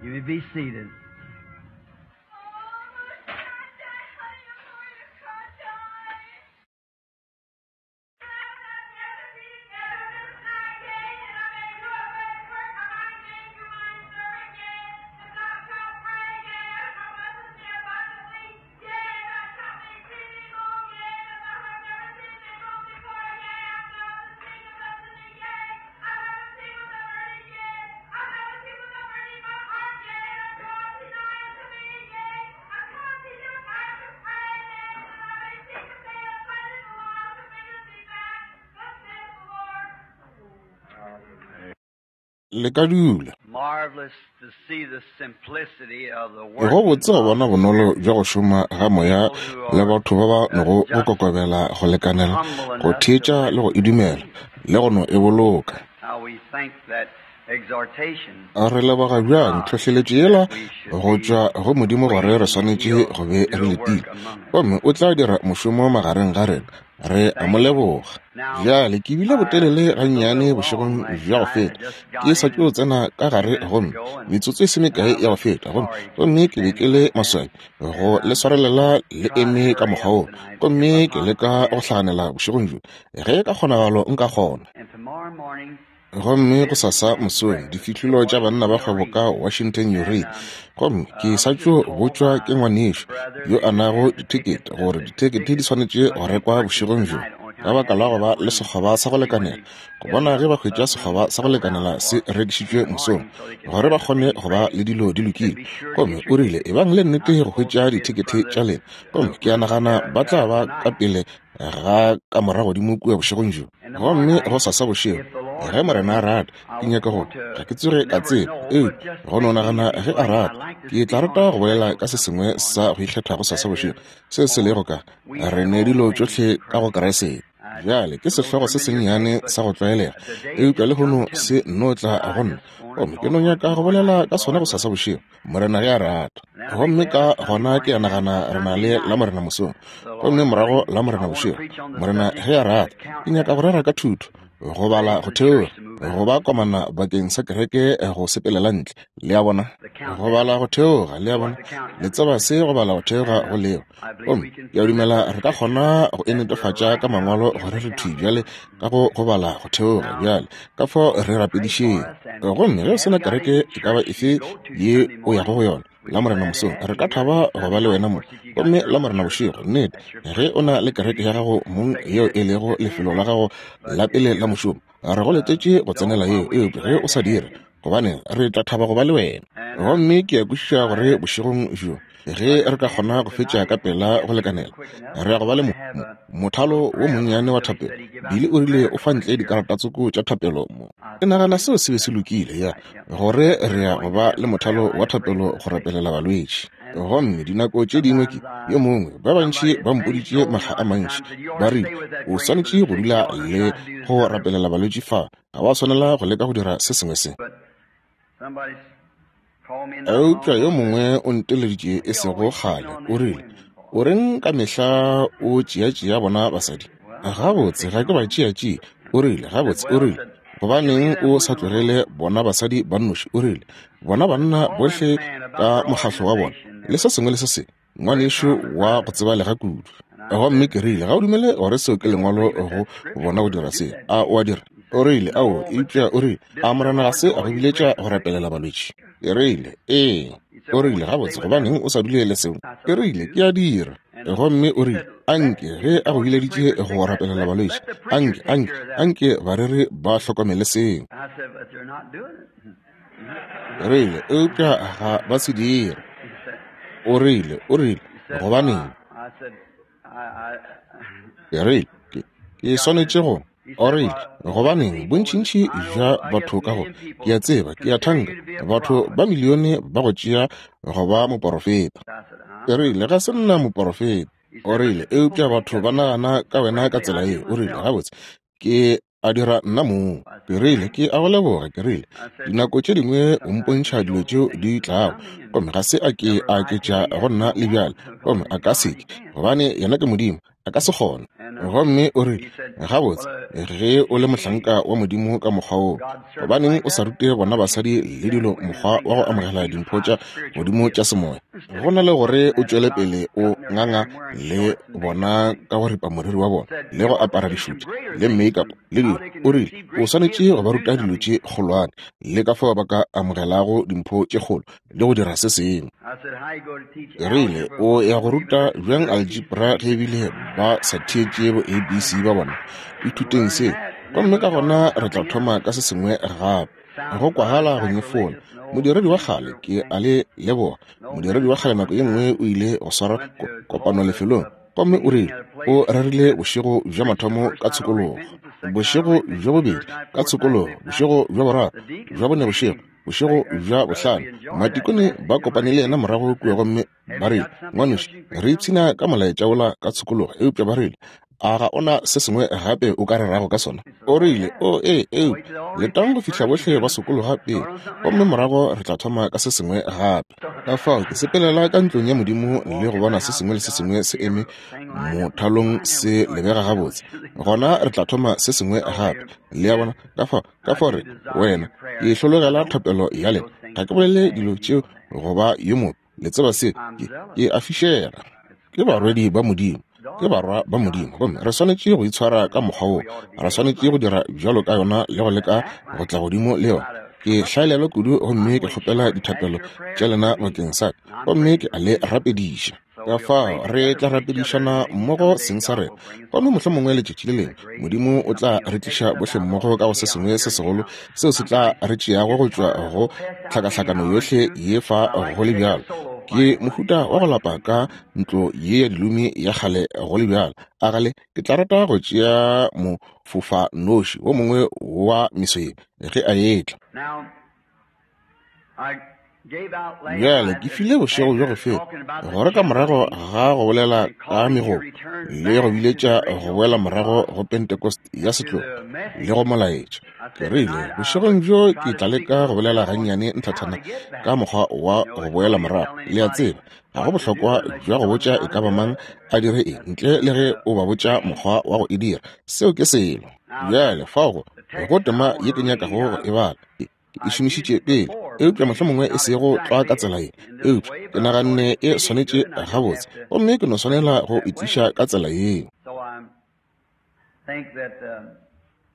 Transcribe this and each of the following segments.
You may be seated. Le ka dula. Go botse go bona bonolo bja go šoma ga Moya le batho ba ba nogo go kokobela go lekanela go theetša le go e dumela le go no e boloka. Re leboga bjang tlhohleletšo yela go tšwa go Modimo gore re swanetše go be re letile, gomme o tla dira mošomo magareng ga rena. Re a mo leboga. Bjale, ke bile botelele gannyane bošegong bja go feta. Ke sa tšo tsena ka gare gomme metsotso e se mekae ya go feta, gomme, gomme ke be ke le maswabi go le swarelela le eme ka mokgwa wo. Gomme ke leka go hlaganela bošegong bjo, ge ka kgonagalo nka kgona. Gomme gosasa mosong, difihlolo tša Banna ba Kgwebo ka Washington Uray. Gomme ke sa tšo botšwa ke ngwanešu yo a nago dithekete gore dithekete di swanetše go rekwa bošegong bjo, ka baka la go ba le sekgoba sa go lekanela, go bona ge ba hwetša sekgoba sa go lekanela se rekišitšwe mosong, gore ba kgone go ba le dilo di lokile. Gomme o rile, Ebang le nnete go hwetša dithekete tša lena. Gomme ke a nagana ba tla ba ka pele ga kamora godimo kua bošegong bjo. Gomme gosasa bošego, ge Morena a rata, ke nyaka go, ga ke tsoge ka tseba, eupša go no nagana ge A rata, ke tla rata go bolela ka se sengwe sa go ikgetha gosasa bošego, se se lego ka, Re ne dilo tšohle ka go Kriste. Bjale, ke sehlogo se sennyane sa go tlwaelega, eupša lehono se nno tla go nna, gomme ke no nyaka go bolela ka sona gosasa bošego. Morena ge a rata. Gomme ka gona ke a nagana re na le Lamorena mosong, gomme morago Lamorena bošego. Morena ge a rata, ke nyaka go rera ka thuto, go bala go theoga, go ba komana bakeng sa kereke go sepelela ntle, le a bona, go bala go theoga, le a bona, le tseba se go bala go theoga go lego. Gomme ke a dumela re ka kgona go e netefatša ka Mangwalo gore re thwi bjale ka go go bala go theoga bjale, ka fao re rapedišeng. Gomme ge o se na kereke e ka ba efe ye o yago go yona, Lamorena mosong re ka thaba go ba le wena mo. Gomme Lamorena bošego, nnete, ge o na le kereke ya gago mong yeo e lego lefelo la gago la pele la mošomo, re go letetše go tsenela yeo, eupša ge o sa dire, gobane re tla thaba go ba le wena. Gomme ke a kwešiša gore bošegong bjo, ge re ka kgona go fetša ka pela go lekanela, re ya go ba le mo, mo, mothalo wo monnyane wa thapelo. Billy o rile o fa ntle dikarata tsoko tša thapelo mo. Ke nagana seo se be se lokile, ya, gore re ya go ba le mothalo wa thapelo go rapelela balwetši. Gomme dinako tše dingwe ke, yo mongwe, ba bantši ba mpoditše makga a mantši, ba rile, O swanetše go dula le go rapelela balwetši fa. Ga wa swanela go leka go dira se sengwe se. Eupša yo mongwe o nteleditše e sego kgale, o rile, O reng ka mehla o tšeatšea bona basadi? Gabotse, ga ke ba tšeatšee. O rile, Gabotse, o rile, gobaneng o sa tlogele bona basadi ba nnoši? O rile, Bona banna bohle ka mokgahlo wa bona, le se sengwe le se sengwe. Ngwanešu wa go tsebalega kudu. Gomme ke rile, Ga o dumele gore seo ke Lengwalo go bona go dira seo, a o a dira? O rile, Ao, eupša o rile, a Morena ga se a go biletša go rapelela balwetši? Ke rile, Ee. O rile, Gabotse, gobaneng o sa dule le seo? Ke rile, Ke a dira. Gomme o rile, Anke, ge a go bileditše go rapelela balwetši, anke, anke, anke bareri ba hlokomele seo. Rile, eupša ga ba se dire. O rile, o rile, gobaneng? Ke rile, ke, ke swanetše go. O rile, gobaneng, bontšintši bja batho ka go, ke a tseba, ke a thanka, batho ba milione ba go tšea go ba moporofeta. Ke rile, ga se nna moporofeta. O rile, eupša batho ba nagana ka wena ka tsela yeo. O rile, gabotse, ke a dira nna mong. Ke rile, ke a go leboga. Ke rile, dinako tše dingwe o mpontšha dilo tšeo di tlago, gomme ga se a ke a aketša go nna le bjale, gomme a ka se ke, gobane yena ke Modimo. A ka se kgone. Gomme o rile, Gabotse, ge o le mohlanka wa Modimo ka mokgwa woo, gobaneng o sa rute bona basadi le dilo mokgwa wa go amogela dimpho tša Modimo tša semoya, go na le gore o tšwele pele o nganga le bona ka go ripa moriri wa bona le go apara dišutša le makeup le dilo. O rile, O swanetše go ba ruta dilo tše kgolwane le ka fao ba ka amogelago dimpho tše kgolo le go dira se sengwe. Ke rile, O ya go ruta bjang algebra ge ebile ba sa theetše bo ABC ba bona? Ithuteng seo, gomme ka gona re tla thoma ka se sengwe gape. Go kwagala go nyefola. Modiredi wa kgale, ke a le leboga. Modiredi wa kgale nako ye nngwe o ile go swara kopano lefelong, gomme o rile o rerile bošego bja mathomo ka tshokologo, bošego bja bobedi ka tshokologo, bošego bja boraro, bja bone bošego, bošego bja bohlano. Matikone ba kopane le yena morago kua gomme ba rile, Ngwanešu, re ipshina ka molaetša wola ka tshokologo, eupša ba rile, a ga o na se sengwe gape o ka rerago ka sona? O rile, O ee, eupša letang go fihla bohle ba sokologa pele, gomme morago re tla thoma ka se sengwe gape. Ka fao ke sepelela ka ntlong ya Modimo le go bona se sengwe le se sengwe se eme mothalong se lebega gabotse, gona re tla thoma se sengwe gape. Le a bona? Ka fao, ka fao re, wena, ke hlologela thapelo ya lena. Ga ke bolele dilo tšeo go ba yo mobe. Le tseba se, ke, ke a fišega. Ke barwedi ba Modimo, ke barwa ba Modimo, gomme re swanetše go itshwara ka mokgwa woo. Re swanetše go dira bjalo ka yona le go leka go tla godimo le yona. Ke hlaelelwa kudu gomme ke kgopela dithapelo tša lena bakeng sa ka, gomme ke a le rapediša. Ka fao re tla rapedišana mmogo seng sa rena, gomme mohlomongwe letšatši le lengwe Modimo o tla re tliša bohle mmogo ka go se sengwe se segolo seo se tla re tšeago go tšwa go tlhakahlakano yohle ye fa go le bjalo. Ke mohuta wa go lapa ka ntlo ye ya dilomi ya kgale go le bjalo. A gale ke tla rata go tšea mofofanoši wo mongwe wa meso ye ge a etla. Bjale ke file bošego bjo go feta gore ka morago ga go bolela ka megopo le go biletša go boela morago go Pentecost ya setlogo le go molaetša. Ke rile bošegong bjo ke tla leka go bolela gannyane nthathana ka mokgwa wa go boela morago. Le a tseba, ga go bohlokwa bja go botša e ka ba mang a dire eng ntle le ge o ba botša mokgwa wa go e dira. Seo ke selo. Bjale fao go tema ye ke nyakago go e bala. Ke e šomišitše pele, eupša mohlomongwe e sego tlwa ka tsela ye, eupša ke naganne e swanetše gabotse, gomme ke no swanela go e tliša ka tsela yeo.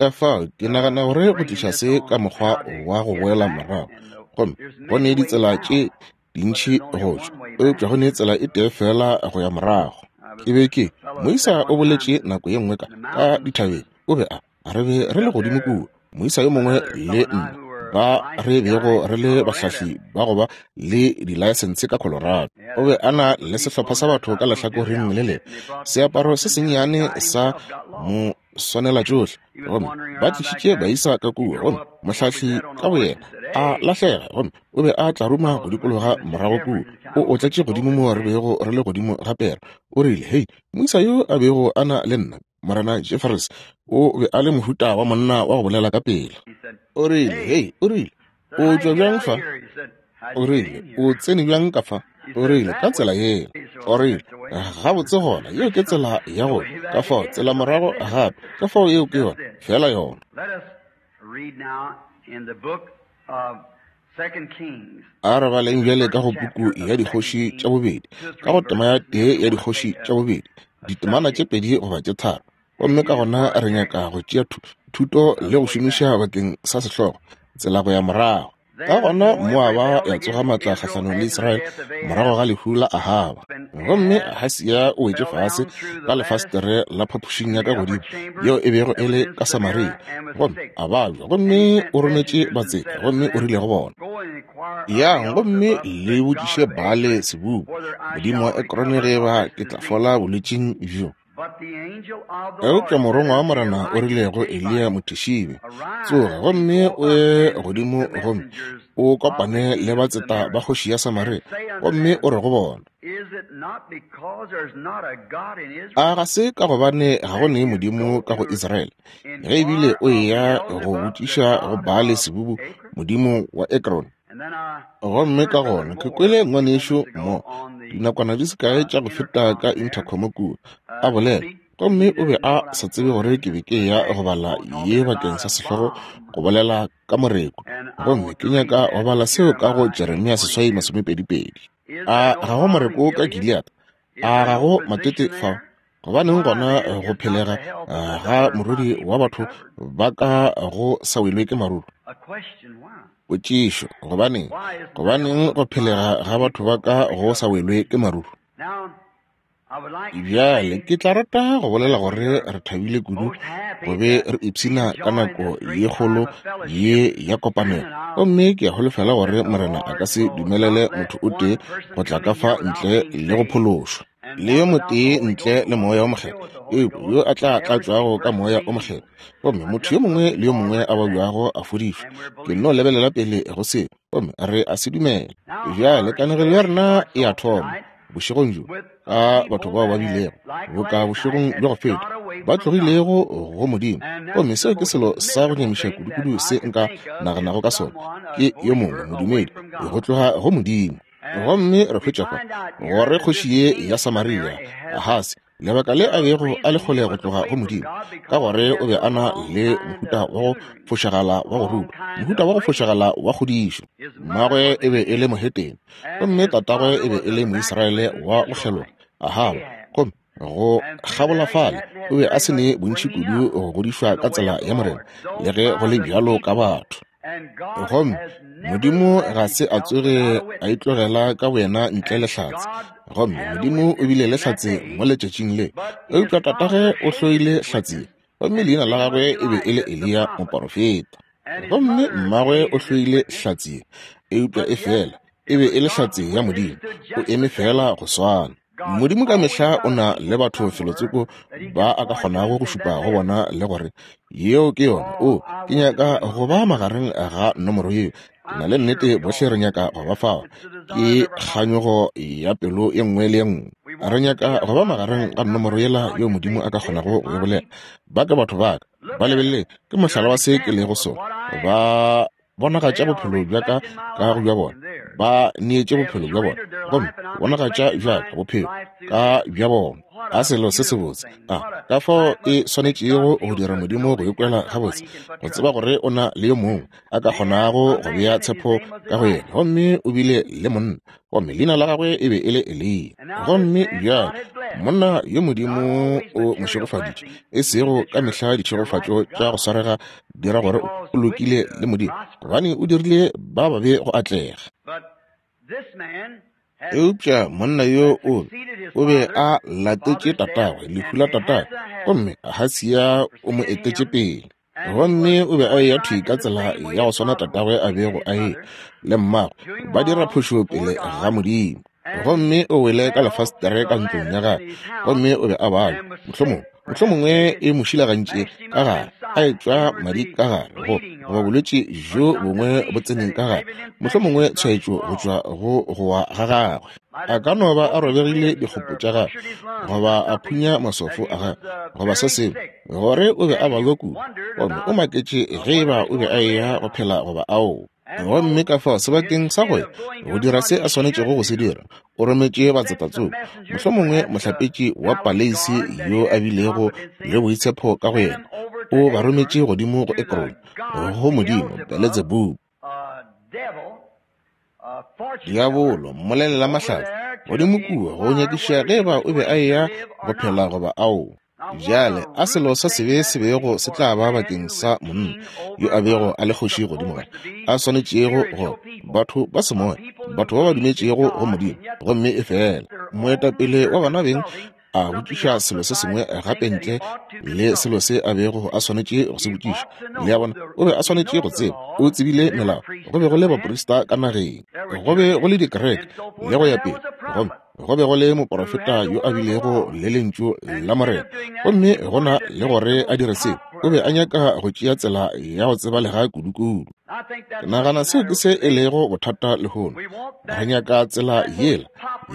Ka fao ke nagana gore go tliša se ka mokgwa wa go boela morago, gomme go ne ditsela tše dintši go tšwa, eupša go ne tsela e tee feela go ya morago. Ke be ke, moisa o boletše nako ye nngwe ka, ka dithabeng, o be a Re be re le godimo kua, moisa yo mongwe le nna, ba re bego re le bahlahli ba go ba le dilaesense ka Colorado. O be a na le sehlopha sa batho ka lehlakoreng le lengwe, seaparo se sennyane sa mo swanela tšohle. Gomme ba tlišitše baisa ka kua, gomme mohlahli ka boyena a lahlega, gomme o be a tlaruma go dikologa morago kua. O otletše godimo moo re bego re le godimo ga pere. O rile, Hei, moisa yo a bego a na le nna, Morena Jeffries, o be a le mohuta wa monna wa go bolela ka pela. O rile, Hei, o rile, o tšwa bjang fa? O rile, o tsene bjang ka fa? O rile, ka tsela yeo. O rile, gabotse gona, yeo ke tsela ya go ka fao, tsela morago gape. Ka fao yeo ke yona, feela yona. A re baleng bjale ka go puku ya Dikgoši tša Bobedi, ka go tema ya tee ya Dikgoši tša Bobedi, ditemana tše pedi goba tše tharo. Gomme ka gona re nyaka go tšea thuto le go šomiša bakeng sa sehlogo, Tsela go ya Morago. Ka gona Moaba ya tsoga matla kgahlanong le Israele morago ga lehu la Ahaba. Gomme Ahasia o wetše fase ka lefasetere la phapošing ya ka godimo yeo e bego e le ka Samaria, gomme a babja. Gomme o rometše batseta gomme o rile go bona, Yang gomme le botšiše Baale-Sebubu, modimo wa Ekrone, ge eba ke tla fola bolwetšing bjo. Eupša morongwa wa Morena o rile go Eliya Mothishibe, Tsoga gomme o ye godimo gomme o kopane le batseta ba kgoši ya Samaria, gomme o re go bona, A ga se ka gobane ga go ne Modimo ka go Israele, ge ebile o eya go botšiša go Baale-Sebubu modimo wa Ekrone? Gomme ka gona ke kwele ngwanešu mo, dinakwana di se kae tša go feta ka intercom kua, a bolela, gomme o be a sa tsebe gore ke be ke eya go bala ye bakeng sa sehlogo go bolela ka moreku. Gomme ke nyaka go bala seo ka go Jeremia 6:22. A ga go moreko ka Gilead? A ga go matete fao? Gobaneng gona go phelega ga morodi wa batho ba ka go sa welwe ke maruru? Potšišo, gobaneng? Gobaneng go phelega ga batho ba ka go sa welwe ke maruru? Bjale ke tla rata go bolela gore re thabile kudu go be re ipshina ka nako ye kgolo ye ya kopanelo, gomme ke a holofela gore Morena a ka se dumelele motho o tee go tla ka fa ntle le go phološwa, le yo motee ntle le Moya o Mokgethwa, eupša yo a tla tlatšwago ka Moya o Mokgethwa, gomme motho yo mongwe le yo mongwe a babjago a fodišwa. Ke nno lebelela pele go seo, gomme re a se dumela. Bjale kanegelo ya rena e a thoma bošegong bjo ka batho bao ba bilego boka bošegong bja go feta ba tlogilego go Modimo, gomme seo ke selo sa go nyamiša kudukudu se nka naganago ka sona, ke yo mongwe modumedi go tloga go Modimo. Gomme re hwetša fa gore kgoši ye ya Samaria, Ahasi, lebaka le a bego a le kgole go tloga go Modimo, ka gore o be a na le mohuta wa go fošagala wa go rutwa, mohuta wa go fošagala wa kgodišo. Mmagwe e be e le mohetene, gomme tatagwe e be e le Moisraele wa go kgeloga, Ahaba. Gomme go kgabola fale o be a se ne bontši kudu go godišwa ka tsela ya Morena, le ge go le bjalo ka batho. Gomme Modimo ga se a tsoge a itlogela ka boyena ntle le hlatse. Gomme Modimo o bile le hlatse mo letšatšing le, eupša tatagwe o hloile hlatse, gomme leina la gagwe e be e le Eliya moporofeta. Gomme mmagwe o hloile hlatse, eupša e fela e be e le hlatse ya Modimo, o eme fela go swana. Modimo ka mehla o na le batho felotsoko ba a ka kgonago go šupa go bona le gore yeo ke yona. O, ke nyaka go ba magareng ga nomoro yeo. Ke na le nnete bohle re nyaka go ba fao. Ke kganyogo ya pelo ye nngwe le ye nngwe. Re nyaka go ba magareng ga nomoro yela yeo Modimo a ka kgonago go e bolela. Ba ke batho ba ka. Ba lebelele, ke mohlala wa se ke lego sona. Ba bonagatša bophelo bja ka ka go bja bona, ba neetše bophelo bja bona, gomme bonagatša bja ka bophelo ka bja bona. A selo se sebotse! A ka fao e swanetšego go dira Modimo go ikwela gabotse, go tseba gore o na le yo mongwe a ka kgonago go bea tshepo ka go yena. Gomme o bile le monna, gomme leina la gagwe e be e le Eliya. Gomme bjale monna yo Modimo o mo šegofaditše, e sego ka mehla ditšhegofatšo tša go swarega dira gore o lokile le Modimo, gobane o dirile ba babe go atlega. Eupša monna yo o be a latetše tatagwe, lehu la tatagwe, gomme Ahasia o mo etetše pele. Gomme o be a eya thwi ka tsela ya go swana tatagwe a bego a e le mmagwe, ba dira phošo pele ga Modimo. Gomme o wele ka lefastere ka ntlong ya gagwe, gomme o be a babja, mohlomongwe, mohlomongwe e mo šilagantše ka gare, a etšwa madi ka gare, goba bolwetši bjo bongwe bo tsene ka gare, mohlomongwe tshwaetšo go tšwa go go wa ga gagwe. A ka no ba a robegile dikgopo tša gagwe, goba a phunya maswafo a gagwe, goba se sengwe, gore o be a babja kudu, gomme o maketše ge eba o be a eya go phela goba aowa. Gomme ka fao sebakeng sa go ya go dira se a swanetšego go se dira, o rometše batsetatsoko, mohlomongwe mohlapetši wa paleisi yo a bilego le boitshepo ka go yena, o ba rometše godimo go Ekrone, go modimo Beletsebubu, diabolo, mmolelela mahlatse, godimo kua go nyakiša ge eba o be a eya go phela goba aowa. Bjale, a selo sa sebe se bego se tla ba bakeng sa monna yo a bego a le kgoši godimo ga a swanetšego go batho ba semoya, batho ba ba dumetšego go Modimo, gomme efela moetapele wa bona beng a botšiša selo se sengwe gape ntle le selo se a bego a swanetše go se botšiša. Le a bona, o be a swanetše go tseba, o tsebile melao, go be go le baprista ka nageng, go be go le dikereke le go ya pele, gomme go be go le moporofeta yo a bilego le lentšu la Morena, gomme go na le gore a dire seo, o be a nyaka go tšea tsela ya go tsebalega kudu-kudu. Ke nagana seo ke se e lego bothata lehono. Re nyaka tsela yela,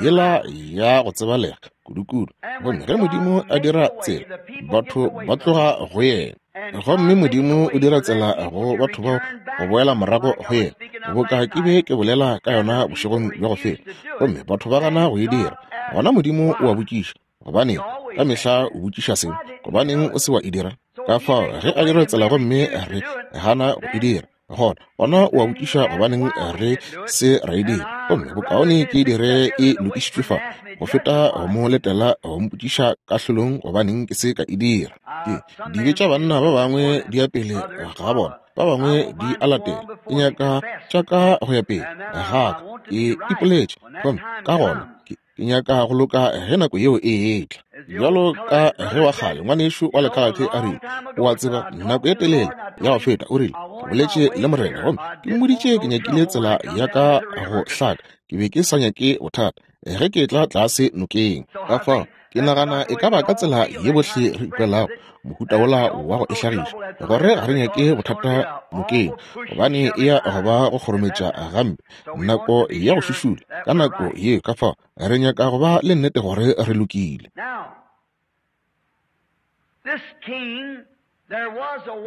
yela ya go tsebalega kudu-kudu. Gomme ge Modimo a dira tsela, batho ba tloga go yena. Gomme Modimo o dira tsela go batho bao go boela morago go yena, boka ke be ke bolela ka yona bošegong bja go feta. Gomme batho ba gana go e dira. Gona Modimo o a botšiša, gobaneng? Ka mehla o botšiša seo, gobaneng o se wa e dira? Ka fao ge a dira tsela gomme re gana go e dira, gona gona o a botšiša gobaneng re se ra e dira. Gomme bokaone ke e dire e lokišitšwe fa go feta go mo letela go mpotšiša kahlolong gobaneng ke se ka e dira. Ke dibe tša banna ba bangwe di ya pele ga bona, ba bangwe di a latela. Ke nyaka tša ka go ya pele ga ka, ke ipoletše, gomme ka gona ke Ke nyaka go loka ge nako yeo e etla. Bjalo ka ge wa kgale ngwanešu wa lekhalate a rile, o a tseba, nako ye telele ya go feta, o rile, ke boletše le Morena gomme ke mmoditše ke nyakile tsela ya ka go hlaka. Ke be ke sa nyake bothata ge ke etla tlase nokeng. Ka fao ke nagana e ka ba ka tsela ye bohle re ikwelago mohuta wola wa go e hlagiša, gore ga re nyake bothata nokeng, gobane e ya go ba go kgorometša gampe nako ya go šušula ka nako ye. Ka fao re nyaka go ba le nnete gore re lokile.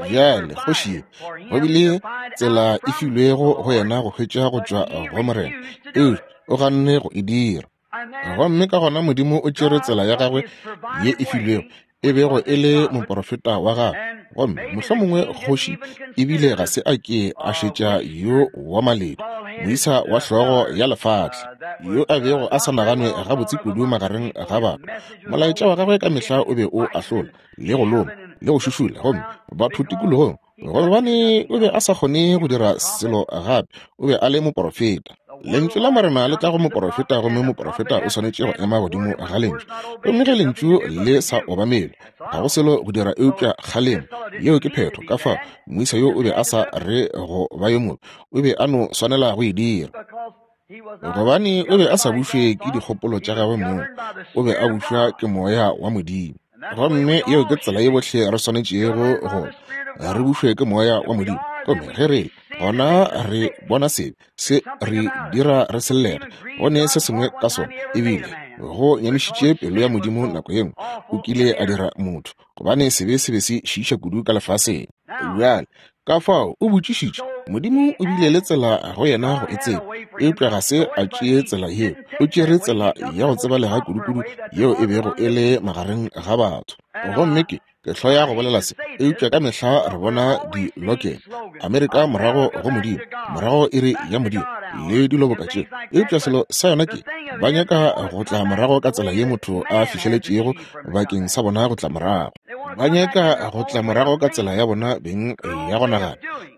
Bjale kgoši ye, go bile tsela e filwego go yena go hwetša go tšwa go Morena, eupša o ganne go e dira. Gomme ka gona Modimo o tšere tsela ya gagwe ye e filwego, e bego e le moporofeta wa gagwe. Gomme mohlomongwe kgoši ebile ga se a ke a šetša yo wa maledu, moisa wa hlogo ya lefatla, yo a bego a sa naganwe gabotse kudu magareng ga batho. Molaetša wa gagwe ka mehla o be o ahlola, le go loma, le go šušula, gomme batho tikologong, gobane o be a sa kgone go dira selo gape, o be a le moporofeta. Lentšu la Morena le tla go moporofeta, gomme moporofeta o swanetše go ema godimo ga Lentšu. Gomme ge Lentšu le sa obamelwe, ga go selo go dira eupša kgalemo. Yeo ke phetho. Ka fao moisa yo o be a sa re go ba yo mobe, o be a no swanela go e dira. Gobane o be a sa bušwe ke dikgopolo tša gagwe mong, o be a bušwa ke Moya wa Modimo. Gomme yeo ke tsela ye bohle re swanetšego go re bušwe ke Moya wa Modimo. Gomme ge re le gona re bona sebe se re dira re sellega, go ne se sengwe ka sona, ebile go nyamišitše pelo ya Modimo nako ye nngwe o kile a dira motho, gobane sebe se be se šiiša kudu ka lefaseng. Bjale, ka fao o botšišitše, Modimo o bile le tsela go yena go e tseba, eupša ga se a tšee tsela yeo. O tšere tsela ya go tsebalega kudukudu yeo e bego e le magareng ga batho. Gomme ke, ke hloya go bolela se, eupša ka mehla re bona di-lokela Amerika morago go Modimo, morago iri ya Modimo le dilo boka tšeo. Eupša selo sa yona ke, ba nyaka go tla morago ka tsela ye motho a fihleletšego bakeng sa bona go tla morago. Ba nyaka go tla morago ka tsela ya bona beng ya go nagana,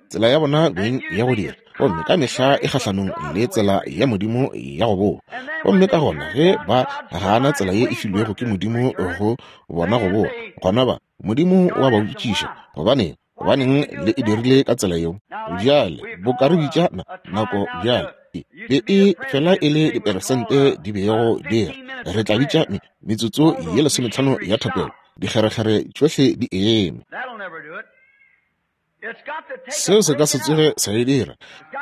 tsela ya bona beng ya go dira, gomme ka mehla e kgahlanong le tsela ya Modimo ya go boa. Gomme ka gona ge ba gana tsela ye e filwego ke Modimo go bona go boa, gona ba, Modimo o a ba botšiša, gobaneng, gobaneng le e dirile ka tsela yeo? Bjale, boka re bitša na, nako bjale, e be e fela e le diperesente di bego di re, re tla bitša me, metsotso ye lesometlhano ya thapelo, dikgerekgere tšohle di eme. Seo se ka se tsoge sa e dira.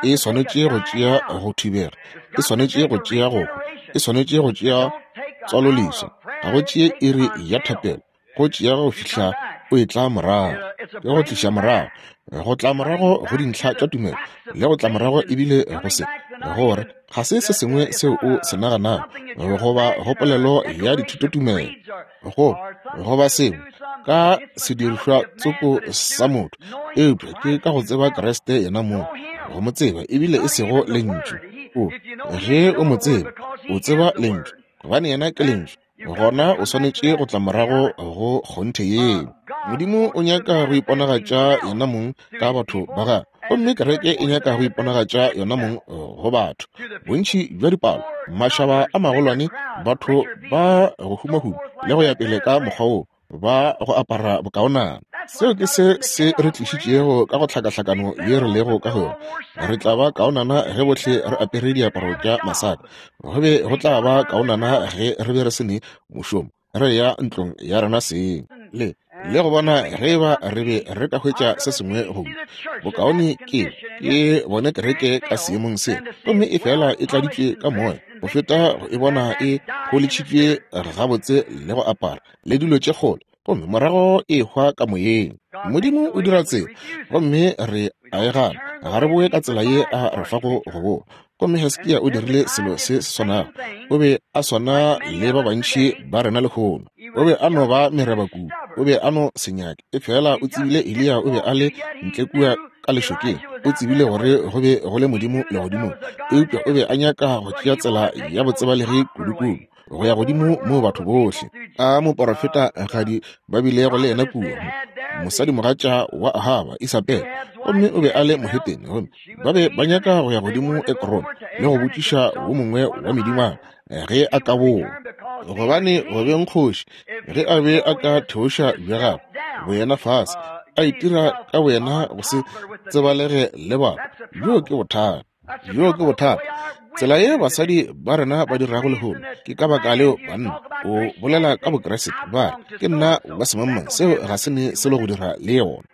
E swanetše go tšea go thibega, e swanetše go tšea go hwa, e swanetše go tšea tswaloleswa. Ga go tšee iri ya thapelo, go tšea go fihla o etla morago, ke go tliša morago, go tla morago go dintlha tša tumelo, le go tla morago ebile go se, gore ga se se sengwe seo o se naganago goba go polelo ya dithutotumelo, go goba sengwe ka sedirišwa tsoko sa motho, eupša ke ka go tseba Kriste yena mong, go mo tseba ebile e sego Lentšu. O, ge o mo tseba, o tseba Lentšu, gobane yena ke Lentšu, gona o swanetše go tla morago go kgonthe yeo. Modimo o nyaka go iponagatša yena mong ka batho ba gagwe, gomme kereke e nyaka go iponagatša yona mong go batho. Bontši bja dipalo, mašaba a magolwane, batho ba go humahuma le go ya pele ka mokgwa wo, ba go apara bokaonana. Seo ke se se re tlišitšego ka go hlakahlakano ye re lego ka go yona. Re tla ba kaonana ge bohle re apere diaparo tša masaka. Go be go tla ba kaonana ge re be re se ne mošomo, re ya ntlong ya rena seng le le go bona ge e ba re be re ka hwetša se sengwe go bokaone ke ke bone kereke ka seemong se gomme e fela e tladitšwe ka moya go feta go e bona e pholitšhitšwe gabotse le go apara le dilo tše kgolo. gomme morago e hwa ka moyeng. Modimo o dira tsela, gomme re a e gana. Ga re boe ka tsela ye a re fago go boa. Gomme Hiskia o dirile selo se se swanago. O be a swana le ba bantši ba rena lehono. O be a no ba mereba kudu. O be a no se nyake. Efela o tsebile Eliya o be a le ntle kua ka lešokeng. O tsebile gore go be go le Modimo legodimong. Eupša o be a nyaka go tšea tsela ya botsebalegi kudu-kudu, go ya godimo moo batho bohle a moporofeta gadi ba bilego le yena kua, mosadimogatša wa Ahaba, Isabele, gomme o be a le mohetene, gomme ba be ba nyaka go ya godimo Ekron le go botšiša wo mongwe wa medingwana ge a ka boa, gobane go beng kgoši, ge a be a ka theoša bja gagwe boyena fase, a itira ka boyena go se tsebalege le batho, bjoo ke bothata. Bjoo ke bothata. Tsela ye basadi ba rena ba dirago lehono, ke ka baka leo banna, o bolela ka Bokriste, ba re, Ke nna wa semangmang, seo ga se ne selo go dira le yona.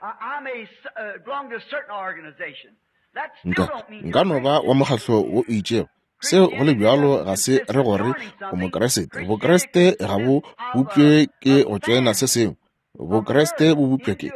Nka, nka no ba wa mokgatlo wo o itšego, seo go le bjalo ga se re gore o Mokriste. Bokriste ga bo bopše ke go tšoena se sengwe. Bokriste bo bopša ke,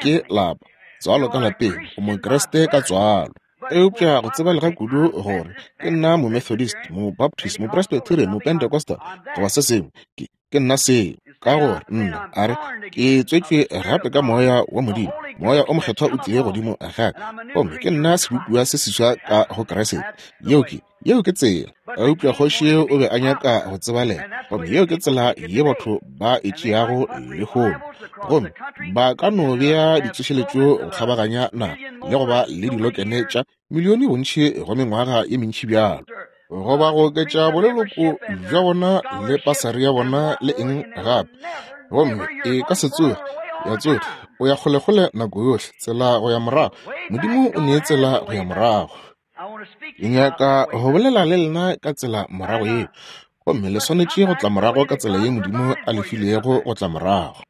ke lapa, tswalo ka lapeng, o Mokriste ka tswalo. Eupša go tsebalega kudu gore ke nna Momethodist, Mobaptist, Mopresbyterian, Mopentecostal, goba se sengwe, ke, ke nna seo. Ka gore nna, a re, ke tswetšwe gape ka Moya wa Modimo, Moya o Mokgethwa o tlile godimo ga ka, gomme ke nna sebopiwa se seswa ka go Kriste. Yeo ke, Yeo ke tsela. Eupša kgoši yeo o be a nyaka go tsebalega, gomme yeo ke tsela ye batho ba e tšeago lehono. Gomme ba ka no bea ditsošeletšo go kgabaganya naga le go ba le dilokene tša milione bontši go mengwaga ye mentši bjalo, goba go oketša boleloko bja bona le pasari ya bona le eng gape, gomme e ka se tsoge ya tsoge. O ya kgolekgole nako yohle, tsela go ya morago. Modimo o nee tsela go ya morago. Ke nyaka go bolela le lena ka tsela morago yeo, gomme le swanetše go tla morago ka tsela ye Modimo a le filego go tla morago.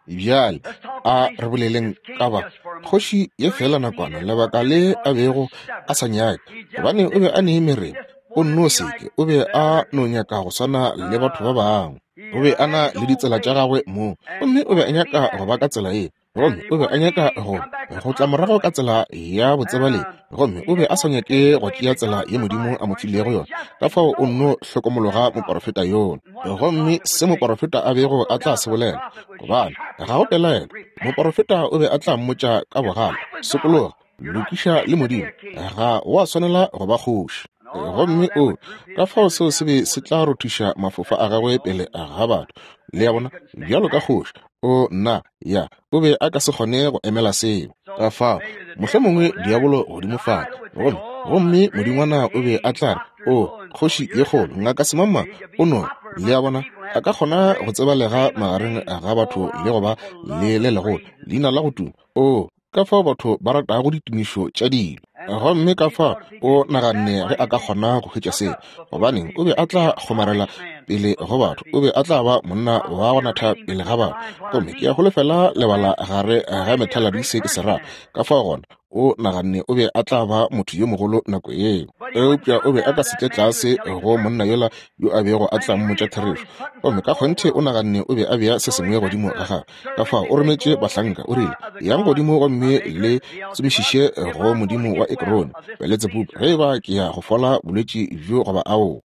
Bjale a re boleleng ka ba kgoši ye feela nakwana, lebaka le a bego a sa nyake, gobane o be a ne mereba, o nno seke, o be a no nyaka go swana le batho ba bangwe. O be a na le ditsela tša gagwe mong, gomme o be a nyaka go ba ka tsela ye. Gomme o be a nyaka go, go tla morago ka tsela ya botsebalegi, gomme o be a sa nyake go tšea tsela ye Modimo a mo filego yona. Ka fao o nno hlokomologa moporofeta yola, gomme se moporofeta a bego a tla se bolela, gobane ga go pelaelo moporofeta o be a tla mmotša ka bogale, Sokologa, lokiša le Modimo, ga wa swanela go ba kgoši. Gomme o, ka fao seo se be se tla rothiša mafofa a gagwe pele ga batho, le a bona, bjalo ka kgoši. O, nna, ya, o be a ka se kgone go emela seo. Ka fao, mohlomongwe diabolo godimo fale, gomme, gomme modingwana o be a tla re, O, kgoši ye kgolo, ngaka semangmang, o no, le a bona, a ka kgona go tsebalega magareng ga batho le go ba le le legolo, leina la go tuma. O, ka fao batho ba ratago ditumišo tša dilo. Gomme ka fao o naganne ge a ka kgona go hwetša seo, gobaneng, o be a tla kgomarela pele go batho, o be a tla ba monna wa go natha pele ga batho. Gomme ke a holofela lebala gare ga methaladi se ke se ra. Ka fao gona o naganne o be a tla ba motho yo mogolo nako yeo. Eupša o be a ka se tle tlase go monna yola yo a bego a tla mmotša therešo. Gomme ka kgonthe o naganne o be a bea se sengwe godimo ga gagwe. Ka fao o rometše bahlanka, o rile, Yang godimo gomme le tsomišiše go modimo wa Ekrone, Beletsebubu, ge eba ke ya go fola bolwetši bjo goba aowa.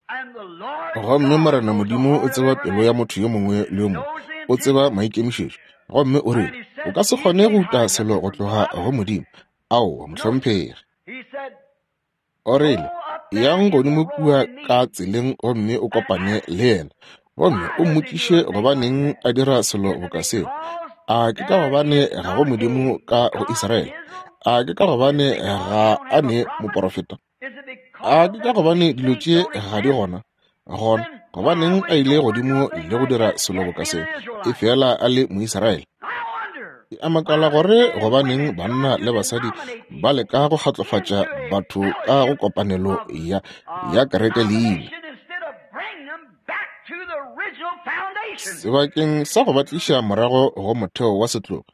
Gomme Morena Modimo o tseba pelo ya motho yo mongwe le yo mongwe, o tseba maikemišetšo. Gomme o rile, O ka se kgone go uta selo go tloga go Modimo. Aowa, mohlomphegi. O rile, Yang godimo kua ka tseleng gomme o kopane le yena, gomme o mmotšiše gobaneng a dira selo boka seo. A ke ka gobane ga go Modimo ka go Israele? A ke ka gobane ga a ne moporofeta? A ke ka gobane dilo tše ga di gona? Gona gobaneng a ile godimo le go dira selo boka seo, efela a le Moisraele? Ke a makala gore gobaneng banna le basadi ba leka go kgatlofatša batho ka go kopanelo ya, ya kereke leina. Sebakeng sa go ba tliša morago go motheo wa setlogo,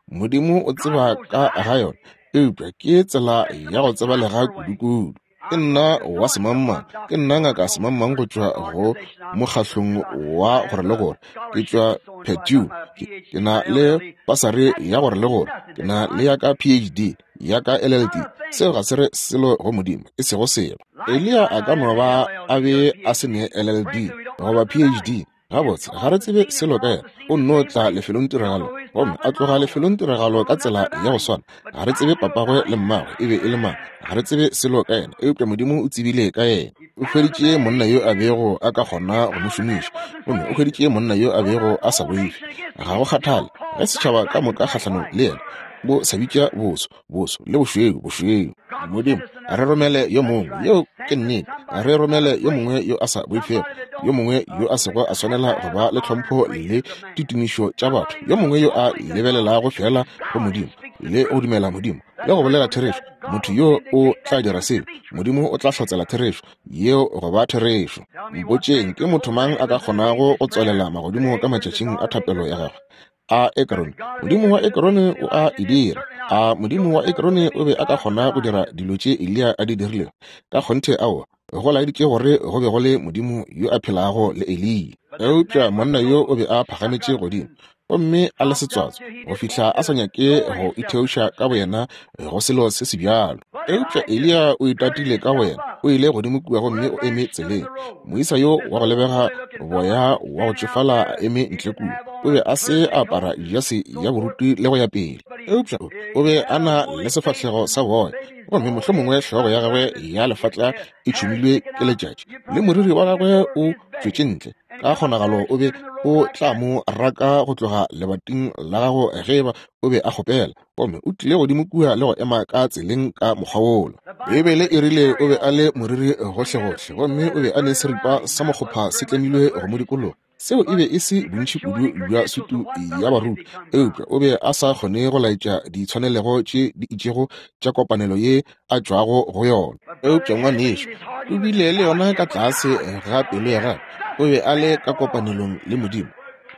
Modimo o tseba ka ga yona, eupša ke tsela ya go tsebalega kudukudu. Ke nna wa semangmang. Ke nna Ngaka Semangmang go tšwa go mokgahlong wa gore le gore. Ke tšwa Purdue. Ke, ke na le pasari ya gore le gore. Ke na le ya ka PhD, ya ka LLD. Seo ga se re selo go Modimo, e sego selo. Eliya a ka no ba a be a se ne LLD goba PhD. Gabotse, ga re tsebe selo ka yena. O nno tla lefelongtiragalo gomme a tloga lefelongtiragalo ka tsela ya go swana. Ga re tsebe papagwe le mmagwe e be e le mang. Ga re tsebe selo ka yena, eupša Modimo o tsebile ka yena. O hweditše monna yo a bego a ka kgona go mo šomiša, gomme o hweditše monna yo a bego a sa boife. Ga go kgathale ge setšhaba ka moka kgahlanong le yena bo sa bitša boso, boso le bošweu, bošweu. Modimo, re romele yo mongwe. Yeo ke nnete. Re romele yo mongwe yo a sa boifego, yo mongwe yo a sego a swanela go ba le tlhompho le ditumišo tša batho, yo mongwe yo a lebelelago feela go Modimo le go dumela Modimo le go bolela therešo. Motho yo o tla dira seo, Modimo o tla hlotsela therešo yeo go ba therešo. Mpotšeng, ke motho mang a ka kgonago go tswalela magodimo ka matšatšing a thapelo ya gagwe? A Ekrone, modimo wa Ekrone o a e dira. A modimo wa Ekrone o be a ka kgona go dira dilo tše Eliya a di dirilego? Ka kgonthe aowa. Go laeditše gore go be go le Modimo yo a phelago le Eliya. Eupša monna yo o be a phagametše godimo gomme a le setswatswa go fihla a sa nyake go itheoša ka boyena go selo se se bjalo. Eupša Eliya o itatile ka boyena, o ile godimo kua gomme o eme tseleng. Moisa yo wa go lebega boya wa go tšofala a eme ntle kua, o be a se a apara jase ya boruti le go ya pele, eupša o be a na le sefahlego sa boya, gomme mohlomongwe hlogo ya gagwe ya lefatla e tšhumilwe ke letšatši, le moriri wa gagwe o tšwetše ntle. Ka kgonagalo o be o tla mo raka go tloga lebating la gago ge eba o be a kgopela. Gomme o tlile godimo kua le go ema ka tseleng ka mokgwa wola. Beibele e rile o be a le moriri gohlegohle, gomme o be a ne seripa sa mokgopha se tlemilwe go mo dikologa. Seo e be e se bontši kudu bja sutu ya baruti, eupša o be a sa kgone go laetša ditshwanelego tše di itšego tša kopanelo ye a tšwago go yona. Eupša ngwanešu, o bile le yona ka tlase ga pelo ya gagwe. O be a le ka kopanelong le Modimo,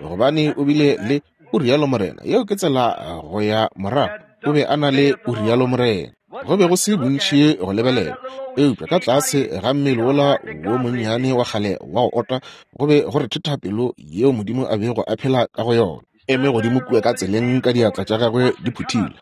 gobane o bile le O rialo morena. Yeo ke tsela go ya morago. O be a na le O rialo morena. Go be go se bontši go lebelela, eupša ka tlase ga mmele wola wo monnyane wa kgale wa go ota go be go rethetha pelo yeo Modimo a bego a phela ka go yona. Eme godimo kua ka tseleng ka diatla tša gagwe di phuthilwe,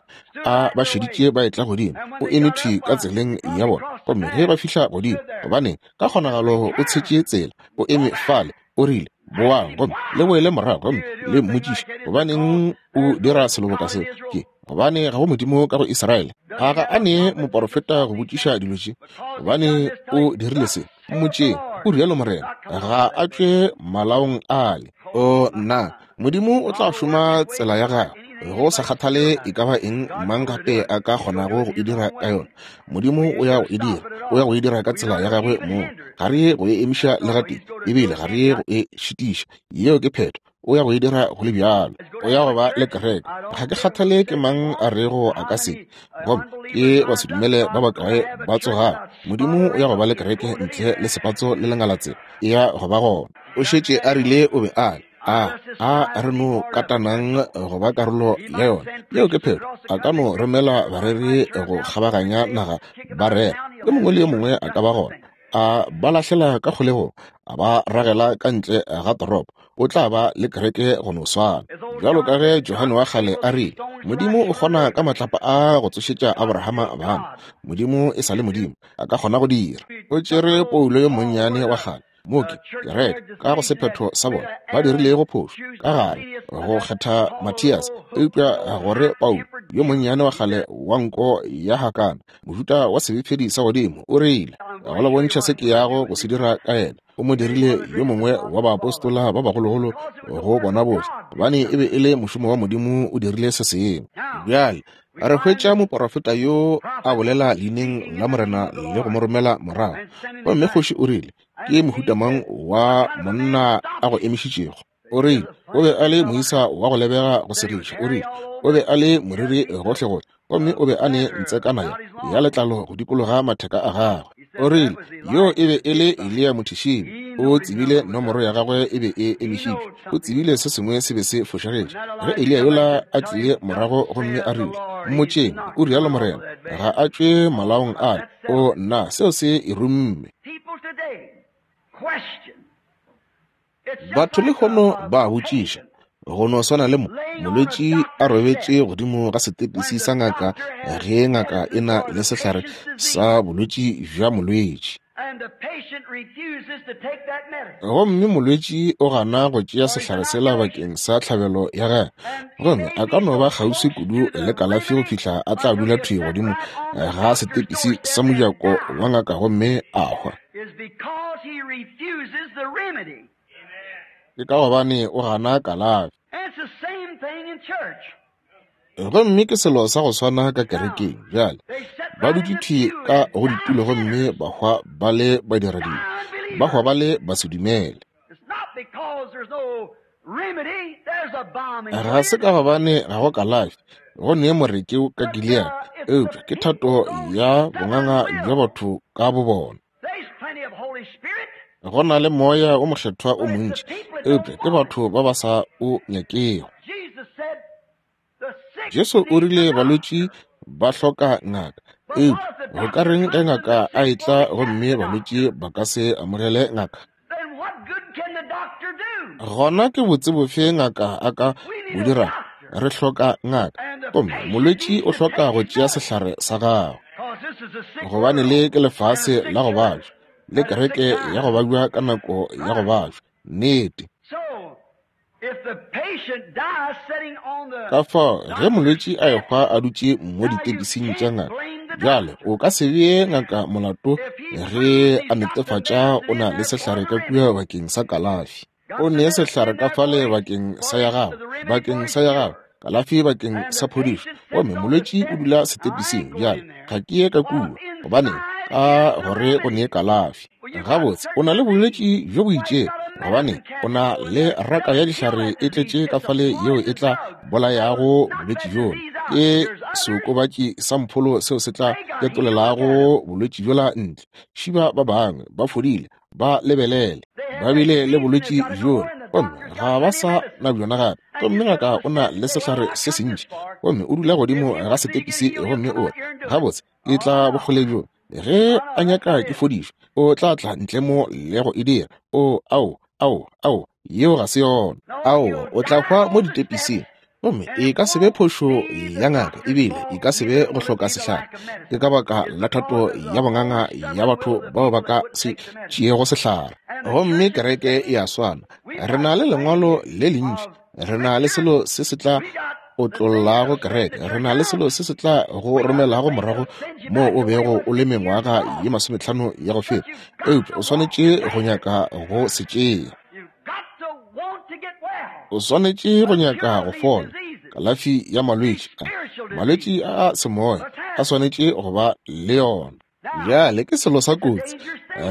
a ba šeditše ba etla godimo. O eme thwi ka tseleng ya bona, gomme ge ba fihla godimo, gobaneng, ka kgonagalo o tshetše tsela, o eme fale, O rile, Boang gomme le boele morago gomme le mmotšiše, Gobaneng o dira selo boka seo? Ke gobane ga go Modimo ka go Israele. A ga a nee moporofeta go botšiša dilo tše? Gobane o dirile se. Mmotšeng, o rialo Morena. Ga a tšwe malaong ale. O nna, Modimo o tla šoma tsela ya gagwe, go sa kgathale e ka ba eng mang gape a ka kgonago go e dira ka yona. Modimo o ya go e dira, o ya go e dira ka tsela ya gagwe mong. Ga re ye go e emiša le gatee, ebile ga re ye go e šitiša. Yeo ke phetho. O ya go e dira go le bjalo. O ya go ba le kereke. Ga ke kgathale ke mang a rego a ka se, gomme ke basedumele ba bakae ba tsogago. Modimo o ya go ba le kereke ntle le sepatso le lengalatsela. E ya go ba gona. O šetše a rile o be a le. A, a re no katanang go ba karolo ya yona. Yeo ke phetho. A ka no romela bareri go kgabaganya naga ba rera. Yo mongwe le yo mongwe a ka ba gona. A ba lahlela ka kgolegong, a ba ragela ka ntle ga toropo. O tla ba le kereke go no swana. Bjalo ka ge Johane wa kgale a rile, Modimo o kgona ka matlapa a go tsošetša Abrahama bana. Modimo e sa le Modimo. A ka kgona go dira. O tšere Paulo yo monnyane wa kgale, Mo ke, kereke, ka go sephetho sa bona, ba dirilego phošo ka gare go kgetha Mathias, eupša gore Paulo, yo monnyane wa kgale wa nko ya hakana, mohuta wa sebefedi sa godimo, o rile, go le bontšha se ke yago go se dira ka yena. O mo dirile yo mongwe wa baapostola ba bagologolo go bona bohle, gobane e be e le mošomo wa Modimo o dirile se sengwe. Bjale Re hwetša moporofeta yo a bolela leineng la Morena le go mo romela morago. Gomme kgoši o rile, Ke mohuta mang wa monna a go emišitšego? O rile, O be a le moisa wa go lebega go segiša. O rile, O be a le moriri gohlegohle, gomme o be a ne ntsekana ya, ya letlalo go dikologa matheka a gagwe. O rile, Yoo e be e le Eliya Mothišibi. O tsebile nomoro ya gagwe e be e emišitšwe. O tsebile se sengwe se be se fošagetše. Ge Eliya yola a tlile morago gomme a rile, Mmotšeng, o rialo morena, ga a tšwe malaong ale. O, nna, seo se e rumme. Batho lehono ba a botšiša, go no swana le mo, molwetši a robetše godimo ga setepisi sa ngaka ge ngaka e na le sehlare sa bolwetši bja molwetši. Gomme molwetši o gana go tšea sehlare sela bakeng sa tlhabelo ya gagwe, gomme a ka no ba kgauswi kudu le kalafi go fihla a tla dula thwi godimo ga setepisi sa mojako wa ngaka gomme a hwa. Ke ka gobane o gana kalafi. Gomme ke selo sa go swana ka kerekeng bjale. Ba dutše thwi ka go ditulo gomme ba hwa ba le badiradibe, ba hwa ba le basedumele. Ga se ka gobane ga go kalafi, go ne moreke ka Gilead, eupša ke thato ya bonganga bja batho ka bobona. Go na le Moya wo Mokgethwa o montši, eupša ke batho ba ba sa o nyakego. Jesu o rile balwetši ba hloka ngaka, eupša go ka reng ge ngaka a etla gomme balwetši ba ka se amogele ngaka? Gona ke botse bofe ngaka a ka bo dirago? Re hloka ngaka, gomme molwetši o hloka go tšea sehlare sa gagwe, gobane le ke lefase la go babja, le kereke ya go babja ka nako ya go babja. Nnete. Ka fao ge molwetši a ehwa a dutše mo ditepising tša ngaka, bjale o ka se bee ngaka molato ge a netefatša o na le sehlare ka kua bakeng sa kalafi. O ne sehlare ka fale bakeng sa ya gago, bakeng sa ya gago, kalafi bakeng sa phodišo. Gomme molwetši o dula setepising, bjale ga ke ye ka kua. Gobaneng? Ka gore go ne kalafi. Gabotse, o na le bolwetši bjo bo itšego, gobane o na le raka ya dihlare e tletše ka fale yeo e tla bolayago bolwetši bjola. Ke seokobatši sa mpholo seo se tla ketolelago bolwetši bjola ntle. Šiba ba bangwe ba fodile, ba lebelele, ba bile le bolwetši bjola, gomme ga ba sa na bjona gape. Gomme ngaka o na le sehlare se sentši, gomme o dula godimo ga setepisi gomme o re, Gabotse, ke tla bokgole bjo. Ge a nyaka ke fodišwe, o tla tla ntle mo le go e dira. O, ao, ao, ao, yeo ga se yona. Ao, o tla hwa mo ditepising. Gomme e ka se be phošo ya ngaka, ebile e ka se be go hloka sehlare. Ke ka baka la thato ya bonganga ya batho bao ba ka se tšeego sehlare. Gomme kereke e a swana. Re na le lengwalo le lentši. Re na le selo se se tla otlollago kereke. Re na le selo se se tla go romelago morago moo o bego o le mengwaga ye 50 ya go feta, eupša o swanetše go nyaka go se tšea. O swanetše go nyaka go fola. Kalafi ya malwetši a, malwetši a a semoya a swanetše go ba le yona. Bjale ke selo sa kotsi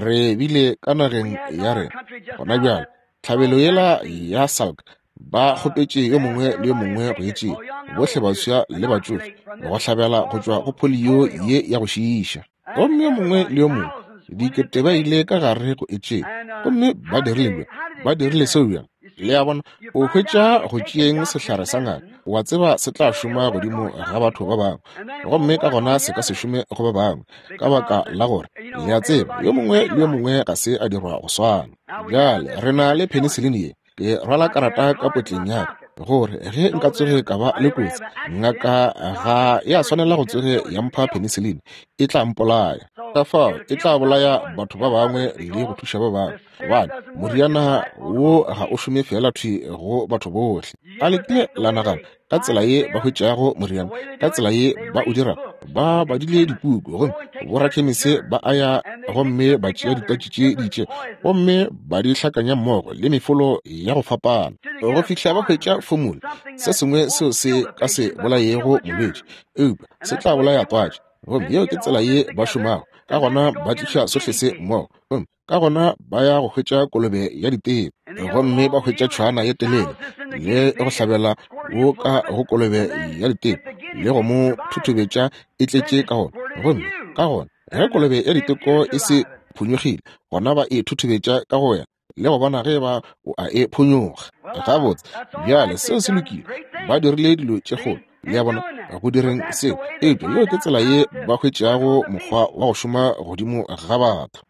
re bile ka nageng ya rena gona bjale. Tlhabelo yela ya Salk ba kgopetše yo mongwe le yo mongwe go e tšea, bohle baswa le batšofe, go hlabela go tšwa go polio ye ya go šiiša. Gomme yo mongwe le yo mongwe, dikete ba ile ka gare go e tšea. Gomme ba dirile bjang? Ba dirile seo bjang? Le a bona, o hwetša go tšeeng sehlare sa ngaka, wa tseba se tla šoma godimo ga batho ba bangwe, gomme ka gona se ka se šome go ba bangwe, ka baka la gore, le a tseba, yo mongwe le yo mongwe ga se a dirwa go swana. Bjale, re na le penicillin ye. Ke rwala karata ka potleng ya ka, gore ge nka tsoge ka ba le kotsi, ngaka ga ya swanela go tsoge ya mpha penicillin, e tla mpolaya. Ka fao e tla bolaya batho ba bangwe le go thuša ba bangwe, gobane moriana wo ga o šome feela thwi go batho bohle. A le kile la nagana ka tsela ye ba hwetšago moriana, ka tsela ye ba o dirago? Ba badile dipuku, gomme borakhemese ba a ya gomme ba tšea ditwatši tše di itšego gomme ba di hlakanya mmogo le mefolo ya go fapana go fihla ba hwetša formula, se sengwe seo se ka se bolayego molwetši, eupša se tla bolaya twatši. Gomme yeo ke tsela ye ba šomago ka gona, ba tliša sohle se mmogo, gomme ka gona ba ya go hwetša kolobe ya ditebo, gomme ba hwetša tšhwana ye telele le go hlabela wo ka go kolobe ya ditebo le go mo thuthubetša e tletše ka gona. Gomme ka gona ge kolobe ya diteko e se phonyokgile, gona ba e thuthubetša ka go wena. le go bona ge eba o a e phonyokga. Gabotse, bjale, seo se lokile. Ba dirile dilo tše kgolo, le a bona, go direng seo. Eupša yeo ke tsela ye ba hwetšago mokgwa wa go šoma godimo ga batho.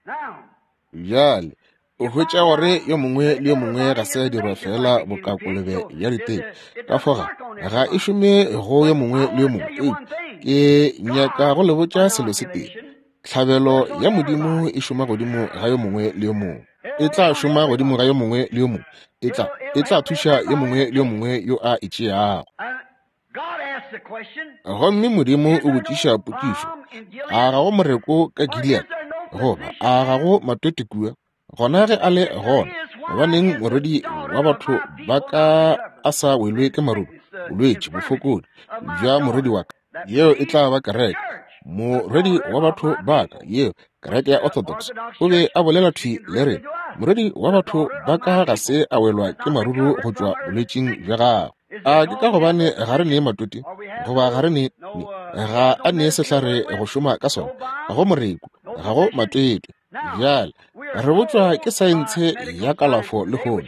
Bjale, o hwetša gore yo mongwe le yo mongwe ga se a dirwa feela boka kolobe ya diteko. Ka fao ga, ga e šome go yo mongwe le yo mongwe. Eupša ke nyaka go le botša selo se tee. Tlhabelo ya Modimo e šoma godimo ga yo mongwe le yo mongwe. E tla šoma godimo ga yo mongwe le yo mongwe. E tla, e tla thuša yo mongwe le yo mongwe yo a e tšeago. Gomme Modimo o botšiša potšišo, A ga go moreko ka Gilead? Goba a ga go matwete kua? Gona ge a le gona, gobaneng morwedi wa batho ba ka a sa welwe ke maruru, bolwetši, bofokodi bja morwedi wa ka? Yeo e tla ba kereke, morwedi wa batho ba ka, yeo kereke ya Orthodox. O be a bolela thwi le rena, morwedi wa batho ba ka ga se a welwa ke maruru go tšwa bolwetšing bja gagwe. A ke ka gobane ga re nee matwete, goba ga re ne, ga a nee sehlare go šoma ka sona? Ga go moreku, ga go matwete. Bjale, re botšwa ke saentshe ya kalafo lehono,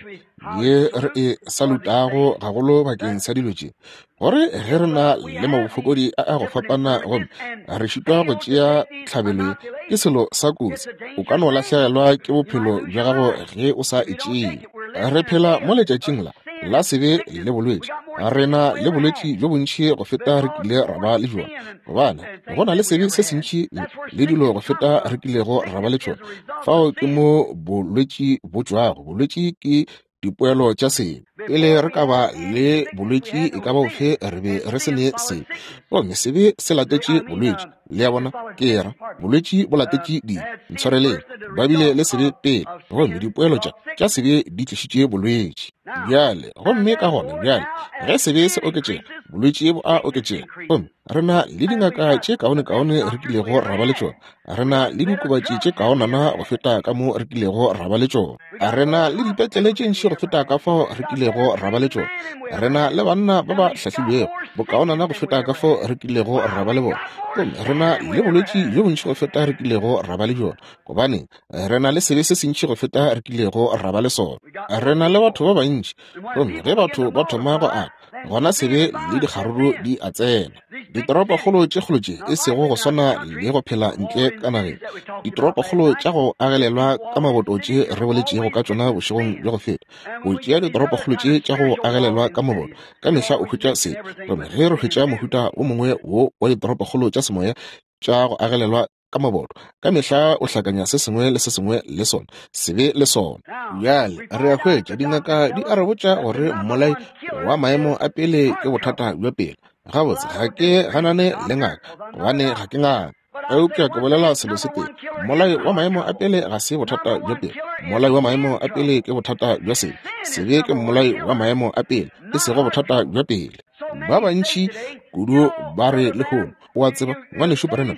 ye re e salutago gagolo bakeng sa dilo tše, gore ge re na le mabofokodi a a go fapana gomme re šitwa go tšea tlhabelo ye, ke selo sa kotsi. O ka no lahlegelwa ke bophelo bja gago ge o sa e tšee. Re phela mo letšatšing la la sebe le bolwetši. Re na le bolwetši bjo bontši go feta re kile ra ba le bjona, gobane go na le sebe se sentši le dilo go feta re kilego ra ba le tšona. Fao ke mo bolwetši bo tšwago. Bolwetši ke dipoelo tša sebe. Pele re ka ba le bolwetši e ka ba bofe, re be re se ne sebe, gomme sebe se latetše bolwetši. Le a bona? Ke ra, bolwetši bo latetše dibe. Ntshwareleng, ba bile le sebe pele, gomme dipoelo tša, tša sebe di tlišitše bolwetši. Bjale, gomme ka gona bjale, ge sebe se oketšega, bolwetši bo a oketšega. Gomme re na le dingaka tše kaonekaone re kilego ra ba le tšona. Re na le diokobatši tše kaonana go feta ka mo re kilego ra ba le tšona. Re na le dipetlele tše ntši go feta ka fao re kilego ra ba le tšona. Re na le banna ba ba hlahlilwego bokaonana go feta ka fao re kilego ra ba le bona. Gomme re na le bolwetši bjo bontši go feta re kilego ra ba le bjona. Gobaneng, re na le sebe se sentši go feta re kilego ra ba le sona. Re na le batho ba bantši. Gomme ge batho ba thoma go ata, gona sebe le dikgaruru di a tsena. Ditoropokgolo tše kgolo tše e sego go swana le go phela ntle ka nageng, ditoropokgolo tša go agelelwa ka maboto tše re boletšego ka tšona bošegong bja go feta. O tšea ditoropokgolo tše tša go agelelwa ka maboto, ka mehla o hwetša se. Gomme ge re hwetša mohuta o mongwe wo wa ditoropokgolo tša semoya tša go agelelwa ka maboto, ka mehla o hlakanya se sengwe le se sengwe le sona, sebe le sona. Bjale re a hwetša dingaka di a re botša gore mmolai wa maemo a pele ke bothata bja pele. Gabotse, ga ke ganane le ngaka, gobane ga ke ngaka. Eupša ke bolela selo se tee, mmolai wa maemo a pele ga se bothata bja pele. Mmolai wa maemo a pele ke bothata bja sebe. Sebe ke mmolai wa maemo a pele, e sego bothata bja pele. Ba bantši kudu ba re lehono, o a tseba, Ngwanešu Branham,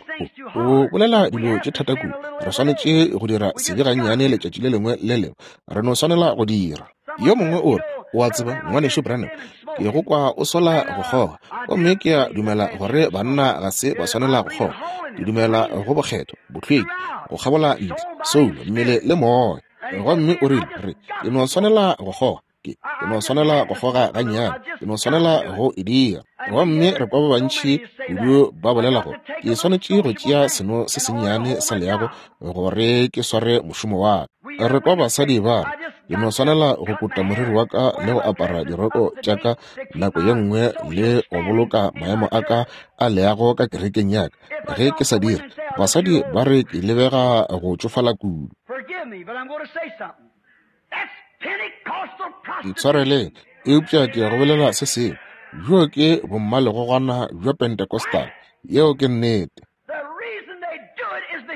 o, o bolela dilo tše thata kudu. Re swanetše go dira sebe gannyane letšatši le lengwe le lengwe. Re no swanela go dira. Yo mongwe o re, o a tseba, Ngwanešu Branham, ke go kwa o sola go kgoga. Gomme ke a dumela gore banna ga se ba swanela go kgoga. Ke dumela go bokgethwa, bohlweki, go kgabola ntle, soulo, mmele le moya. Gomme o rile, re, ke no swanela go kgoga. Ke, ke no swanela go kgoga gannyane, ke no swanela go e dira. Gomme re kwa ba bantši kudu ba bolela gore ke swanetše go tšea seno se sennyane sa leago gore ke sware mošomo wa ka. Re kwa basadi ba re, ke no swanela go kuta moriri wa ka le go apara diroko tša ka nako ye nngwe le go boloka maemo a ka a leago ka kerekeng ya ka. Ge ke sa dire, basadi ba re ke lebega go tšofala kudu. Ntshwareleng, eupša ke ya go bolela se sengwe. Bjoo ke bommalegogwana bja Pentecostal. Yeo ke nnete.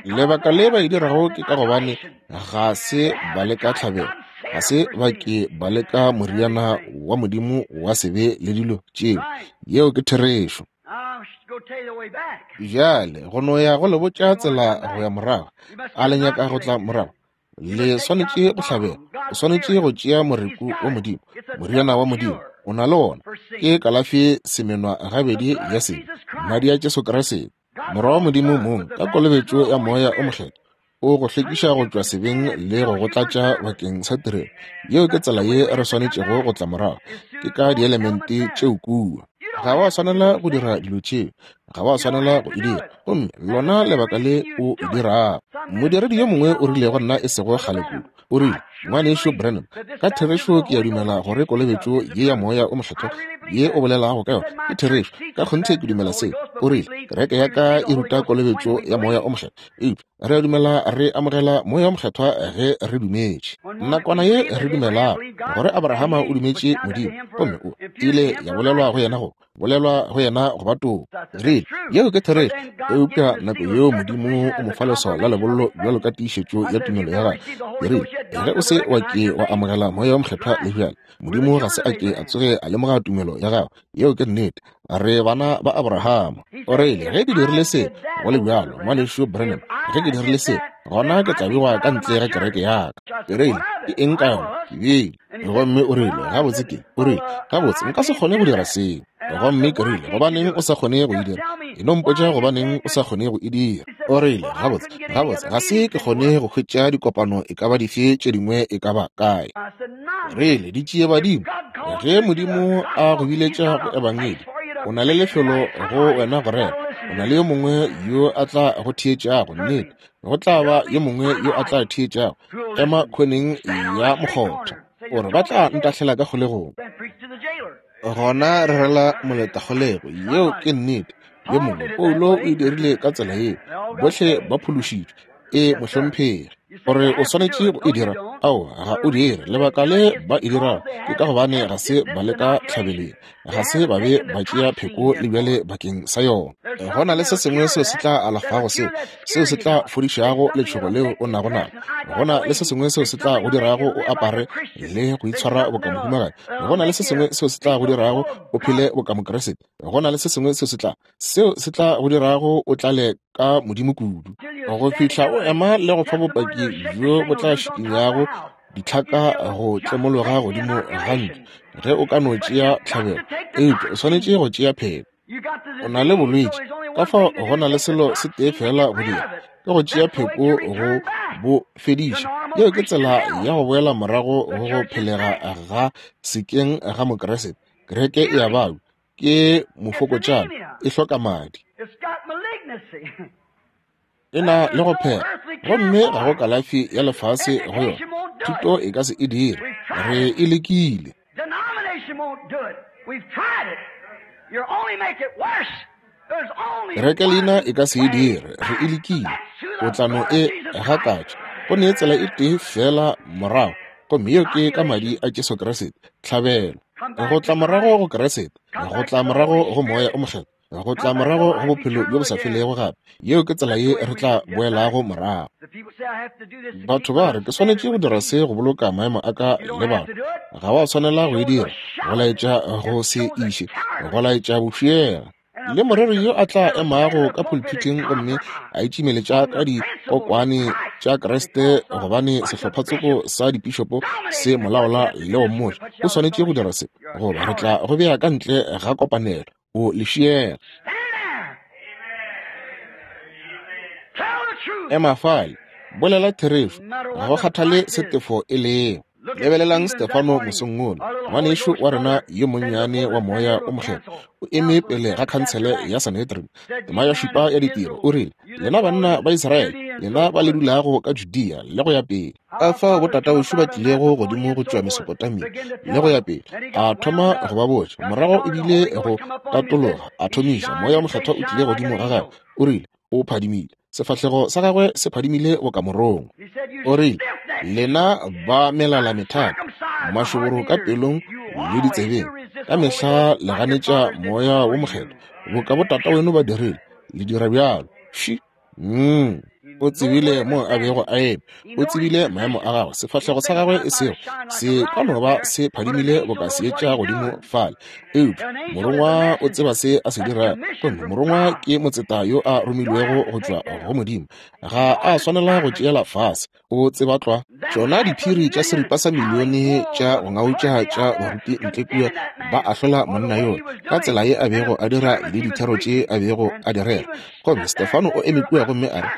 Lebaka le ba e dirago ke ka gobane ga se ba leka tlhabelo, ga se ba ke ba leka moriana wa Modimo wa sebe le dilo tšeo. Yeo ke therešo. Bjale, go no ya go le botša tsela go ya morago. A le nyaka go tla morago? Le swanetše go hlabela. O swanetše go tšea moreku wa Modimo, moriana wa Modimo. O na le wona. Ke kalafi semenwa gabedi ya sebe, Madi a Jesu Kriste, Morwa wa Modimo mong, ka kolobetšo ya Moya o Mokgethwa. O go hlwekiša go tšwa sebeng le go go tlatša bakeng sa tirelo. Yeo ke tsela ye re swanetšego go tla morago, ke ka dielemente tšeo kua. Ga wa swanela go dira dilo tšeo, ga wa swanela go e dira, gomme lona lebaka le o e dirago. Modiredi yo mongwe o rile go nna e sego kgale kudu, o rile, Ngwanešu Branham, ka therešo ke a dumela gore kolobetšo ye ya Moya o Mokgethwa ye o bolelago ka yona ke therešo. Ka kgonthe ke dumela seo. O rile, Kereke ya ka e ruta kolobetšo ya Moya o Mokgethwa, eupša re a dumela re amogela Moya o Mokgethwa ge re dumetše. Nakwana ye re dumelago gore Abrahama o dumetše Modimo, gomme o ile ya bolelwa go yena go bolelwa go yena go ba toko. Rile, yeo ke therešo, eupša nako yeo Modimo o mo fa leswao la lebollo bjalo ka tiišetšo ya tumelo ya gagwe. Ke rile, ge o se wa ke wa amogela Moya wo Mokgethwa le bjale, Modimo ga se a ke a tsoge a lemoga tumelo ya gago. Yeo ke nnete. Re bana ba Abrahama. O rile, ge ke dirile se, go le bjalo, Ngwanešu Branham, ge ke dirile se, gona ke tla bewa ka ntle ga kereke ya ka. Ke rile, ke eng ka yona? Ke bile. Gomme o rile, gabotse ke, o rile, gabotse, nka se kgone go dira seo. Gomme ke rile, gobaneng o sa kgone go e dira? E no mpotša gobaneng o sa kgone go e dira. O rile, gabotse, gabotse, ga se ke kgone go hwetša dikopano e ka ba dife tše dingwe e ka ba kae. Rile, di tšee badimo. Ge Modimo a go biletša go Ebangedi, o na le lefelo go wena go rera. O na le yo mongwe yo a tla go theetšago, nnete. Go tla ba yo mongwe yo a tla theetšago. Ema khoneng ya mokgotha. O re, ba tla ntahlela ka kgolegong. Gona rerela moletakgolego. Yeo ke nnete. Yo mongwe, Paulo o e dirile ka tsela yeo. Bohle ba phološitšwe. E, mohlomphegi. Gore o swanetše go e dira? Aowa, ga o dire. Lebaka le ba e dirago ke ka gobane ga se ba leka tlhabeleng, ga se ba be ba tšea pheko le bjale bakeng sa yona. Go na le se sengwe seo se tla alafago seo, seo se tla fodišago letšhogo leo o nago nalo. Go na le se sengwe seo se tla go dirago o apare le go itshwara boka mohumagadi. Go na le se sengwe seo se tla go dirago o phele boka Mokriste. Go na le se sengwe seo se tla seo se tla go dirago o tlale ka Modimo kudu go fihla o ema le go fa bopaki bjo bo tla šikinyago ditlhaka go tlemologa godimo ga ntlo ge o ka no tšea tlhabelo. Eupša o swanetše go tšea pheko. O na le bolwetši, ka fao go na le selo se tee feela go dira, ke go tšea pheko go bo fediša. Yeo ke tsela ya go boela morago go go phelega ga sekeng ga Mokriste. Kereke e a babja, ke mofokotšana, e hloka madi. E na le go phela, gomme ga go kalafi ya lefase go yona. Thuto e ka se e dire. Re e lekile. Kerekelina e ka se e dire. Re e lekile. O tla no e gakatša. Go ne tsela e tee feela morago, gomme yeo ke ka Madi a Jesu Kriste, tlhabelo. Go tla morago go Kriste, go tla morago go Moya o Mokgethwa, go tla morago go bophelo bjo bo sa felego gape. Yeo ke tsela ye re tla boelago morago. Batho ba re, ke swanetše go dira se go boloka maemo a ka le batho. Ga wa swanela go e dira, go laetša go se iše, go laetša bofiega. Le moreri yo a tla emago ka pulpithing gomme a itšimeletša ka dikokwane tša Kriste gobane sehlophatsoko sa dipišopo se mo laola le go mmotša o swanetše go dira se, goba re tla go bea ka ntle ga kopanelo, o lešiyela. Ema fale, bolela therešo, ga go kgathale se tefo e lego. Lebelelang Stefano mosong wola, ngwanešu wa rena yo monnyane wa Moya o Mokgethwa, o eme pele ga khansele ya Sanhedrin, tema ya šupa ya ditiro, o rile, Lena banna ba Israele, lena ba le dulago ka Judea le go ya pele, ka fao botatawešo ba tlilego godimo go tšwa Mesopotamia le go ya pele, a thoma go ba botša. Morago o bile go tatologa, a thomiša, Moya o Mokgethwa o tlile godimo ga gagwe, o rile, O phadimile. Sefahlego sa gagwe se phadimile boka morongwa. O rile, Lena ba melala methata, mašoboro ka pelong le ditsebeng, ka mehla le ganetša Moya wo Mokgethwa, boka botata weno ba dirile, le dira bjalo. Fši! Mm. O tsebile mo a bego a eme. O tsebile maemo a gagwe. Sefahlego sa gagwe e sego se ka no ba se phadimile boka seetša godimo fale. Eupša morongwa o tseba se a se dirago, gomme morongwa ke motseta yo a romilwego go tšwa go Modimo. Ga a swanela go tšeela fase, o tseba tlwa. Tšona diphiri tša seripa sa milione tša go ngautša tša baruti ntle kua ba ahlola monna yola ka tsela ye a bego a dira le dithero tše a bego a di rera. Gomme Stefano o eme kua gomme a re,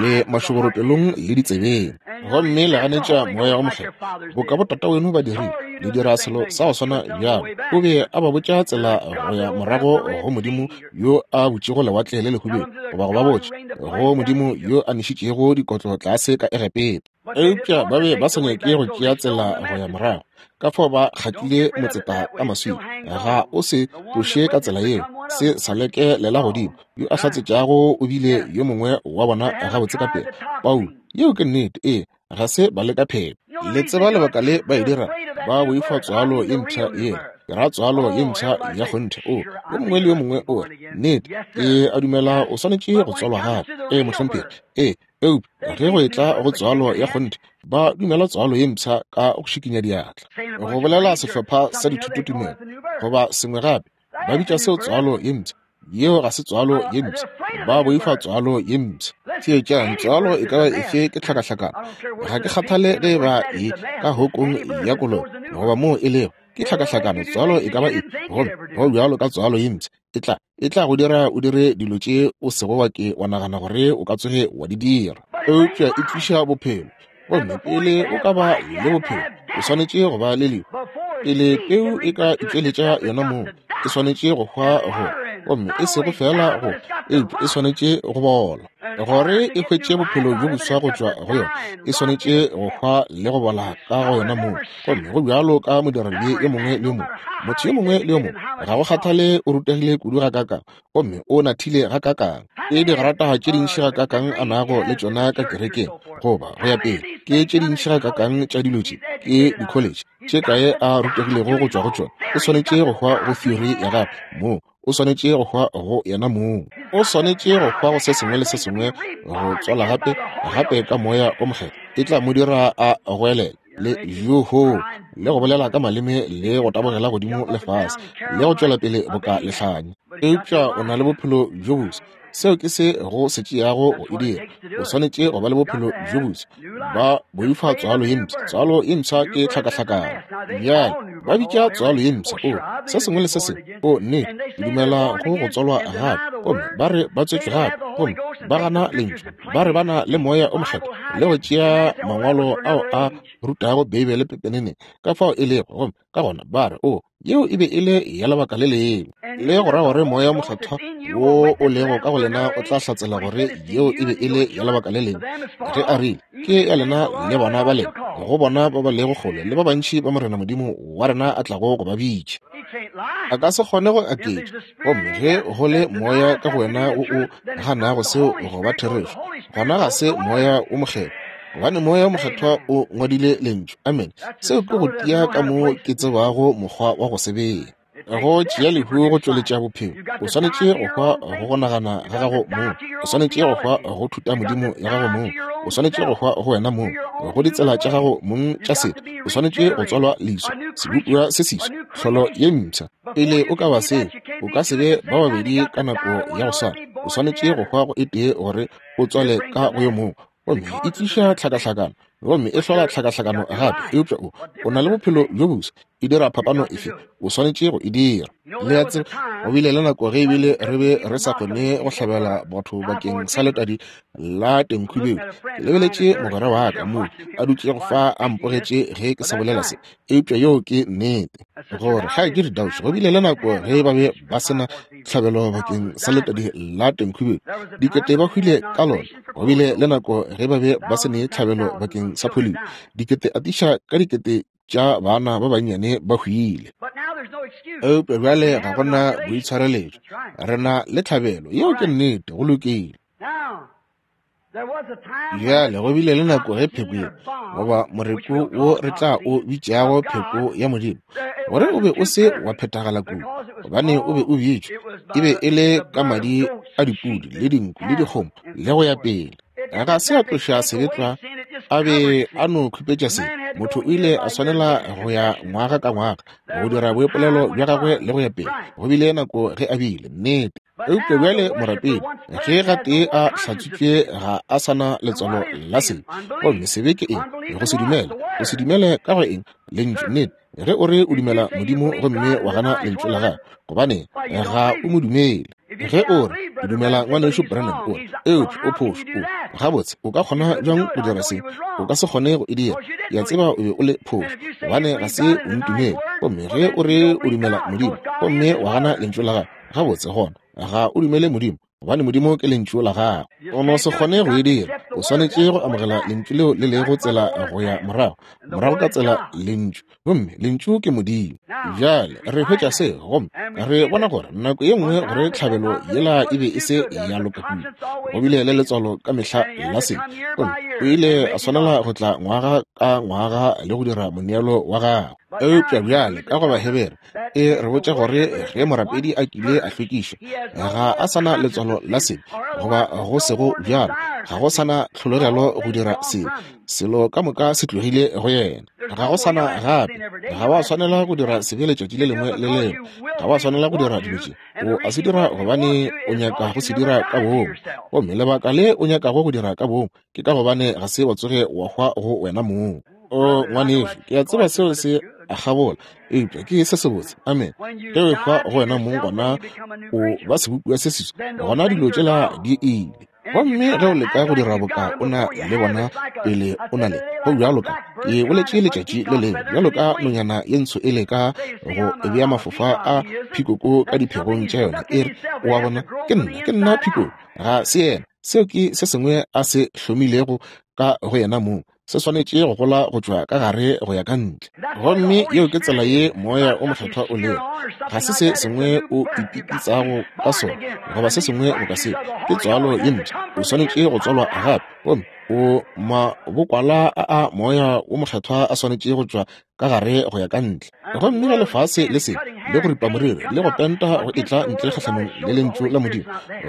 Le Le mašoboro pelong le ditsebeng. Gomme le ganetša Moya wo Mokgethwa, boka botataweno ba dirile. Le dira selo sa go swana bjalo. O be a ba botša tsela go ya morago go Modimo yo a butšego Lewatle le Lehubedu, goba go ba botša go Modimo yo a nešitšego dikotlo tlase ka Egepeta. Eupša ba be ba sa nyake go tšea tsela go ya morago, ka fao ba kgatlile motseta ka maswika. Ga o se tloše ka tsela yeo, se sa leke lela godimo. Yo a hlatsetšago o bile yo mongwe wa bona gabotse ka pela, Paulo. Yeo ke nnete. Ee, ga se ba leka phepo. Le tseba lebaka le ba e dira? Ba boifa tswalo ye mpsha yela. Ke ra tswalo ye mpsha ya kgonthe. O, yo mongwe le yo mongwe o re, Nnete, ke a dumela o swanetše go tswalwa gape. Ee, mohlomphegi. Ee, eupša ge go etla go tswalo ya kgonthe, ba dumela tswalo ye mpsha ka go šikinya diatla, go bolela sehlopha sa dithutotumelo goba sengwe gape, ba bitša seo tswalo ye mpsha. Yeo ga se tswalo ye mpsha. Ba boifa tswalo ye mpsha. Theetšang, tswalo e ka ba efe ke tlhakahlakano. Ga ke kgathale ge e ba e ka hokong ya kolobe goba moo e lego, ke tlhakahlakano, tswalo e ka ba efe. Gomme go bjalo ka tswalo ye mpsha, e tla, e tla go dira o dire dilo tše o sego wa ke wa nagana gore o ka tsoge wa di dira. Eupša e tliša bophelo. Gomme pele o ka ba le bophelo, o swanetše go ba le lehu. Pele peu e ka itšweletša yona mong, e swanetše go hwa go, gomme e sego feela go, eupša e swanetše go bola. Gore e hwetše bophelo bjo boswa go tšwa go yona, e swanetše go hwa le go bola ka go yona mong. Gomme go bjalo ka modiradibe yo mongwe le yo mongwe, motho yo mongwe le yo mongwe, ga go kgathale o rutegile kudu gakaakang, gomme o nathile gakaakang, ke digrata tše dintši gakaakang a nago le tšona ka kerekeng, goba go ya pele, ke tše dintši gakaakang tša dilo tše, ke dikholetše tše kae a rutegilego go tšwa go tšona, o swanetše go hwa go theory ya gagwe moo, o swanetše go hwa go yena mong, o swanetše go hwa go se sengwe le se sengwe, go tswala gape, gape ka Moya o Mokgethwa, e tla mo dira a goelele le yoo le go bolela ka maleme le go tabogela godimo le fase le go tšwela pele boka lehlanye. Eupša o na le bophelo bjo boswa. Seo ke se go se tšeago go e dira. O swanetše go ba le bophelo bjo boswa. Ba boifa tswalo ye mpsha. Tswalo ye mpsha ke tlhakahlakano. Bjale, ba bitša tswalo ye mpsha, o, se sengwe le se sengwe. O, nnete, ke dumela go go tswalwa gape. Gomme ba re ba tswetšwe gape, gomme ba gana Lentšu. Ba re ba na le Moya o Mokgethwa, le go tšea mangwalo ao a rutago Beibele pepeneneng ka fao e lego, gomme ka gona ba re, O, yeo e be e le ya lebaka le lengwe. Le go ra gore Moya o Mokgethwa wo o lego ka go lena o tla hlatsela gore yeo e be e le ya lebaka le lengwe, ge a rile, Ke ya lena le bana ba lena, go bona ba ba lego kgole le ba bantši ba Morena Modimo wa rena a tlago go ba bitša. A ka se kgone go aketša. Gomme ge go le moya ka go wena wo o ganago seo go ba therešo, gona ga se Moya wo Mokgethwa, gobane Moya wo Mokgethwa o ngwadile Lentšu. Amene. Seo ke go tia ka mo ke tsebago mokgwa wa go se bea. Go tšea lehu go tšweletša bophelo. O swanetše go hwa go go nagana ga gago mong. O swanetše go hwa go thutamodimo ya gago mong. O swanetše go hwa go wena mong, go ditsela tša gago mong tša setho. O swanetše go tswalwa leswa, sebopiwa se seswa, tlholo ye mpsha. Pele o ka ba seo, o ka se be ba babedi ka nako ya go swana. O swanetše go hwa go e tee gore o tswale ka go yo mongwe. Gomme e tliša tlhakahlakano, gomme e hlola tlhakahlakano gape. Eupša o, o na le bophelo bjo boswa. E dira phapano efe? O swanetše go e dira. Le a tseba, go bile le nako ge ebile re be re sa kgone go hlabela batho bakeng sa letadi la tenkhubeu. Ke lebeletše mogwera wa ka moo a dutšego fa a mpogetše ge ke sa bolela se, eupša yeo ke nnete. Gore ga ke re Dauch, go bile le nako ge ba be ba se na tlhabelo bakeng sa letadi la tenkhubeu, dikete ba hwile ka lona. Go bile le nako ge ba be ba se ne tlhabelo bakeng sa polio, dikete atiša ka dikete tša bana ba bannyane ba hwile. Eupša bjale ga go na boitshwareletšo, re na le tlhabelo. Yeo ke nnete. Go lokile. Bjale go bile le nako ge pheko ye, goba moreku wo re tla o bitšago pheko ya Modimo, gore o be o se wa phethagala kudu, gobane o be o bitšwa, e be e le ka madi a dipudi le dinku le dikgomo le go ya pele. Ga se a tloša sebe tlwa, a be a no khupetša sebe. Motho o ile a swanela go ya ngwaga ka ngwaga go dira boipolelo bja gagwe le go ya pele. Go bile nako ge a bile, nnete. Eupša bjale morapedi, ge gatee a hlatswitšwe, ga a sa na letswalo la sebe. Gomme sebe ke eng? Go se dumele. Go se dumele ka go eng? Lentšu, nnete. Ge o re o dumela Modimo gomme wa gana Lentšu la Gagwe, gobane ga o mo dumele. Ge o re, Ke dumela Ngwanešu Branham, o re, eupša o phošo. O, gabotse, o ka kgona bjang go dira se? O ka se kgone go e dira. Ke a tseba o be o le phošo, gobane ga se o ntumele. Gomme ge o re o dumela Modimo gomme wa gana Lentšu la Gagwe, gabotse, gona ga o dumele Modimo, gobane Modimo ke Lentšu la Gagwe. O no se kgone go e dira. O swanetše go amogela Lentšu leo le lego tsela go ya morago, morago ka tsela Lentšu. Gomme Lentšu ke Modimo. Bjale re hwetša se, gomme re bona gore nako ye nngwe gore tlhabelo yela e be e se ya loka kudu. Go bile le letswalo ka mehla la sebe, gomme o ile a swanela go tla ngwaga ka ngwaga le go dira moneelo wa gagwe. Eupša bjale ka go Bahebere e re botša gore ge morapedi a kile a hlwekišwa, ga a sa na letswalo la sebe, goba go sego bjalo, ga go sa na tlhologelo go dira sebe. Selo ka moka se tlogile go yena. Ga go sana gape. Ga wa swanela go dira sebe letšatši le lengwe le lengwe. Ga wa swanela go dira dilo tše. O a se dira gobane o nyaka go se dira ka boomo. Gomme lebaka le o nyakago go dira ka boomo ke ka gobane ga se wa tsoge wa hwa go wena mong. O ngwanešu, ke a tseba seo se a gabola, eupša ke se sebotse. Amen. Ge o ehwa go wena mong, gona o ba sebopiwa se seswa. Gona dilo tšela di ile. Gomme ge o leka go dira boka o na le bona pele o na le, go bjalo ka, ke boletše letšatši le lengwe, bjalo ka nonyana ye ntsho e leka go bea mafofa a phikoko ka diphegong tša yona, e re, O a bona, ke nna, ke nna phikoko. Ga se yena. Seo ke se sengwe a se hlomilego ka go yena mong. Se swanetše go gola go tšwa ka gare go ya ka ntle. Gomme yeo ke tsela ye Moya o Mokgethwa o lego. Ga se se sengwe o ipipitsago ka sona, goba se sengwe boka seo. Ke tswalo ye mpsha. O swanetše go tswalwa gape. Gomme o mabokwala a a Moya wo Mokgethwa a swanetše go tšwa ka gare go ya ka ntle. Gomme ge lefase le se le go ripa moriri le go penta go etla ntle kgahlanong le Lentšu la Modimo,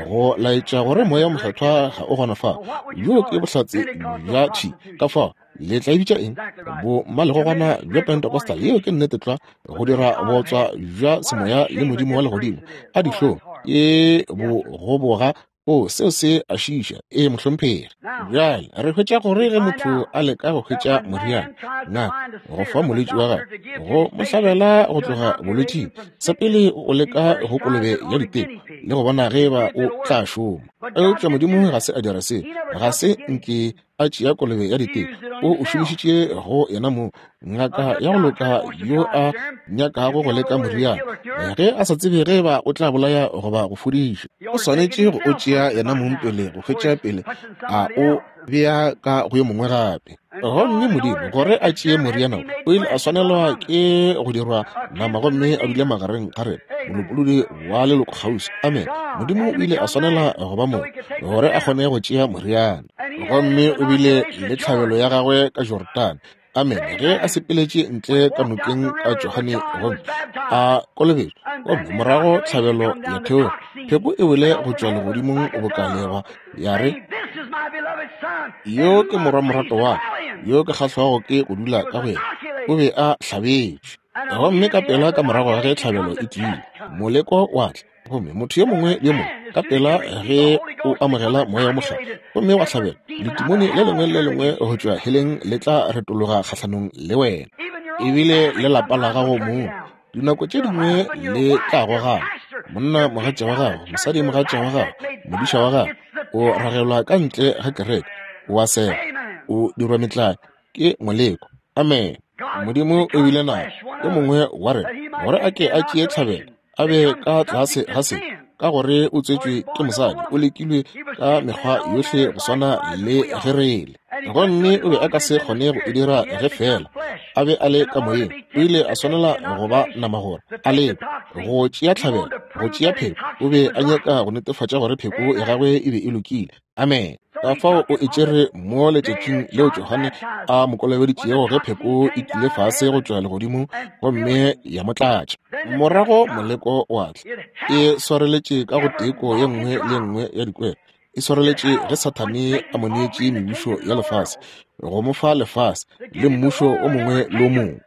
go laetša gore Moya wo Mokgethwa ga o gona fao, bjoo ke bohlatse bja thwi. Ka fao, le tla e bitša eng? Bommalegogwana bja Pentecostal. Yeo ke nnete tlwa, go dira bootswa bja semoya le Modimo wa Legodimo. A dihlong, ke bogoboga. O, seo se a šiiša. Ee, mohlomphegi. Bjale, re hwetša gore ge motho a leka go hwetša moriana, ngaka, go fa molwetši wa gagwe, go mo hlabela go tloga bolwetšing, sa pele o leka go kolobe ya diteko le go bona ge eba o tla šoma. Eupša Modimo ga se a dira seo. Ga se nke a tšea kolobe ya diteko. O o šomišitše go yena mong. Ngaka ya go loka yo a nyakago go leka moriana, ge a sa tsebe ge eba o tla bolaya goba go fodiša, o swanetše go o tšea yena mong pele go hwetša pele a o bea ka go yo mongwe gape. Gomme Modimo, gore a tšee moriana wo, o ile a swanelwa ke go dirwa nama gomme a dule magareng ga rena, molopolodi wa lelokokgauswi. Amen. Modimo o ile a swanela go ba mo gore a kgone go tšea moriana. Gomme o bile le tlhabelo ya gagwe ka Jorodane. Amen. Ge a sepeletše ntle ka nokeng ka Johane gomme a kolobetšwa, gomme morago tlhabelo ya theoga, pheko e wele go tšwa legodimong boka leeba, ya re, Yo ke morwa morato wa ka, yo ke kgahlwago ke go dula ka go yena. O be a hlabetšwe. Gomme ka pela ka morago ga ge tlhabelo e tlile, moleko wa tla. Gomme motho yo mongwe le yo mongwe, ka pela ge o amogela Moya wo Mokgethwa gomme wa hlabelwa, letimone le lengwe le le lengwe go tšwa heleng le tla retologa kgahlanong le wena, ebile le lapa la gago mong. Dinako tše dingwe le tla gogana. Monna mogatša wa gago, mosadi mogatša wa gago, modiša wa gago, o ragelwa ka ntle ga kereke, o a sega, o dirwa metlae, ke moleko. Amen. Modimo o bile nako yo mongwe wa rena gore a ke a tšee tlhabelo, a be ka tlase ga se, ka gore o tswetšwe ke mosadi, o lekilwe ka mekgwa yohle go swana le ge re le. Gomme o be a ka se kgone go e dira ge feela a be a le ka moyeng. O ile a swanela go ba nama gore a lekwe, go tšea tlhabelo, go tšea pheko. O be a nyaka go netefatša gore pheko ya gagwe e be e lokile. Amen. Ka fao o e tšere mo letšatšing leo Johane a mo kolobeditšego, ge pheko e tlile fase go tšwa legodimong gomme ya mo tlatša. Morago moleko wa tla. E swareletše ka go teko ye nngwe le ye nngwe ya dikwero. E swareletše ge Sathane a mo neetše mebušo ya lefase, go mo fa lefase le mmušo o mongwe le o mongwe.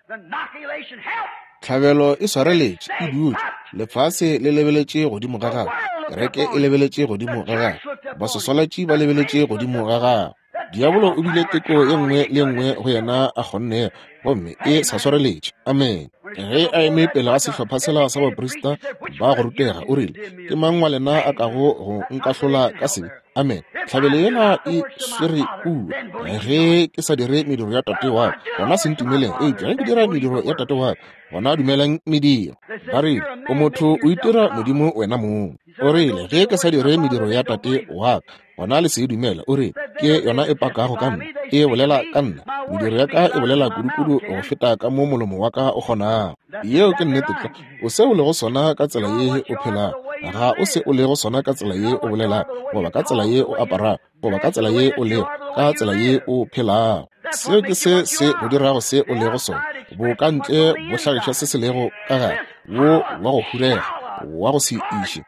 Tlhabelo e swareletše, e dutše. Lefase le lebeletše godimo ga gagwe. Kereke e lebeletše godimo ga gagwe. Baswaswalatši ba lebeletše godimo ga gagwe. Diabolo o bile teko ye nngwe le ye nngwe go yena a kgonnego, gomme e sa swareletše. Amene. Ge a eme pele ga sehlopha sela sa baprista ba go rutega, o rile, Ke mang wa lena a kago go nkahlola ka sebe? Amene. Tlhabelo yela e swere kua. Ge ke sa dire mediro ya Tate wa ka, gona se ntumeleng. Eupša ge ke dira mediro ya Tate wa ka, gona dumelang mediro. Ba rile, O motho, o itira Modimo wena mong. O rile, Ge ke sa dire mediro ya Tate wa ka, gona le se e dumele. O rile, Ke yona e pakago ka nna, e bolela ka nna. Mediro ya ka e bolela kudukudu go feta ka mo molomo wa ka o kgonago. Yeo ke nnete tlwa. O se o lego sona ka tsela ye o phelago, ga o se o lego sona ka tsela ye o bolelago, goba ka tsela ye o aparago, goba ka tsela ye o lego, ka tsela ye o phelago. Seo ke se se go dirago se o lego sona. Bokantle bo hlagiša se se lego ka gare, wo wa go hurega, wa go se iše,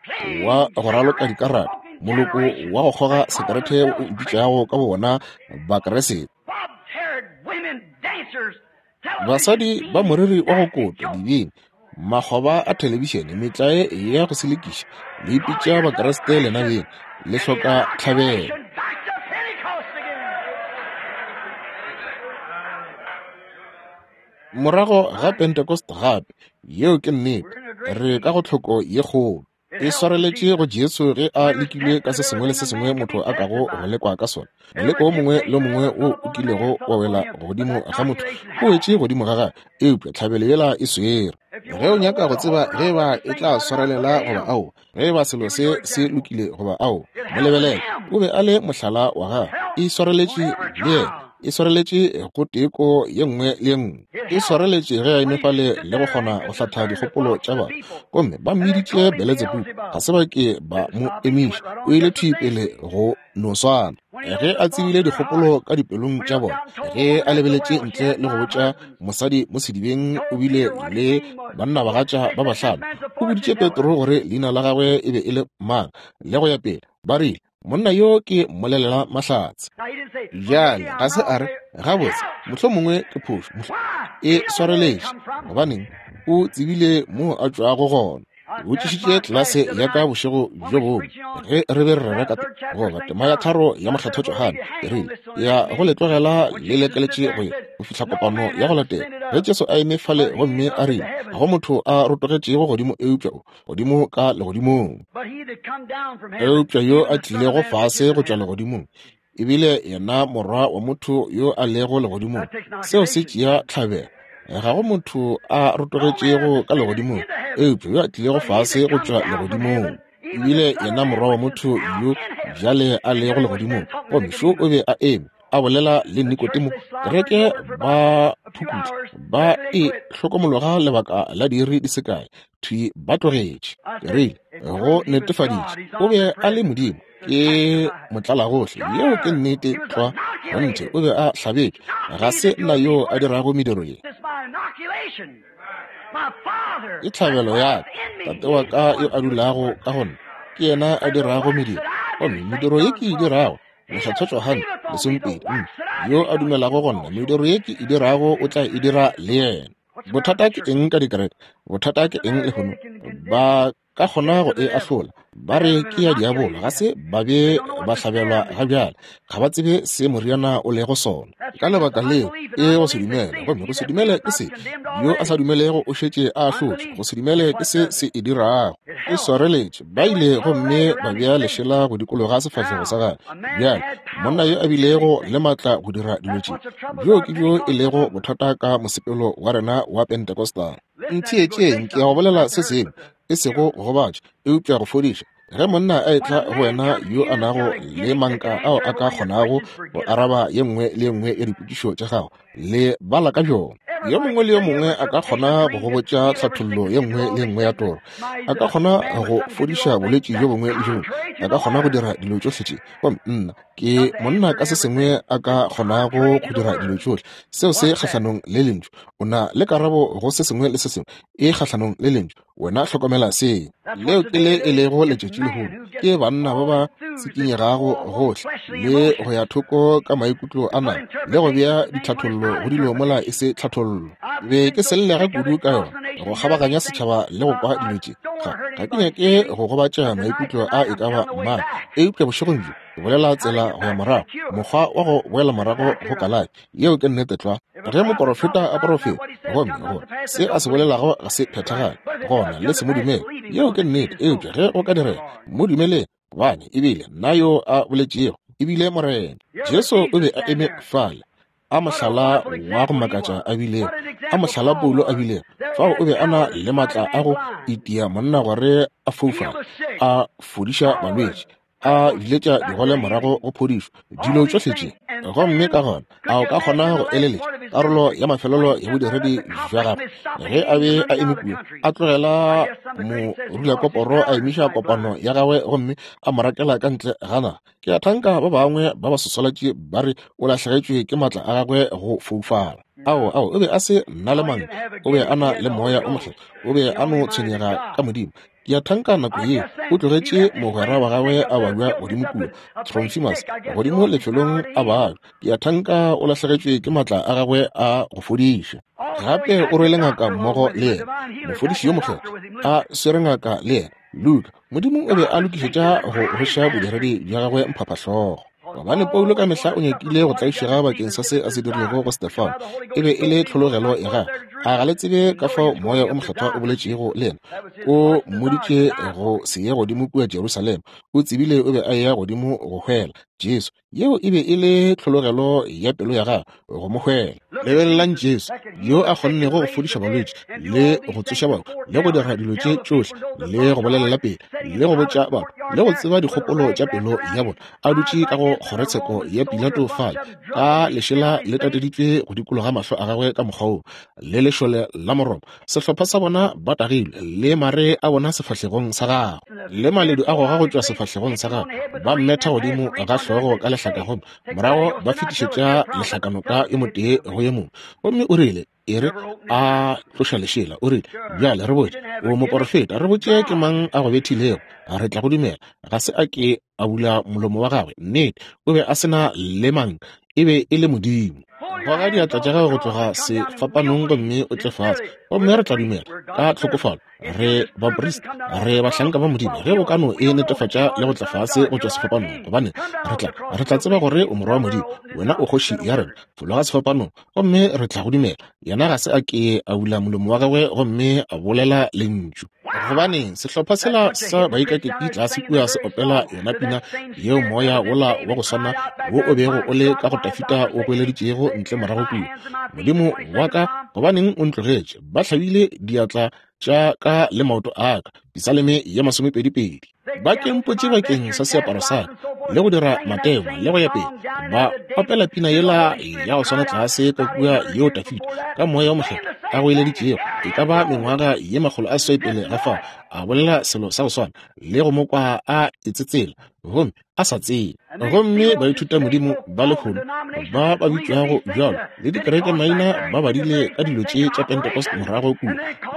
wa go raloka dikarata, moloko wa go kgoga sekerete o ipitšago ka bowona Bakriste. Basadi ba moriri wa go kotwa, dibini, makgoba a thelebišene, metlae ya go selekiša, le ipitša Bakriste lena beng, le hloka tlhabelo. Morago ga Pentecost gape, yeo ke nnete, re ka go tlhoko ye kgolo. E swareletše go Jesu ge a lekilwe ka se sengwe le se sengwe motho a kago go lekwa ka sona. Moleko o mongwe le o mongwe wo o kilego wa wela godimo ga motho o wetše godimo ga gagwe, eupša tlhabelo yela e swere. Ge o nyaka go tseba ge eba e tla swarelela goba aowa, ge eba selo se se lokile goba aowa, mo lebelele. O be a le mohlala wa gagwe. E swareletše le yena. E swareletše go teko ye nngwe le ye nngwe. E swareletše ge a eme fale le go kgona go hlatha dikgopolo tša batho. Gomme ba mmiditše Beletsebubu. Ga se ba ke ba mo emiša. O ile thwi pele go no swana. Ge a tsebile dikgopolo ka dipelong tša bona, ge a lebeletše ntle le go botša mosadi mo sedibeng o bile le bannabagatša ba bahlano, o boditše Petro gore leina la gagwe e be e le mang, le go ya pele. Ba rile, Monna yo ke mmolelela mahlatse. Bjale ga se a re, Gabotse, mohlomongwe ke phošo. E swareletše. Gobaneng? O tsebile moo a tšwago gona. Ke botšišitše tlelase ya ka bošego bjo bongwe ge re be re rera ka goba tema ya tharo ya Mokgethwa Johane, ke rile, ya go le tlogela le lekeletše go ya go fihla kopano ya go latela. Ge Jesu a eme fale gomme a rile, Ga go motho a rotogetšego godimo eupša o godimo ka legodimong. Eupša yo a tlilego fase go tšwa legodimong e bile yena Morwa wa motho yo a lego legodimong. Seo se tšea tlhabelo. Ga go motho a rotogetšego ka legodimong eupša yo a tlilego fase go tšwa legodimong e bile yena Morwa wa motho yo bjale a lego legodimong. Gomme šo o be a eme a bolela le Nikodemo, kereke ba phukutla ba e hlokomologa lebaka la diiri di se kae, thwi ba tlogetše. Ke rile, go netefaditše o be a le Modimo, ke motlalagohle. Yeo ke nnete tlwa. Kgonthe, o be a hlabetšwe. Ga se nna yo a dirago mediro ye. Ke tlhabelo ya ka. Tate wa ka yo a dulago ka go nna, ke yena a dirago mediro. Gomme mediro ye ke e dirago, Mokgethwa Johane, lesomepedi, yo a dumelago go nna, mediro ye ke e dirago o tla e dira le yena. Bothata ke eng ka dikereke? Bothata ke eng lehono? Ba ka kgona go e ahlola, ba re ke ya diabolo, ga se ba be ba hlabelwa ga bjale, ga ba tsebe se moriana o lego sona. Ka lebaka leo e go se dumele, gomme go se dumele ke se. Yo a sa dumelego o šetše a ahlotšwe. Go se dumele ke se se e dirago. E swareletše. Ba ile gomme ba bea lešela go dikologa sefahlego sa gagwe. Bjale, monna yo a bilego le maatla go dira dilo tše, bjoo ke bjo e lego bothata ka mosepelo wa rena wa Pentecostal. Ntheetšeng, ke ya go bolela se sengwe, e sego go gobatša, eupša go fodiša. Ge monna a etla go wena yo a nago le manka ao a ka kgonago go araba ye nngwe le ye nngwe ya dipotšišo tša gago, le bala ka bjona. Yo mongwe le yo mongwe a ka kgona go go botša tlhathollo ye nngwe le ye nngwe ya toro, a ka kgona go fodiša bolwetši bjo bongwe le bjo bongwe, a ka kgona go dira dilo tšohle tše. Gomme nna ke monna ka se sengwe a ka kgonago go dira dilo tšohle. Seo se kgahlanong le Lentšu. O na le karabo go se sengwe le se sengwe, e kgahlanong le Lentšu. Wena hlokomela se. Leo ke le e lego letšatši lehono. Ke banna ba ba tsikinyegago gohle le go ya thoko ka maikutlo a nama le go bea ditlhathollo go dilo mola e se tlhathollo. Be ke sellega kudu ka yona go kgabaganya setšhaba le go kwa dilo tše. Ga ke nyake go gobatša maikutlo a e ka ba mang, eupša bošegong bjo ke bolela tsela go ya morago, mokgwa wa go boela morago go kalafi. Yeo ke nnete tlwa. Ge moporofeta a porofeta, gomme gore se a se bolelago ga se phethagale, gona le se mo dumele. Yeo ke nnete. Eupša ge go ka direga, mo dumeleng, gobane ebile nna yo a boletšego, ebile Morena. Jesu o be a eme fale, a mohlala wa go makatša a bilego, a mohlala Paulo a bilego. Fao o be a na le maatla a go itia monna gore a foufale, a fodiša balwetši, a biletša digole morago go phodišo, dilo tšohle tše. Gomme ka gona a o ka kgona go eleletša karolo ya mafelelo ya bodiredi bja gagwe ge a be a eme kua, a tlogela morulakoporo a emiša kopano ya gagwe gomme a mo rakela ka ntle ga naga. Ke a thanka ba bangwe ba basoswalatši ba re o lahlegetšwe ke maatla a gagwe go foufala. Ao, ao, o be a se na le manka, o be a na le Moya o Mokgethwa, o be a no tshwenyega ka Modimo. Ke a thanka nako ye o tlogetše mogwera wa gagwe a babja godimo kua, Tronfimus, godimo lefelong a babja. Ke a thanka o lahlegetšwe ke maatla a gagwe a go fodiša. Gape o rwele ngaka mmogo le yena, mofodiši yo mokgethwa, a swere ngaka le yena, Luka. Modimo o be a lokišetša go hweša bodiredi bja gagwe mphaphahlogo. Gobane Paulo ka mehla o nyakile go tlaišega bakeng sa se a se dirilego go Stefano. E be e le tlhologelo ya gagwe. A ga le tsebe ka fao Moya o Mokgethwa o boletšego le yena? O mmoditše go se ye godimo kua Jerusalema. O tsebile o be a eya godimo go hwela Jesu. Yeo e be e le tlhologelo ya pelo ya gagwe, go mo hwela. Lebelelang Jesu, yo a kgonnego go fodiša balwetši le go tsoša bahu le go dira dilo tše tšohle le go bolelela pele le go botša batho le go tseba dikgopolo tša pelo ya bona, a dutše ka go kgorotsheko ya Pilato fale, ka lešela le tateditšwe go dikologa mahlo a gagwe ka mokgwa wo, le lešole la Moroma, sehlopha sa bona ba tagilwe, le mare a bona sefahlegong sa gagwe, le maledu a goga go tšwa sefahlegong sa gagwe, ba mmetha godimo ga hlogo ka lehlaka gomme morago ba fetišetša lehlakanoka yo motee go yo mongwe. Gomme o rile, E re, a tloša lešela, o rile, bjale re botše, o moporofeta, re botše ke mang a go bethilego, re tla go dumela. Ga se a ke a bula molomo wa gagwe. Nnete, o be a se na le mang, e be e le Modimo. Goga diatla tša gago go tloga sefapanong gomme o tle fase, gomme re tla dumela ka tlhokofalo. Re baprista, re bahlanka ba Modimo. Ge o ka no e netefatša le go tla fase go tšwa sefapanong, gobane re tla tseba gore o morwa wa Modimo, wena o kgoši ya rena. Fologa sefapanong gomme re tla go dumela. Yena ga se a ke a bula molomo wa gagwe gomme a bolela lentšu. Gobaneng, sehlopha sela sa baikaketši tlase kua se opela yona pina yeo moya wola wa go swana wo o bego o le ka go Dafida o goeleditšego ntle morago kua, Modimo wa ka, gobaneng o ntlogetše? Ba hlabile diatla tša ka le maoto a ka. Pisaleme ya 22. Ba kempotše bakeng sa seaparo sa ka le go dira matengwa le go ya pele. Ba opela pina yela ya go swana tlase ka kua yeo Dafida ka moya o mokgethwa a goeleditšego e ka ba mengwaga ye 800 pele ga fao, a bolela selo sa go swana le go mo kwa a itsetsela gomme a sa tsebe. Gomme baithutamodimo ba lehono ba ba bitšwago bjalo le dikereke maina ba badile ka dilo tše tša Pentecost morago kua